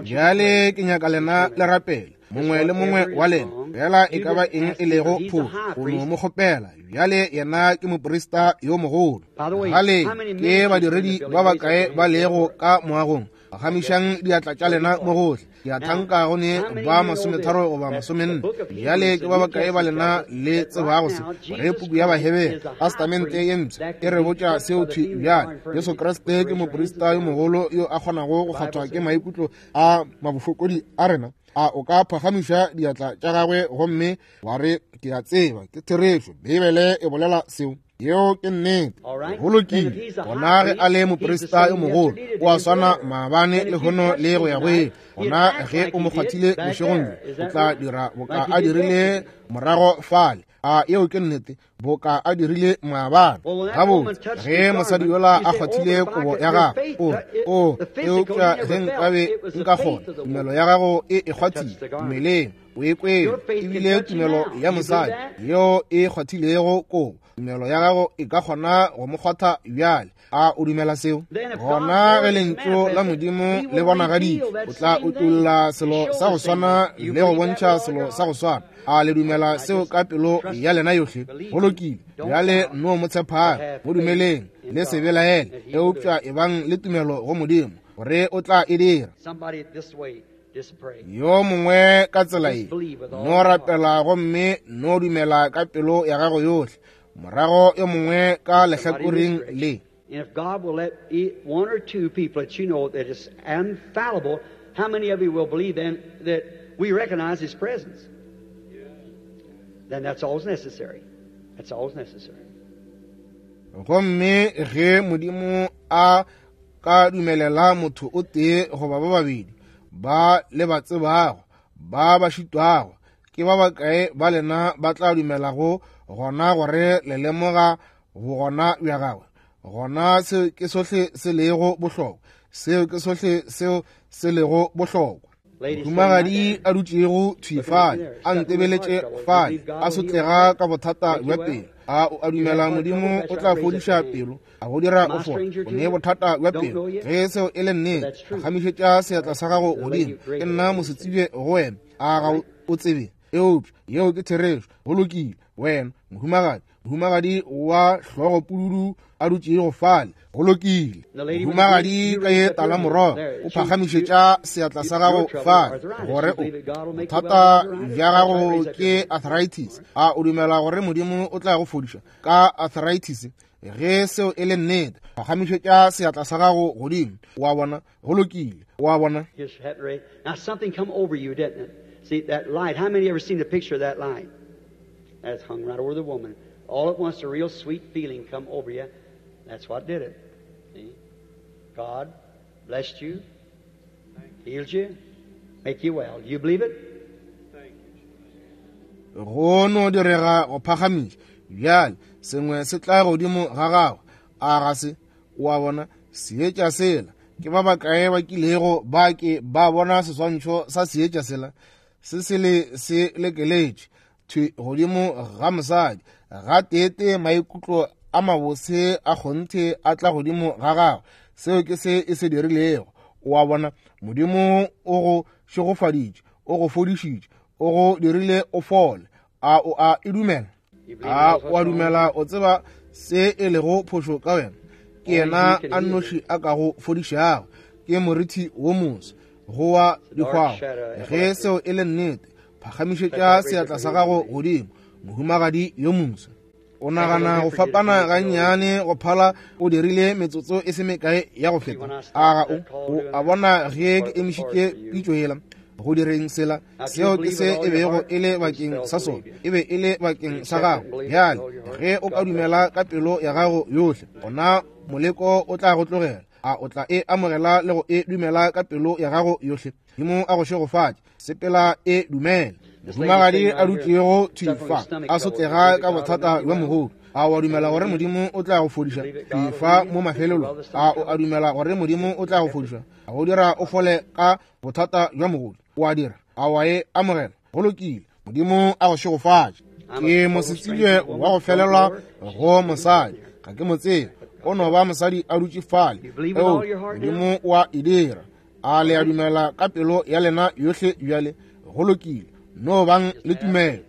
Bjale ke nyaka lena le rapele, mongwe le mongwe wa lena, fela e ka ba eng e lego phošo, go no mo kgopela. Bjale yena ke moprista yo mogolo. Gale ke badiredi ba bakae ba lego ka moagong? Phagamišang diatla tša lena mo gohle. Ke a thanka go ne ba 30 goba 40. Bjale ke ba bakae ba lena le tsebago se, gore puku ya Bahebere, Testamente ye Mpsha, e re botša seo thwi bjale? Jesu Kriste ke moprista yo mogolo yo a kgonago go kgathwa ke maikutlo a mabofokodi a rena. A o ka phagamiša diatla tša gagwe gomme wa re, ke a tseba ke therešo, Beibele e bolela seo? Yeo ke nnete. Go lokile. Gona ge a le moprista yo mogolo, o a swana maabane, lehono le go ya go ile. Gona ge o mo kgwathile bošegong bjo, o tla dira boka a dirile morago fale. A yeo ke nnete, boka a dirile maabane. Gabotse, ge mosadi yola a kgwathile kobo ya gagwe, o re, o, eupša ge nkabe nka kgona, tumelo ya gago e e kgwathile mmeleng, o e kwele, ebile tumelo ya mosadi yeo e kgwathilego kobo, tumelo ya gago e ka kgona go mo kgwatha bjale. A o dumela seo? Gona ge lentšu la Modimo le bonagaditšwe, o tla utolla selo sa go swana le go bontšha selo sa go swana. A le dumela seo ka pelo ya lena yohle? Go lokile. Bjale no mo tshephang, mo dumeleng, le se belaele, eupša ebang le tumelo go Modimo gore o tla e dira. Yo mongwe ka tsela ye, no rapela gomme no dumela ka pelo ya gago yohle. Morago yo mongwe ka lehlakoreng le. And if God will let one or two people that you know that is infallible, how many of you will believe then that we recognize His presence? Then that's all necessary. That's all necessary. Gomme ge Modimo a ka dumelela motho o tee goba ba babedi ba le ba tsebago ba ba šitwago, ke ba bakae ba lena ba tla dumelago gona gore le lemoga bogona bja gagwe? Gona seo ke sohle se lego bohlokwa. Seo ke sohle seo se lego bohlokwa. Mohumagadi a dutšego thwi fale, a ntebeletše fale, a sotlega ka bothata bja pelo. A o a dumela Modimo o tla fodiša pelo, a go dira o fole? O ne bothata bja pelo. Ge seo e le nnete, phagamišetša seatla sa gago godimo. Ke nna mosetsebje go wena. A ga o tsebe? Eupša yeo ke therešo. Go lokile. Wena mohumagadi, mohumagadi wa hlogo pududu a dutšego fale. Go lokile. Mohumagadi ka ye tala morogo, o phagamišetša seatla sa gago fale gore o bothata bja gago ke arthritis. A o dumela gore Modimo o tla go fodiša ka arthritis? Ge seo e le nnete, phagamišetša seatla sa gago godimo. Wa bona? Go lokile. Wa bona? Now something come over you, didn't it? See that light. How many ever seen the picture of that light? That's hung right over the woman. All at once, a real sweet feeling come over you. That's what did it. See? God blessed you, healed you, make you well. Do you believe it? Go no direga go phagamiša. Bjale, sengwe se tla godimo ga gago. A ga se? O a bona, seetša sela. Ke ba bakae ba kilego ba ke ba bona seswantšho sa seetša sela? Se se le se lekeletše thwi godimo ga mosadi. Gateetee maikutlo a mabose a kgonthe a tla godimo ga gagwe. Seo ke se e se dirilego. O a bona, Modimo o go šegofaditše, o go fodišitše, o go dirile o fole. A o a e dumela? A o a dumela o tseba se e lego phošo ka wena? Ke yena a nnoši a ka go fodišago. Ke morithi wo moso go wa dihwago. Ge seo e le nnete, phagamišetša seatla sa gago godimo, mohumagadi yo moso. O nagana go fapana gannyane go phala o dirile metsotso e se mekae ya go feta. A ga o? O a bona ge ke emišitše pitšo yela go direng sela, seo ke se e bego e le bakeng sa sona, e be e le bakeng sa gago. Bjale ge o ka dumela ka pelo ya gago yohle, gona moleko o tla go tlogela. A o tla e amogela le go e dumela ka pelo ya gago yohle? Modimo a go šegofatše. Sepela e dumela. Mohumagadi a dutšego thwi fa, a sotlega ka bothata bja mogodu. A o a dumela gore Modimo o tla go fodiša? Thwi fa mo mafelelong. A o a dumela gore Modimo o tla go fodiša, a go dira o fole ka bothata bja mogodu? O a dira? A o a e amogela? Go lokile. Modimo a go šegofatše. Ke mosetsebje wa go felelwa go mosadi, ga ke mo tsebe, o no ba mosadi a dutše fale. Eo, Modimo o a e dira. A le a dumela ka pelo ya lena yohle bjale? Go lokile, no bang le tumelo.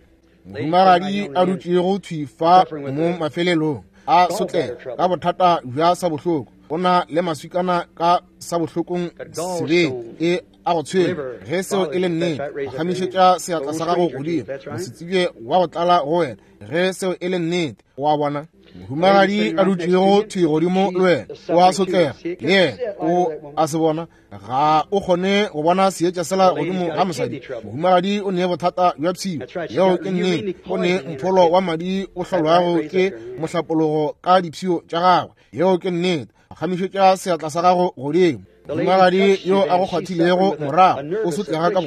Mohumagadi a dutšego thwi fa mo mafelelong, a sotlega ka bothata bja sa bohloko, o na le maswikana ka sa bohlokong sebeng e a go tshwenya. Ge seo e le nnete, phagamišetša seatla sa gago godimo, mosetsebje wa go tlala go wena. Ge seo e le nnete, o a bona. Mohumagadi a dutšego thwi godimo le wena o a sotlega, le yena o a se bona. Ga o kgone go bona seetša sela godimo ga mosadi. Mohumagadi o ne bothata bja pshio, yeo ke nnete. O ne mpholo wa madi o hlolwago ke mohlapologo ka dipshio tša gagwe, yeo ke nnete. Phagamišetša seatla sa gago godimo. Mohumagadi yo a go kgwathilego morago o sotlega ka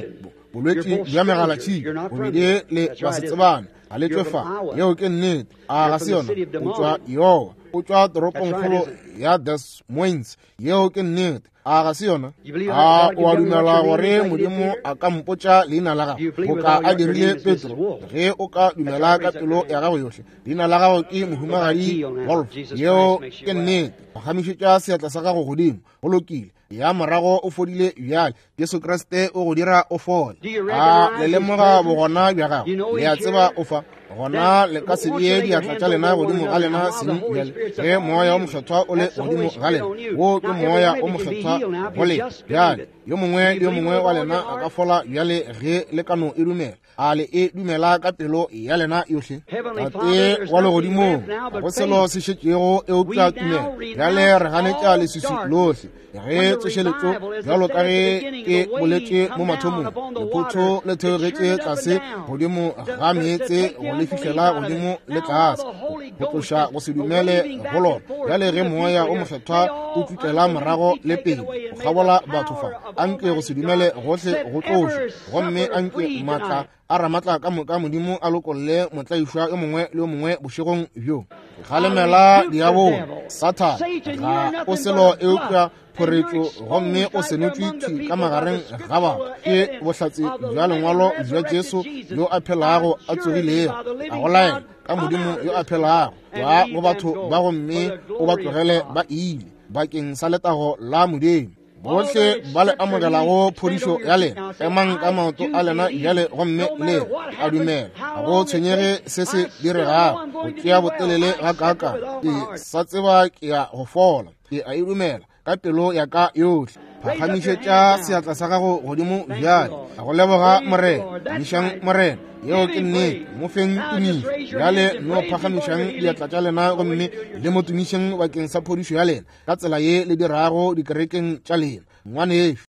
bolwetši bja megalatšhika, bobedi le basetsebane ga le tšwe fa, yeo ke nnete. A ga se yona? O tšwa Iowa, o tšwa toropongkgolo ya Des Moines, yeo ke nnete. A ga se yona? A o a dumela gore Modimo a ka mpotša leina la gago boka a dirile Petro? Ge o ka dumela ka pelo ya gago yohle, leina la gago ke mohumagadi Wolf, yeo ke nnete. Phagamišetša seatla sa gago godimo. Go lokile. Ya morago o fodile bjale. Jesu Kriste o go dira o fole. A le lemoga bogona bja gago? Le a tseba o fa. Gona le ka se bee diatla tša lena godimo ga lena seng bjale. Ge Moya o Mokgethwa o le godimo ga lena, wo ke Moya o Mokgethwa go lena. Bjale, yo mongwe le yo mongwe wa lena a ka fola bjale ge le ka no e dumela. A le e dumela ka pelo ya lena yohle? Tate wa legodimong, ga go selo se šetšego eupša tumelo. Bjale re ganetša leswiswi lohle ge tsošeletšo, bjalo ka ge ke boletše mo mathomong, lephotho le theogetše tlase godimo ga meetse go le fihlela godimo le tlase, go tloša go se dumele go lona. Bjale ge Moya o Mokgethwa o tšutlela morago le pele go kgabola batho fa, anke go se dumele gohle go tlošwe, gomme anke maatla a ramatla ka moka Modimo a lokolle motlaišwa yo mongwe le yo mongwe bošegong bjo. Galemela diabolo, Sathane, ga o selo eupša phoretšo, gomme o senotšwe thwi ka magareng ga batho ke bohlatse bja lengwalo bja Jesu yo a phelago a tsogilego. A go laela ka Modimo yo a phelago wa go batho ba, gomme o ba tlogele ba ile bakeng sa letago la Modimo. Bohle ba le amogelago phodišo ya lena, emang ka maoto a lena bjale gomme le a dumela. Ga go tshwenyege se se diregago, go tšea botelele gakaaka, ke sa tseba ke ya go fola. Ke a e dumela ka pelo ya ka yohle. Phagamišetša seatla sa gago godimo bjale. A go leboga Morena. Tumišang Morena. Yeo ke nnete. Mo feng tumišo. Bjale no phagamišang diatla tša lena gomme le mo tumišeng bakeng sa phodišo ya lena, ka tsela ye le dirago dikerekeng tša lena. Ngwanešu.